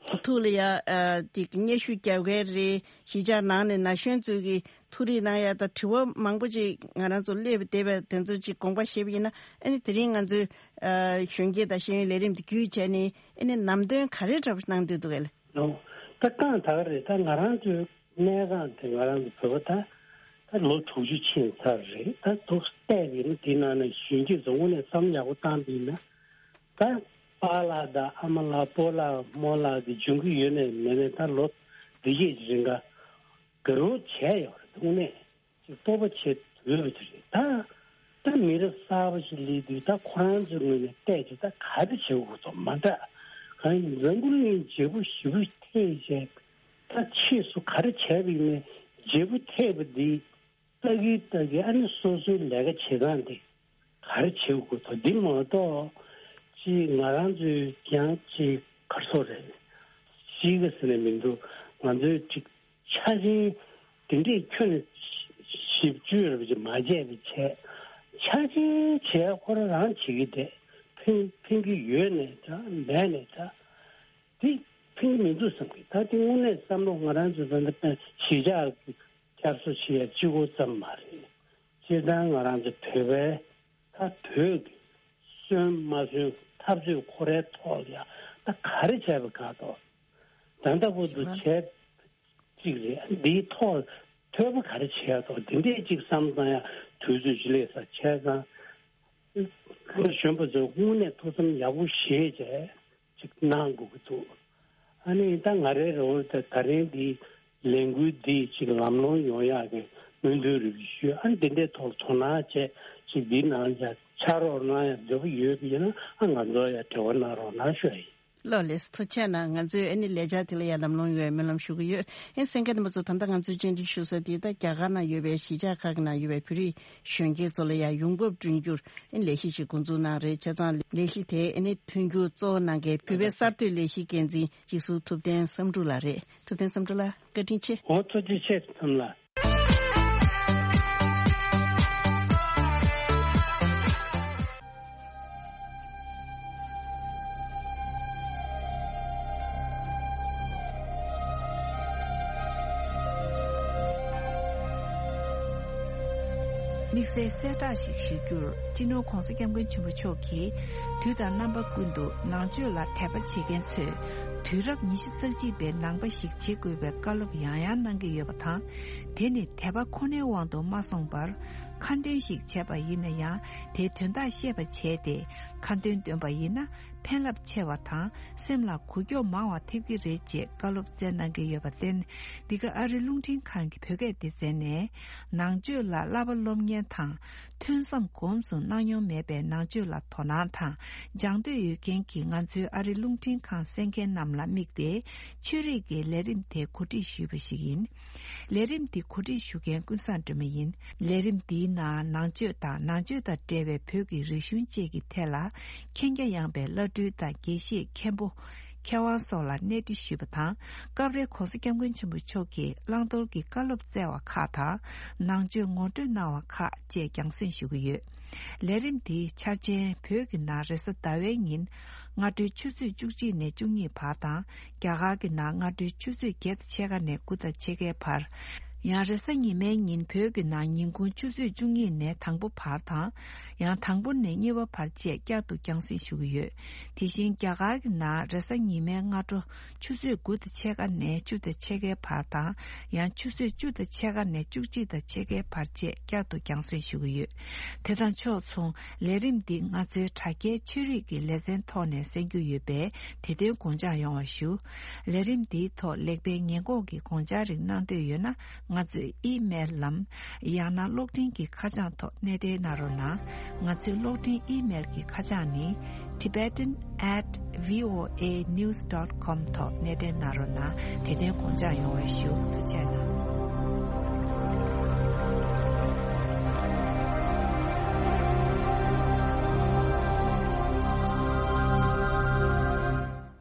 ཐུགས་ལ་ཡ་ཨ་དེ་གི་སྙན་ཞུ་རྒྱབ་མཁན་རེད། གཞིས་ཆགས་ནང་ནས་ན་གཞོན་ཚོས་གི་ཐུགས་རེ་གནང་ཡ་ད་དྲི་བ་མང་པོ་ཅིག་ང་རང་ཚོ་སླེབས་བསྡད་པ་དེ་ཚོ་ཅིག་དགོངས་པ་བཞེས་པ་ཡིན་ན་ཨ་ནི་དེ་རིང་ང་ཚོའི་ཨ་གཞོན་སྐྱེས་དང་ཤེས་ཡོན་ལས་རིམ་དེ་བརྒྱུད་བྱས་ནས་ཨ་ནི་ལམ་སྟོན་ག་རེ་འདྲ་པོ་གནང་འདོད་འདུག་གས། ལོ། ད་རྐང་ད་ག་རེད། ད་ང་རང་ཚོའི་གནས་སྟངས་དེ་ང་རང་ཚོ་བོད་པ་ད་ད་ལོ་དྲུག་ཅུ་ཕྱིན་ཚར་རེད། ད་འདུག་བལྟས་པ་ཡིན་ན་དེའི་ནང་ནས་གཞོན་སྐྱེས་ཚོ་དངོས་གནས་བསམ་ཡག་པོ་བཏང་པ་ཡིན་ན་ད་པཱ་ལགས་དང་ཨ་མ་ལགས་སྤོ་ལགས་རྨོ་ལགས་དེ་འབྱུང་གི་ཡོད་ནས་མེད་ནས་ད་ལོ་འདི་གས་རིང་ག་དགའ་རོགས་བྱས་ཡོད་རེད། དངོས་གནས་ཅིག་སྤོབས་པ་བྱེད་འོས་པ་དེ་རེད། ད་ད་མི་རབས་གསར་པ་ཞིག་སླེབས་དུས་ད་ཁོ་རང་ཚོའི་ངོས་ནས་བལྟས་ཀྱི་ད་ག་རེ་བྱེད་དགོས་དོ་མ་འདྲ། གང་ཡིན་འཛམ་བུ་གླིང་བརྗེ་པོ་ཞེ་པོ་ཐེབས་བྱས་ད་ཕྱིས་སུ་ག་རེ་བྱས་པ་ཡིན་ནའི་བརྗེ་པོ་ཐེབས་པ་འདི་ལྟ་གི་ལྟ་གི་ཨ་ནི་སོ་སོའི་ལས་ཀ་བྱེད་སྟངས་འདི་ག་རེ་བྱེད་དགོས་དོ་འདི་མ་གཏོགས་ཅིག་ང་རང་ཚོའི་ཀྱང་ཅིག་ག་རེ་ཟེར་དགོས་རེད། ཤེས་ཀྱི་ཟེར་ནས་མི་འདུག་ང་ཚོའི་ཅིག་ཆ་ཆེན་དེ་འདྲས་ཁྱོན་ནས་ཞིབ་འཇུག་རེ་བྱེད་མ་བྱས་པའི་བྱས་ཆ་ཆེན་བྱས་ཁོ་རང་རང་བྱེད་ཀྱི་བསྡད་ཕན་ཕན་གྱི་ཡོད་ནས་འདྲ་མེད་ནས་འདྲ་དེ་ཕན་གྱི་མི་འདུག་བསམ་གྱི། ད་དེ་དངོས་གནས་བསམ་བློ་ང་རང་ཚོ་ད་ལྟ་གཞིས་ཆགས་ཀྱི་བསྐྱར་གསོ་བྱེད་ཡ་གཅིག་པོ་ཙམ་མ་རེད། སྤྱིར་བཏང་ང་རང་ཚོ་བོད་པའི་ད་བོད་ཀྱི་སོན་མ་སོན་འཐབ་རྩོད་ཁོ་རའི་ཐོག་ལ་ཡ་ད་ག་རེ་བྱས་པ་ག་ཐོག་ད་ལྟ་བར་དུ་བྱས་གཅིག་རེད། འདིའི་ཐོག་ཐོས་པ་ག་རེ་བྱས་ཐོག་དེ་འདྲས་གཅིག་བསམ་བཏང་ཡ་དུས་ཚོད་ཅིག་སླེབས་ས་བྱས་ཙང་ལོ་གཞོན་པ་ཚོས་དངོས་གནས་ཐུགས་བསམ་ཡག་པོ་བཞེས་བྱས་ཅིག་གནང་དགོས་ཀྱི་འདུག་ཨ་ནི་ད་ང་རའི་རེ་བ་ད་ད་རིང་འདི་ལས་འགུལ་འདི་ཅིག་ལམ་ལྷོང་ཡོང་ཡག་གི་སྨོན་འདུན་རེ་ཞུ། ཨ་ནི་འདི་འདྲའི་ཐོག་ལ་དོ་སྣང་བྱས་ཅིག་འདི་ནང་ཡ་ཕྱག་རོགས་གནང་ཡ་འདོད་པ་ཡོད་པ་ཡིན་ན་ཨ་ང་ཚོ་ཡ་འབྲེལ་བ་གནང་རོགས་གནང་ཞུ་ཡ་ཡིན། ལགས་ལགས་སོ། ཐུགས་རྗེ་གནང་། ང་ཚོས་ཨ་ནི་ལས་འཆར་དེ་ལ་ཡ་ལམ་ལྷོང་ཡོང་བའི་སྨོན་ལམ་ཞུ་གི་ཡོད། ཨེ་གསན་མཁན་རྣམ་པ་ཚོ་ད་ལྟ་ང་ཚོའི་བཅར་འདྲི་ཞུ་ས་དེ་ད་རྒྱ་གར་ནང་ཡོད་པའི་གཞིས་ཆགས་ཁག་གི་ནང་ཡོད་པའི་བོད་རིགས་གཞོན་སྐྱེས་ཚོ་ལ་ཡང་ཡོང་འབབ་བསྐྲུན་རྒྱུར་ཨེ་ལས་གཞི་ཞིག་འགོ་འཛུགས་གནང་རེད། བྱས་ཙང་ལས་གཞི་དེ་ཨེ་ནི་མཐུན་འགྱུར་གཙོ་བོ་གནང་མཁན་བོད་པའི་གསར་གཏོད་ལས་གཞི་འགན་འཛིན་སྤྱི་ཟུར་ཐུབ་བསྟན་བསམ་གྲུབ་ལགས་རེད། ཐུབ་བསྟན་བསམ་གྲུབ་ལགས་བཀའ་དྲིན་ཆེ། འོ་ཐུགས་རྗེ་ཆེ་ཐུབ་བསྟན་ལགས། དམིགས་བསལ་གསལ་བསྒྲགས་ཤིག་ཞུ་རྒྱུར། སྤྱི་ནོར་༧གོང་ས་༧སྐྱབས་མགོན་ཆེན་པོ་མཆོག་གིས་དུས་དང་རྣམ་པ་ཀུན་ཏུ་ནང་ཆོས་ལ་དད་པ་བྱེད་མཁན་ཚོས་དུས་རབས་ཉི་ཤུ་རྩ་གཅིག་པའི་ནང་པ་ཞིག་བྱེད་དགོས་པའི་བཀའ་སློབ་ཡང་ཡང་གནང་གི་ཡོད་པ་དང་། དེ་ནི་དད་པ་ཁོ་ནའི་དབང་དུ་མ་སོང་བར། ཁ་འདོན་ཞིག་བྱས་པ་ཡིན་ན་ཡང་དེའི་དོན་དག་ཤེས་པ་བྱས་ཏེ་ཁ་འདོན་འདོན་པ་ཡིན་ན་ཕན་རླབས་ཆེ་བ་དང་སེམས་ལ་འགུལ་སྐྱོད་མང་བ་ཐེབས་ཀྱི་རེད་ཅེས་བཀའ་སློབ་སྩལ་གནང་གི་ཡོད་པར་བརྟེན། འདི་ག་ཨ་རི་རླུང་འཕྲིན་ཁང་གི་བོད་སྐད་སྡེ་ཚན་ནས་ནང་ཆོས་ལ་བསླབ་པ་སློབ་གཉེར་དང་ཐོས་བསམ་གོམས་སུ་གནང་མྱོང་མེད་པའི་ནང་ཆོས་ལ་དོ་སྣང་དང་སྦྱང་འདོད་ཡོད་མཁན་གྱི་ང་ཚོའི་ཨ་རི་རླུང་འཕྲིན་ཁང་གསན་མཁན་རྣམས་ལ་དམིགས་ཏེ་ཆོས་རིག་གི་ལས་རིམ་དེ་གོ་སྒྲིག་ཞུས་པ་ཞིག་ཡིན། ལས་རིམ་འདི་གོ་སྒྲིག་ཞུ་མཁན་ཀུན་བཟང་སྒྲོལ་མ་ཡིན། ལས་རིམ་འདིའི་ནང་ནང་ཆོས་དང་ནང་ཆོས་དང་འབྲེལ་བའི་བོད་ཀྱི་རིག་གཞུང་བཅས་ཀྱི་ཐད་ལ་མཁྱེན་རྒྱ་ཡངས་པའི་བླ་སྤྲུལ་དང་དགེ་བཤེས་མཁན་པོ་མཁས་དབང་སོགས་ལ་གནས་འདྲི་ཞུས་པ་དང་། སྐབས་རེ་༧གོང་ས་༧སྐྱབས་མགོན་ཆེན་པོ་མཆོག་གིས་བླང་དོར་གྱི་བཀའ་སློབ་སྩལ་བ་ཁག་དང་ནང་ཆོས་ངོ་སྤྲོད་གནང་བ་ཁག་བཅས་རྒྱང་སྲིང་ཞུ་གི་ཡོད། ལས་རིམ་འདིའི་འཆར་ཅན་བོད་ཀྱི་ནང་རེས་གཟའ་ཟླ་བའི་ཉིན་སྔ་དྲོའི་ཆུ་ཚོད་བཅུ་གཅིག་ནས་བཅུ་གཉིས་བར་དང་རྒྱ་གར་གྱི་ནང་སྔ་དྲོའི་ཆུ་ཚོད་བརྒྱད་དང་ཕྱེད་ཀ་ནས་དགུ་དང་ཕྱེད་ཀའི་བར། ཡང་རེས་གཟའ་ཉི་མའི་ཉིན་བོད་ཀྱི་ནང་ཉིན་གུང་ཆུ་ཚོད་བཅུ་གཉིས་ནས་དང་པོ་བར་དང་། ཡང་དང་པོ་ནས་གཉིས་པ་བར་བཅས་བསྐྱར་དུ་རྒྱང་སྲིང་ཞུ་གི་ཡོད། དེ་བཞིན་རྒྱ་གར་གྱི་ནང་རེས་གཟའ་ཉི་མའི་སྔ་དྲོ་ཆུ་ཚོད་དགུ་དང་ཕྱེད་ཀ་ནས་བཅུ་དང་ཕྱེད་ཀའི་བར་དང་། ཡང་ཆུ་ཚོད་བཅུ་དང་ཕྱེད་ཀ་ནས་བཅུ་གཅིག་དང་ཕྱེད་ཀའི་བར་བཅས་བསྐྱར་དུ་རྒྱང་སྲིང་ཞུ་གི་ཡོད། དེ་དང་ཕྱོགས་མཚུངས་ལས་རིམ་འདི་ང་ཚོའི་དྲ་རྒྱའི་ཆོས་རིག་གི་ལེ་ཚན་ཐོག་ནས་གསན་རྒྱུ་ཡོད་པས་དེ་དོན་དགོངས་འཇགས་ཡོང་བ་ཞུ། ལས་རིམ་འདིའི་ཐོག་ལེགས་སྤེལ་ཉེས་འགོག་གི་དགོངས་འཆར་རིགས་གནང་འདོད་ཡོད་ན་ ང་ཚོའི་ཨི་མེལ་ལམ། ཡང་ན་གློག་འཕྲིན་གྱི་ཁ་བྱང་ཐོག་གནས་འབྲེལ་གནང་རོགས་གནང་། ང་ཚོའི་གློག་འཕྲིན་ཨི་མེལ་གྱི་ཁ་བྱང་ནི། Tibetan at V O A news dot com ཐོག་གནས་འབྲེལ་གནང་རོགས་གནང་། དེ་དོན་དགོངས་འཇགས་ཡོང་བའི་ཞུ། ཐུགས་རྗེ་གནང་།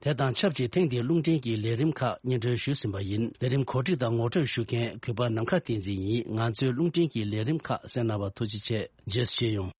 དེ་དང་ཆབས་ཅིག་ཐེངས་འདིའི་རླུང་འཕྲིན་གྱི་ལས་རིམ་ཁག་སྙན་སྒྲོན་ཞུས་ཟིན་པ་ཡིན། ལས་རིམ་གོ་སྒྲིག་དང་ངོ་སྤྲོད་ཞུ་མཁན་གུས་པ་ནམ་མཁའ་བསྟན་འཛིན་ཡིན། ང་ཚོའི་རླུང་འཕྲིན་གྱི་ལས་རིམ་ཁག་གསན་གནང་བར་ཐུགས་རྗེ་ཆེ། རྗེས་སུ་མཇལ་ཡོང་།